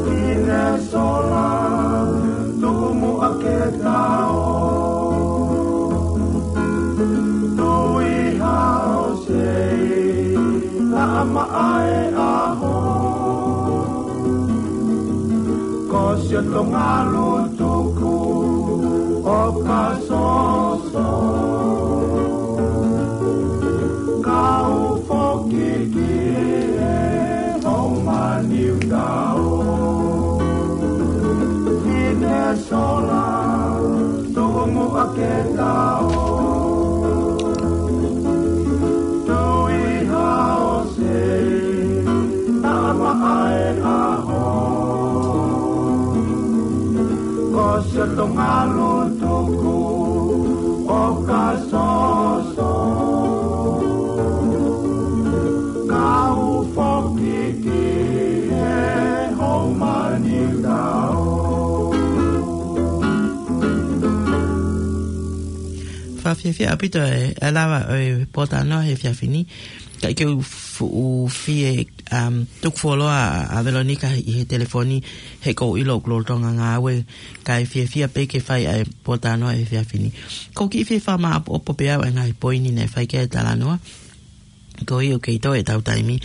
Ki he sola, tumu ake tao. Tui hao sei, naʻa maʻa e ʻaho. Ko siʻoto ngalu tuku ʻo ka soso. Kau foki ki he homa niu tao. Ki he sola, tumu ake tao. Tui hao sei, naʻa maʻa e ʻaho. Ko siʻoto ngalu tuku ʻo ka soso. Kau foki ki he homa niu tao. Fakafiefia ʻaupito e, e lava ʻo e pōtalanoa he efiafi ni. Ka ʻi he fuʻu fie, um, tuku fuoloa ʻa Velonika ʻi he telefoni he ʻoku ou ʻilo ʻoku lolotonga ngāue, kae fiefia pē ke fai ʻa e pōtalanoa he efiafi ni. ʻOku ou kiʻi fie fakamāʻopoʻopo pē ʻa e ngaahi poini naʻe fai ki ai e talanoa. Ko ia ʻoku kei toe ʻetau taimi.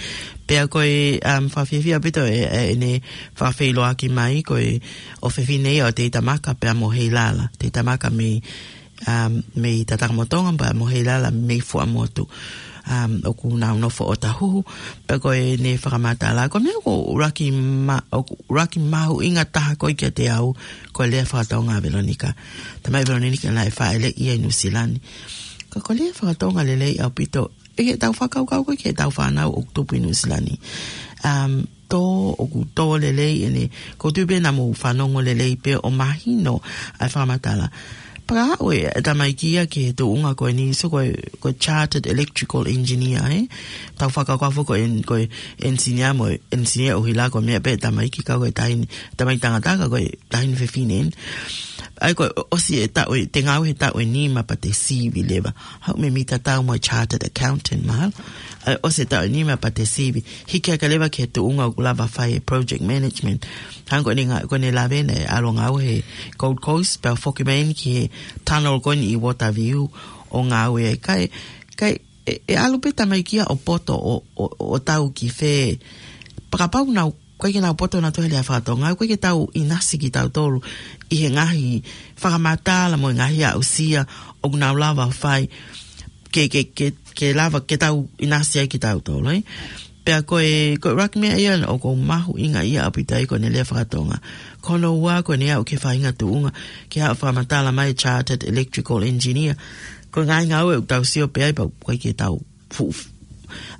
Pea ko e, um, fakafiefia ʻaupito e, e, ʻene fakafeʻiloaki mai, ko e ʻofefine ia ʻo Teitamaka pea mo Heilala. Teitamaka mei, um, mei Tatakamotonga pea mo Heilala mei Fuaʻamotu. Um, ʻoku nau nofo ʻo Tahuhu, pea ko ʻene fakamatala. Ko e meʻa ʻoku ʻuluaki ma-, ʻoku ʻuluaki mahuʻinga taha ko ē kiate au, ko e lea faka-Tonga ʻa Velonika. Talamai ʻe Velonika naʻe fāʻeleʻi ia ʻi Nuʻusila ni. Ka ko e lea faka-Tonga lelei ʻaupito, ʻi heʻetau fakakaukau ko ē ki heʻetau fānau ʻoku tupu ʻi Nuʻusila ni. Um, tō, ʻoku tō lelei ʻene, ʻoku ou tui pē naʻa mou fanongo lelei pē ʻo mahino ʻa e fakamatala. Pea aʻu e tamaiki ia ki he tuʻunga ko eni, so ko e, ko e chartered electrical engineer, ē? Tau fakakaukau foki ko e en-, ko e engineer mo e engineer ʻuhila ko e meʻa pē tamaiki ka ko e taʻahine, tamaiki tangata ka ko e taʻahine fefine eni. ʻA ia ko e ʻosi e taʻu ē, te ngāue he taʻu ʻe nima pea te sivi leva. Haʻu mei Mita Tau mo e chartered accountant mahalo. ʻA ia ʻosi e taʻu ʻe nima pea te sivi. Hiki hake leva ki he tuʻunga ʻoku lava fai e project management. Hangē ko ʻene ngā-, ko ʻene lavena e ʻalu ngāue he Gold Coast, pea foki mai eni ki he tunnel ko eni ʻi Waterview ʻo ngāue ai. Kae, kae, ʻe, ʻe ʻalu pē tamaiki ia ʻo poto ʻo, ʻo, ʻo tau ki fē. Pea kapau naʻa ʻoku ʻikai ke nau poto nautolu he lea faka-Tonga, ʻoku ʻikai ke tau ʻinasi kitautolu ʻi he ngaahi fakamatala mo e ngaahi aʻusia ʻoku nau lava fai ke, ke, ke, ke lava ke tau ʻinasi ai kitautolu, ē? Pea ko e, ko e ʻuluaki meʻa ia ʻoku mahuʻinga ia ʻaupito ai ko ʻene lea faka-Tonga. Ko hono ua ko ʻene aʻu ki he faʻahinga tuʻunga, ke aʻu fakamatala mai e chartered electrical engineer. Ko e ngaahi ngāue ʻoku tau sio pē ai pea ʻoku ʻikai ke tau fuʻu,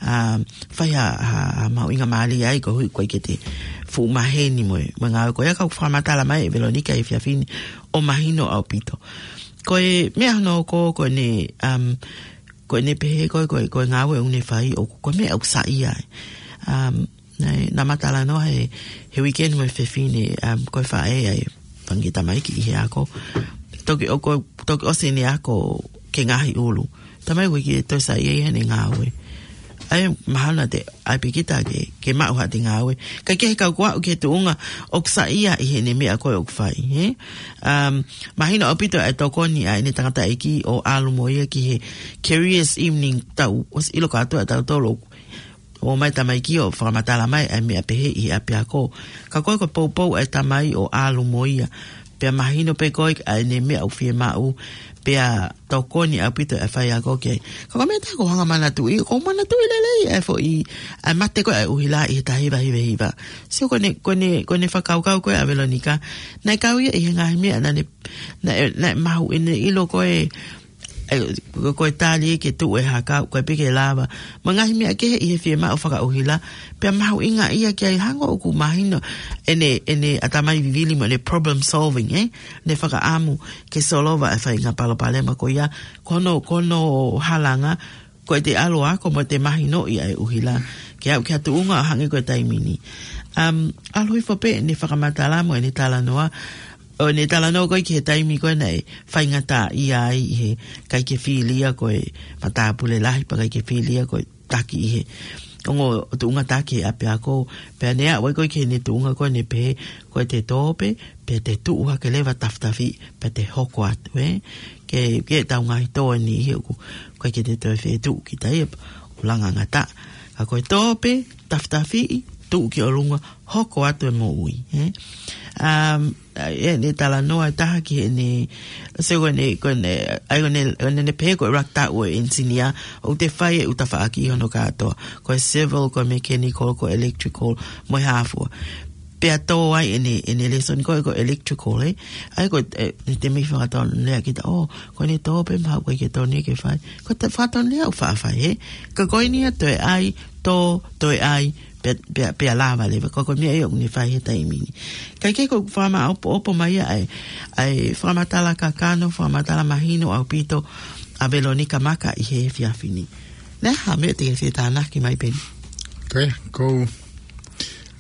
um, fai ha, ha, ha mahuʻinga mālie ai koeʻuhi ʻoku ʻikai ke te fuʻu maheni mo e, mo e ngāue ko ia ka ʻoku fakamatala mai ʻe Velonika he efiafi ni ʻo mahino ʻaupito. Ko e meʻa hono hoko ko ʻene, um, ko ʻene pehē ko e, ko e, ko e ngāue ʻoku ne fai ʻoku, ko e meʻa ʻoku saiʻia ai. Um, naʻe, naʻá ma talanoa he, he weekend mo e fefine, um, ko e faʻē ʻa e fanga kiʻi tamaiki ʻi he ako. Toki ʻo ko, toki ʻosi ʻene ako ki he ngaahi ʻulu. Talamai ʻoku ʻikai ke toe saiʻia ia heʻene ngāue. ʻA ia mahalo naʻa te ʻai pē kita ke, ke maʻu haʻate ngāue. Kae kehe ka ʻoku aʻu ki he tuʻunga ʻoku saiʻia ʻi heʻene meʻa ko ē ʻoku fai, ē? Um, mahino ʻaupito ʻa e tokoni ʻa ʻene tangataʻeiki ʻo ʻalu mo ia ki he careers evening, tau ʻosi ʻilo kātoa ʻe tautolu ʻoku ō mai tamaiki ʻo fakamatala mai ʻa e meʻa pehē ʻi he ʻapiako. Ka ko e, ko e poupou ʻa e tamai ʻo ʻalu mo ia. Pea mahino pē ko ē ʻa ʻene meʻa ʻoku fiemaʻu, pea tokoni ʻaupito e faiako ki ai. Ka ko e meʻa ʻe taha ʻoku ou hanga ʻo manatuʻi, ʻoku ou manatuʻi lelei ʻa e foʻi, ʻa e mate ko ē ʻa e ʻuhila ʻi he taha hiva hiva hiva. Sio ko ʻene, ko ʻene, ko ʻene fakakaukau ko ē ʻa Velonika, naʻe kau ia ʻi he ngaahi meʻa naʻá ne, naʻe, naʻe mahu ʻene ʻilo ko ē, ʻe, ko, ko e tali ke tuʻu e haka, ko e pē ke lava. Mo e ngaahi meʻa kehe ʻi he fiemaʻu fakaʻuhila, pea mahuʻinga ia ki ai hangē ʻoku mahino ʻene, ʻene ʻatamai vivili mo ʻene problem solving, ē? ʻEne fakaʻamu ke solova e faʻahinga palopalema ko ia, ko hono, ko hono halanga, ko ʻete ʻalu ʻo ako mo ʻete mahinoʻi ʻa e ʻuhila, ke aʻu ki ha tuʻunga ʻo hangē ko e taimi ni. Um, ʻalu hifo pē ʻene fakamatala mo ʻene talanoa, ʻo ʻene talanoa ko ē ki he taimi ko ē naʻe faingataʻaʻia ai ʻi he ʻikai ke filia ko e matāpule lahi, pea ʻikai ke filia ko e taki ʻi he ongo tuʻunga taki he ʻapiako, pea ne aʻu ai ko ē ki heʻene tuʻunga ko ē ne pehē, ko ʻete tō pē, pea te tuʻu hake leva tafitafi, pea te hoko atu, ē? Ke, ke tau ngaahi tō eni ʻi he ʻoku, ʻoku ʻikai ke te toe fetuʻu kita ia, ʻoku langa ngata. Ka ko e tō pē, tafitafi, tuʻu ki ʻolunga, hoko atu e moʻui, ē? Um, ʻa ia ʻene talanoa ʻe taha ki heʻene, so ko ʻene, ko ʻene, ʻa ia ko ʻene, ko ʻene pehē ko e ʻuluaki taʻu ʻo e engineer, ʻoku te fai e ʻū tafaʻaki ʻi hono kātoa. Ko e civil, ko e mechanical, ko e electrical, mo e hā fua. Pea tō ai ʻene, ʻene lēsoni ko ē ko e electrical, ē? ʻA ia ko e, ʻe, ne te mei fakatonulea kita, ʻō, ko ʻene tō pē mahalo ʻoku ʻikai ke tonu ke fai. Ko e fakatonulea ʻoku faʻa fai, ē? Ka ko eni ia toe ʻai, tō, toe ʻai, pea, pea, pea lava leva. Ko e, ko e meʻa ia ʻoku ne fai he taimi ni. Kae kehe ʻoku ou fakamāʻopoʻopo mai ia ʻa e, ʻa e fakamatala kakano, fakamatala mahino ʻaupito ʻa Velonika Maka ʻi he efiafi ni. Naʻe ʻi ai ha meʻa te ke fie tānaki mai, Peni? Ko ia, ʻoku ou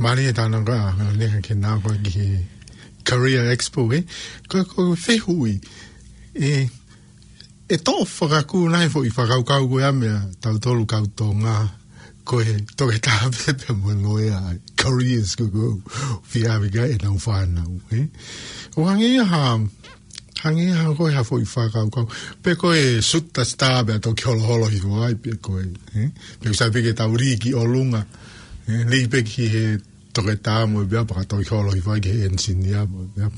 mālie e tānaki ʻa Velonika ke nau ko ē ki he Career Expo, ē? Ko, ko e fehuʻi, ē, ʻe toʻo fakakū nai e foʻi fakakaukau ko ia meia tautolu kau Tonga, ko e toketā pē pea mo e loea, careers ko ē ʻoku fie ʻave ki ai ʻenau fānau, ē? ʻO hangē ia ha, hangē ia ha ko e ha foʻi fakakaukau. Pe ko e suta star pea toki holoholo hifo ai, pe ko e, ē? Pe ʻoku sai pē ke tau lī ki ʻolunga, ē? Lī pē ki he toketā mo e meʻa pea ka toki holo hifo ai ki he engineer mo e meʻa.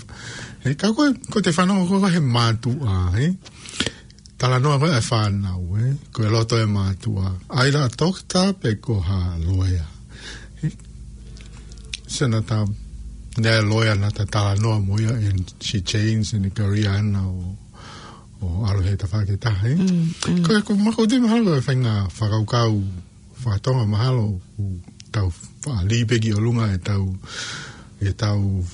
Ē, ka ko e, ko e te fanongo ko ē he mātuʻa, ē? Talanoa ko ē ʻa e fānau, ē? Ko e loto ʻa e mātuʻa. ʻAi la toketā pe ko ha loea. Ē? Sio naʻa ta, naʻe loea naʻa ta talanoa mo ia and she changed in the career ʻana ʻo, ʻo ʻalu he tafaʻaki ʻe taha, ē? Mm, mm. Ko e, ko e makou te mahalo ko e faʻahinga fakakaukau faka-Tonga mahalo ʻoku tau faʻa lī pē ki ʻolunga ʻetau, ʻetau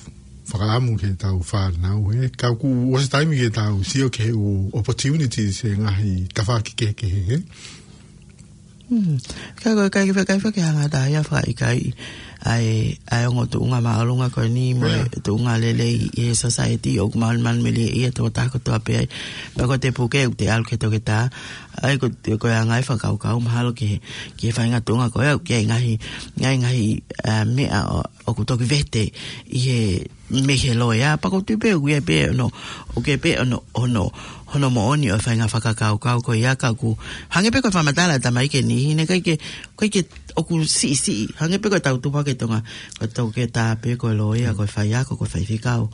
fakaʻamu ki heʻetau fānau, ē. Ka kuo ʻosi taimi ke tau sio ki he ʻū opportunities he ngaahi tafaʻaki kehekehe, ē. Hmm. Ka ko e kai, kai, kai, ke hanga ʻe taha ia ʻo fakaʻikaiʻi ʻa e, ʻa e ongo tuʻunga māʻolunga ko eni mo e, yeah, tuʻunga lelei ʻi he society ʻoku malumalu melie ia tō taha kotoa pē ai. Pea ko e te puke ʻoku te ʻalu ki he toketā. ʻAi ko, ko e anga e fakakaukau mahalo ki he, ki he faʻahinga tuʻunga ko ē, ki he ngaahi, ngaahi, ngaahi, ā, meʻa ʻo, ʻoku toki vete ʻi he mei he loea, pea ʻoku ou tui pē ʻoku ʻi ai pē hono, ʻoku ʻi ai pē hono, hono, hono moʻoni ʻo e faʻahinga fakakaukau ko ia ka ʻoku hangē pē ko e fakamatala ʻa e tamaiki ʻe niʻihi, naʻe ʻikai ke, ʻikai ke ʻoku siʻisiʻi, hangē pē ko ʻetau tupu hake ʻi Tonga, ko e toketā pē, ko e loea, ko e faiako, ko e faifekau.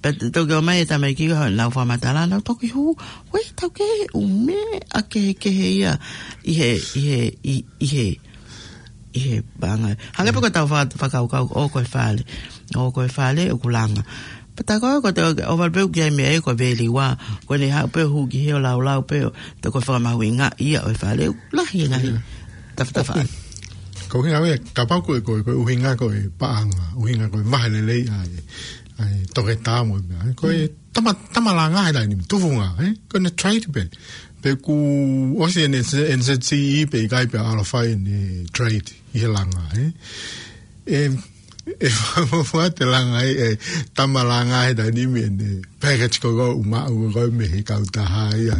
Pea te toki ʻomai e tamaiki ko ē ʻenau fakamatala, nau toki hū, ʻoku ʻi ai ʻetau kehe ʻū meʻa kehekehe ia ʻi he, ʻi he, ʻi, ʻi he, ʻi he paʻanga. Hangē pē ko ʻetau faka-, fakakaukau, ʻoku ʻi ai e fale. ʻOku ʻi ai e fale, ʻoku langa. Pea tā ko ē, ko e te, ʻohovale pē ʻoku ʻi ai e meʻa ia ko e veliua. Ko ʻene haʻu pē ʻo hū ki hē ʻo laulau pē ʻo, te ko e fakamahuʻingaʻi ia ʻo e fale, ʻoku lahi e ngaahi, yeah, tafatafaʻaki. Ko e ʻuhinga ia, kapau ko e, ko e, ko e ʻuhinga ko e paʻanga, ʻuhinga ko e maʻu lelei ʻa e, ʻa e toketā mo e meʻa. Ko e, mm, tama, tama langa he taimi ni, tufunga, ē? Ko ʻene trade pē. Pe kuo ʻosi ʻene N Z C E pe ʻikai pea ʻalu ʻo fai ʻene trade ʻi he langa, ē? ʻE, ʻe fuafua te langa ē, ʻe tama langa he taimi ni ʻene package ko ē ʻoku maʻu ko ē mei he kautaha ia.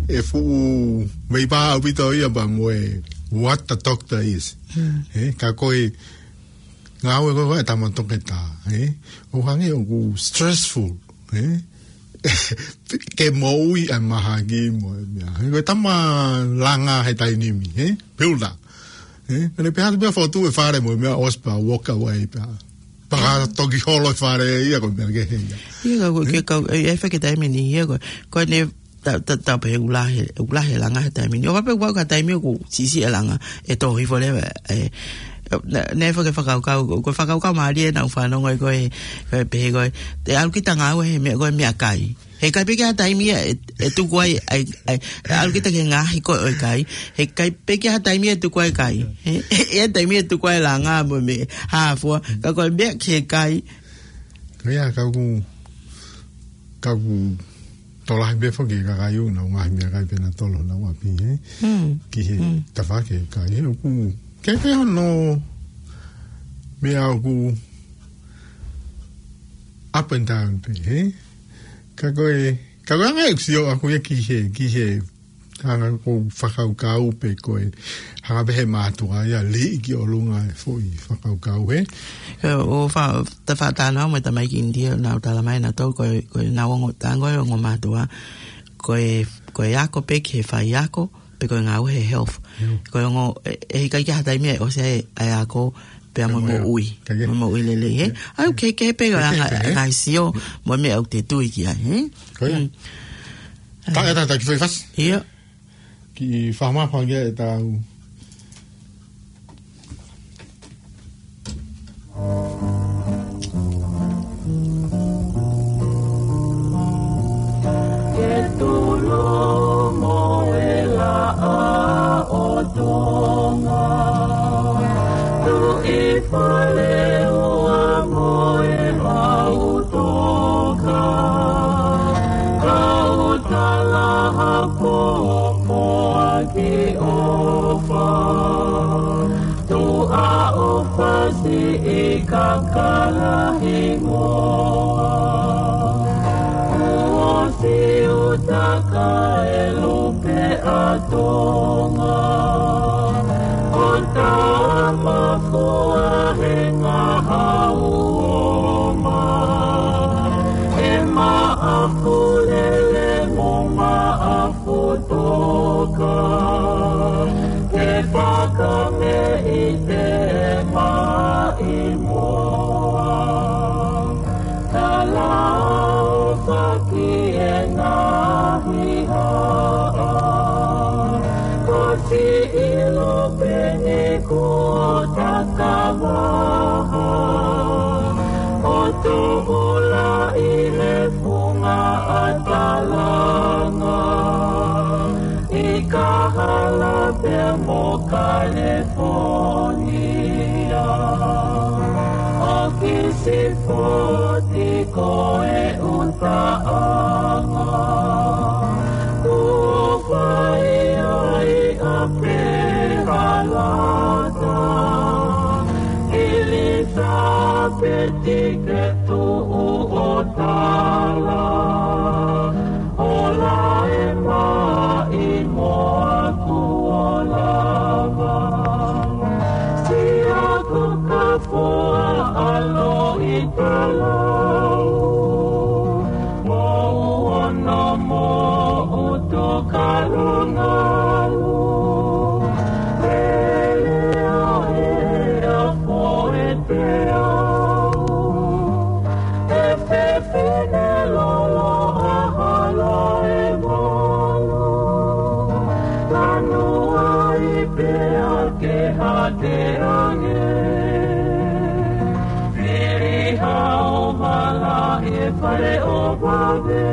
ʻE fuʻu meimei ʻaupito ia pea mo e what the doctor is. Hmm. Ē, ka ko e ngāue ko ē ʻa e tama toketā, ē? ʻOku hangē ʻoku stressful, ē? Ke moʻui ʻa e mahaki mo e meʻa. Ē, ko e tama langa he taimi ni, ē? Builder. Ē? Pea ne pehē atu pea fotu e fale mo e meʻa ʻosi pea walk away pea. Pea ka toki holo e fale ia ko e meʻa kehe ia. Ia ka ko e, ē? Ke kau, ē, ʻe fai ke taimi ni ia ko e, ko ʻene ta, ta, ta pehē ʻoku lahi, ʻoku lahi e langa he taimi ni. ʻOhovale pē ʻoku ʻi ai e taimi ʻoku siʻisiʻi e langa, ʻe tō hifo leva, ē, naʻe, naʻe faka-, fakakaukau, ko e fakakaukau mālie ʻenau fanongo ē ko e, ko e pehē ko e, te ʻalu kita ngāue he meʻa, ko e meʻakai. He ʻikai pē ke ʻi ai ha taimi ia ʻe, ʻe tuku ai, ʻai, ʻai, ʻalu kita ki he ngaahi ko ē ʻo e kai. He ʻikai pē ke ʻi ai ha taimi ia ʻe tuku ai e kai. He, he, he taimi ʻe tuku ai e langa mo e meʻa, hā fua, ka ko e meʻa ki he kai. Ko ia, ka ʻoku, ka ʻoku tokolahi pē foki e kakai ʻoku nau ngaahi meʻakai pē nautolu honau ʻapi, ē? Mm. Ki he, mm, tafaʻaki e kai, ē, ʻoku, ke pē hono meʻa ʻoku up and down pē, ē? Ka ko e, ka ko e anga ʻeku sio ʻaʻaku ia ki he, ki he anga ko e fakakaukau pe ko e hanga pē he mātuʻa ia ʻo lī ki ʻolunga e foʻi fakakaukau, ē? Ko e, ʻo fa-, ta fakatātā mo e tamaiki ʻInitia, nau talamai nautolu ko e, ko ʻenau ongo tango e ongo mātuʻa, ko e, ko e ako pē ki he faiako, pe ko e ngāue he health. Mm. Ko e ongo, ʻe, ʻe ʻikai ke ʻi ai ha taimi ia ʻe ʻosi ai e ako, pea mo e, mo e moʻui. Kae kehe. Mo e moʻui lelei, ē? Yeah. ʻAi, ʻoku kehekehe pē, kae kehekehe, anga, ē? Ngaahi sio, mo e meʻa ʻoku te tui ki ai, ē? Ko ia. Mm. Ta, ē, ta, ta, ki fai fasi. Ia. Kiʻi fakamaʻa pē ange ʻetau. Ke tulu mo e laʻā ʻo Tonga. Tuʻi Faleua mo e ʻAutoka. Kau talaha ko Moaki ʻofa. Tuʻa ʻofa siʻi kakala hingoa. Kuo siutaka e lupe ʻa Tonga. ʻO ta e ngaahi haʻa. Ko Siʻilo pē eni kuo takavaha, ʻo tuʻu lahi he funga ʻa Talanga, ʻi Kahala pea mo California. ʻO Kisifoti ko e ʻutaʻanga, kuo fai ai ʻa Pehalata, ʻIlisapeti ke tuʻu ʻo tala, ʻo lae maʻi mo aku ʻo lava. Siʻa ko Kafoa ʻa Loʻitalau, mo Uono mo ʻUtukalongalu. Lele ʻa e ʻafo e teau, e fefine lolo ʻa Halaevalu. Lanu ai pea ke hake ange, fili hao vala e fale ʻo vave.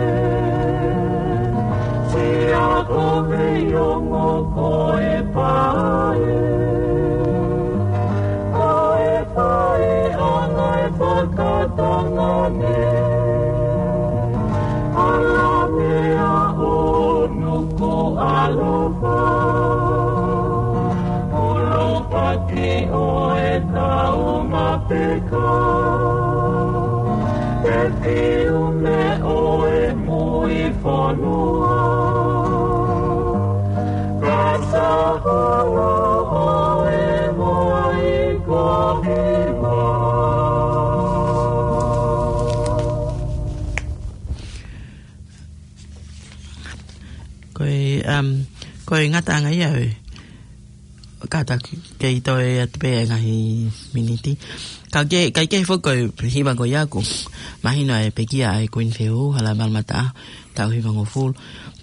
Siʻa ko Veiongo ko e pae, ko e pae ʻa e ngaahi fakatonga ni. ʻAlamea ʻo Nukuʻalofa, ʻUlupaki ʻo e Taumapeka, e Piume ʻo e Muifonua, Kasahala ʻo e Moikohiva. Ko e, um, ko e ngataʻanga ia ʻo e kātaki kei toe atu pē e ngaahi miniti. Ka ke, ka ke foki ko e hiva ko ia ʻoku mahino e pekia ʻa e Kuini Fehuhu, Halaevalu Mataʻaho, taʻu hivangofulu.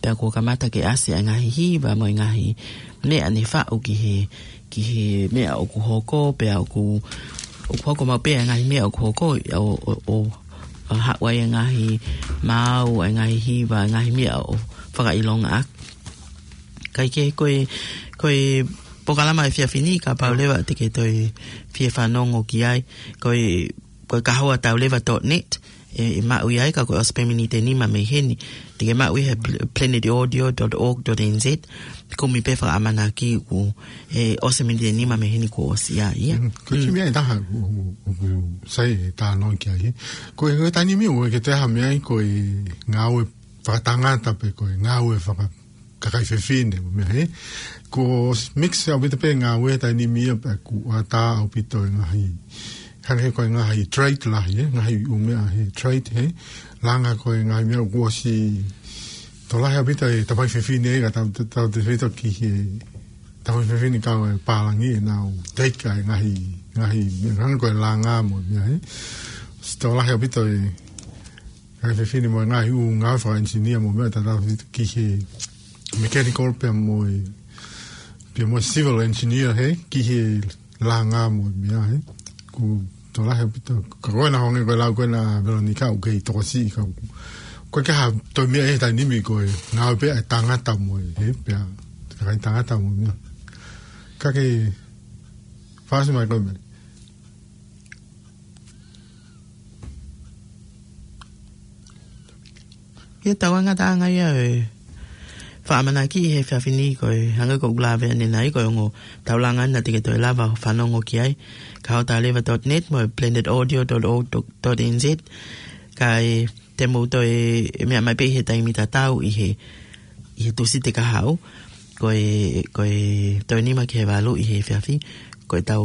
Pea kuo kamata ke ʻasi ʻa e ngaahi hiva mo e ngaahi meʻa ne faʻu ki he, ki he meʻa ʻoku hoko, pea ʻoku, ʻoku hoko maʻu pē ʻa e ngaahi meʻa ʻoku hoko, ʻo, ʻo, ʻo, ʻo haʻu ai e ngaahi maau, e ngaahi hiva, e ngaahi meʻa ʻo fakaʻilonga ʻaki. Kae kehe ko e, ko e polokalama ʻa e efiafi ni, kapau leva te ke toe fie fanongo ki ai, ko e, ko e kahoa tau leva dot net, ʻe, ʻe maʻu ia ai, ka ko e ʻosi pē miniti ʻe nima mei heni, te ke maʻu ia he pl-, planet audio dot org dot N Z, kumi pē fakaʻamanaki kuo, ʻe, ʻosi miniti ʻe nima mei heni kuo ʻosi ia, ia. Mm, ko e kiʻi meʻa ʻe taha, ʻo, ʻo, ʻo, ʻoku sai e talanoa ki ai, he. Ko e, ko e taimi ni ʻoku ʻikai ke toe ʻi ai ha meʻa ia ko e ngāue fakatangata pe ko e ngāue faka-, kakai fefine, mo e meʻa, he. Kuo mix ʻaupito pē ngāue taimi ni ia pea kuo ʻatā ʻaupito e ngaahi, hangē ko e ngaahi trade lahi, he, ngaahi ʻū meʻa he trade, he. Langa ko e ngaahi meʻa kuo ʻosi tokolahi ʻaupito e tafaʻaki fefine, ka tau, tau, tautefito ki he tafaʻaki fefine kau e pālangi ʻenau take ʻa e ngaahi, ngaahi meʻa, hangē ko e langa mo e meʻa, he. ʻOsi tokolahi ʻaupito e ngaahi fefine mo e ngaahi ʻū ngāue fakaengineer mo e meʻa, tautefito ki he mechanical pea mo e, pea mo e civil engineer, he, ki he langa mo e meʻa, he. Kuo tokolahi ʻaupito. Ka ko ena hangē ko e lau ko ena ʻa Veronica, ʻoku kei tokosiʻi ka ʻoku, ʻoku ʻikai ke ʻi ai ha toe meʻa he taimi ni, ko e ngāue pē ʻa e tangata mo e, he, pea, kakai tangata mo e meʻa. Ka ke fasi mai ko e meʻa. Ia, tau ngataʻanga ia e fakaʻamanaki he efiafi ni, ko e hangē ko ʻeku lave ʻanenai, ko e ongo taulanga naʻa te ke toe lava ʻo fanongo ki ai, kahoa tau leva dot net mo e planet audio dot org dot N Z, kae te mou toe meʻa mai pē he taimi tatau ʻi he, ʻi he Tūsite kahaʻu, ko e, ko e taha nima ki he valu ʻi he efiafi, ko e tau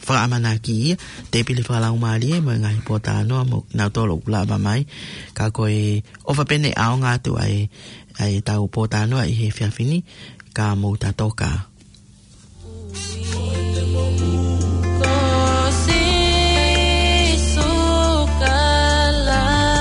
fakaʻamanaki ia, te pili fakalaumālie mo e ngaahi pōtalanoa mo kinautolu ʻoku lava mai, ka ko e ʻofa pē ʻeni ʻaonga atu ʻa e, ʻa e tau pōtalanoa ʻi he efiafi ni, ka mou tatoka. Ko Sīsū Kalaisi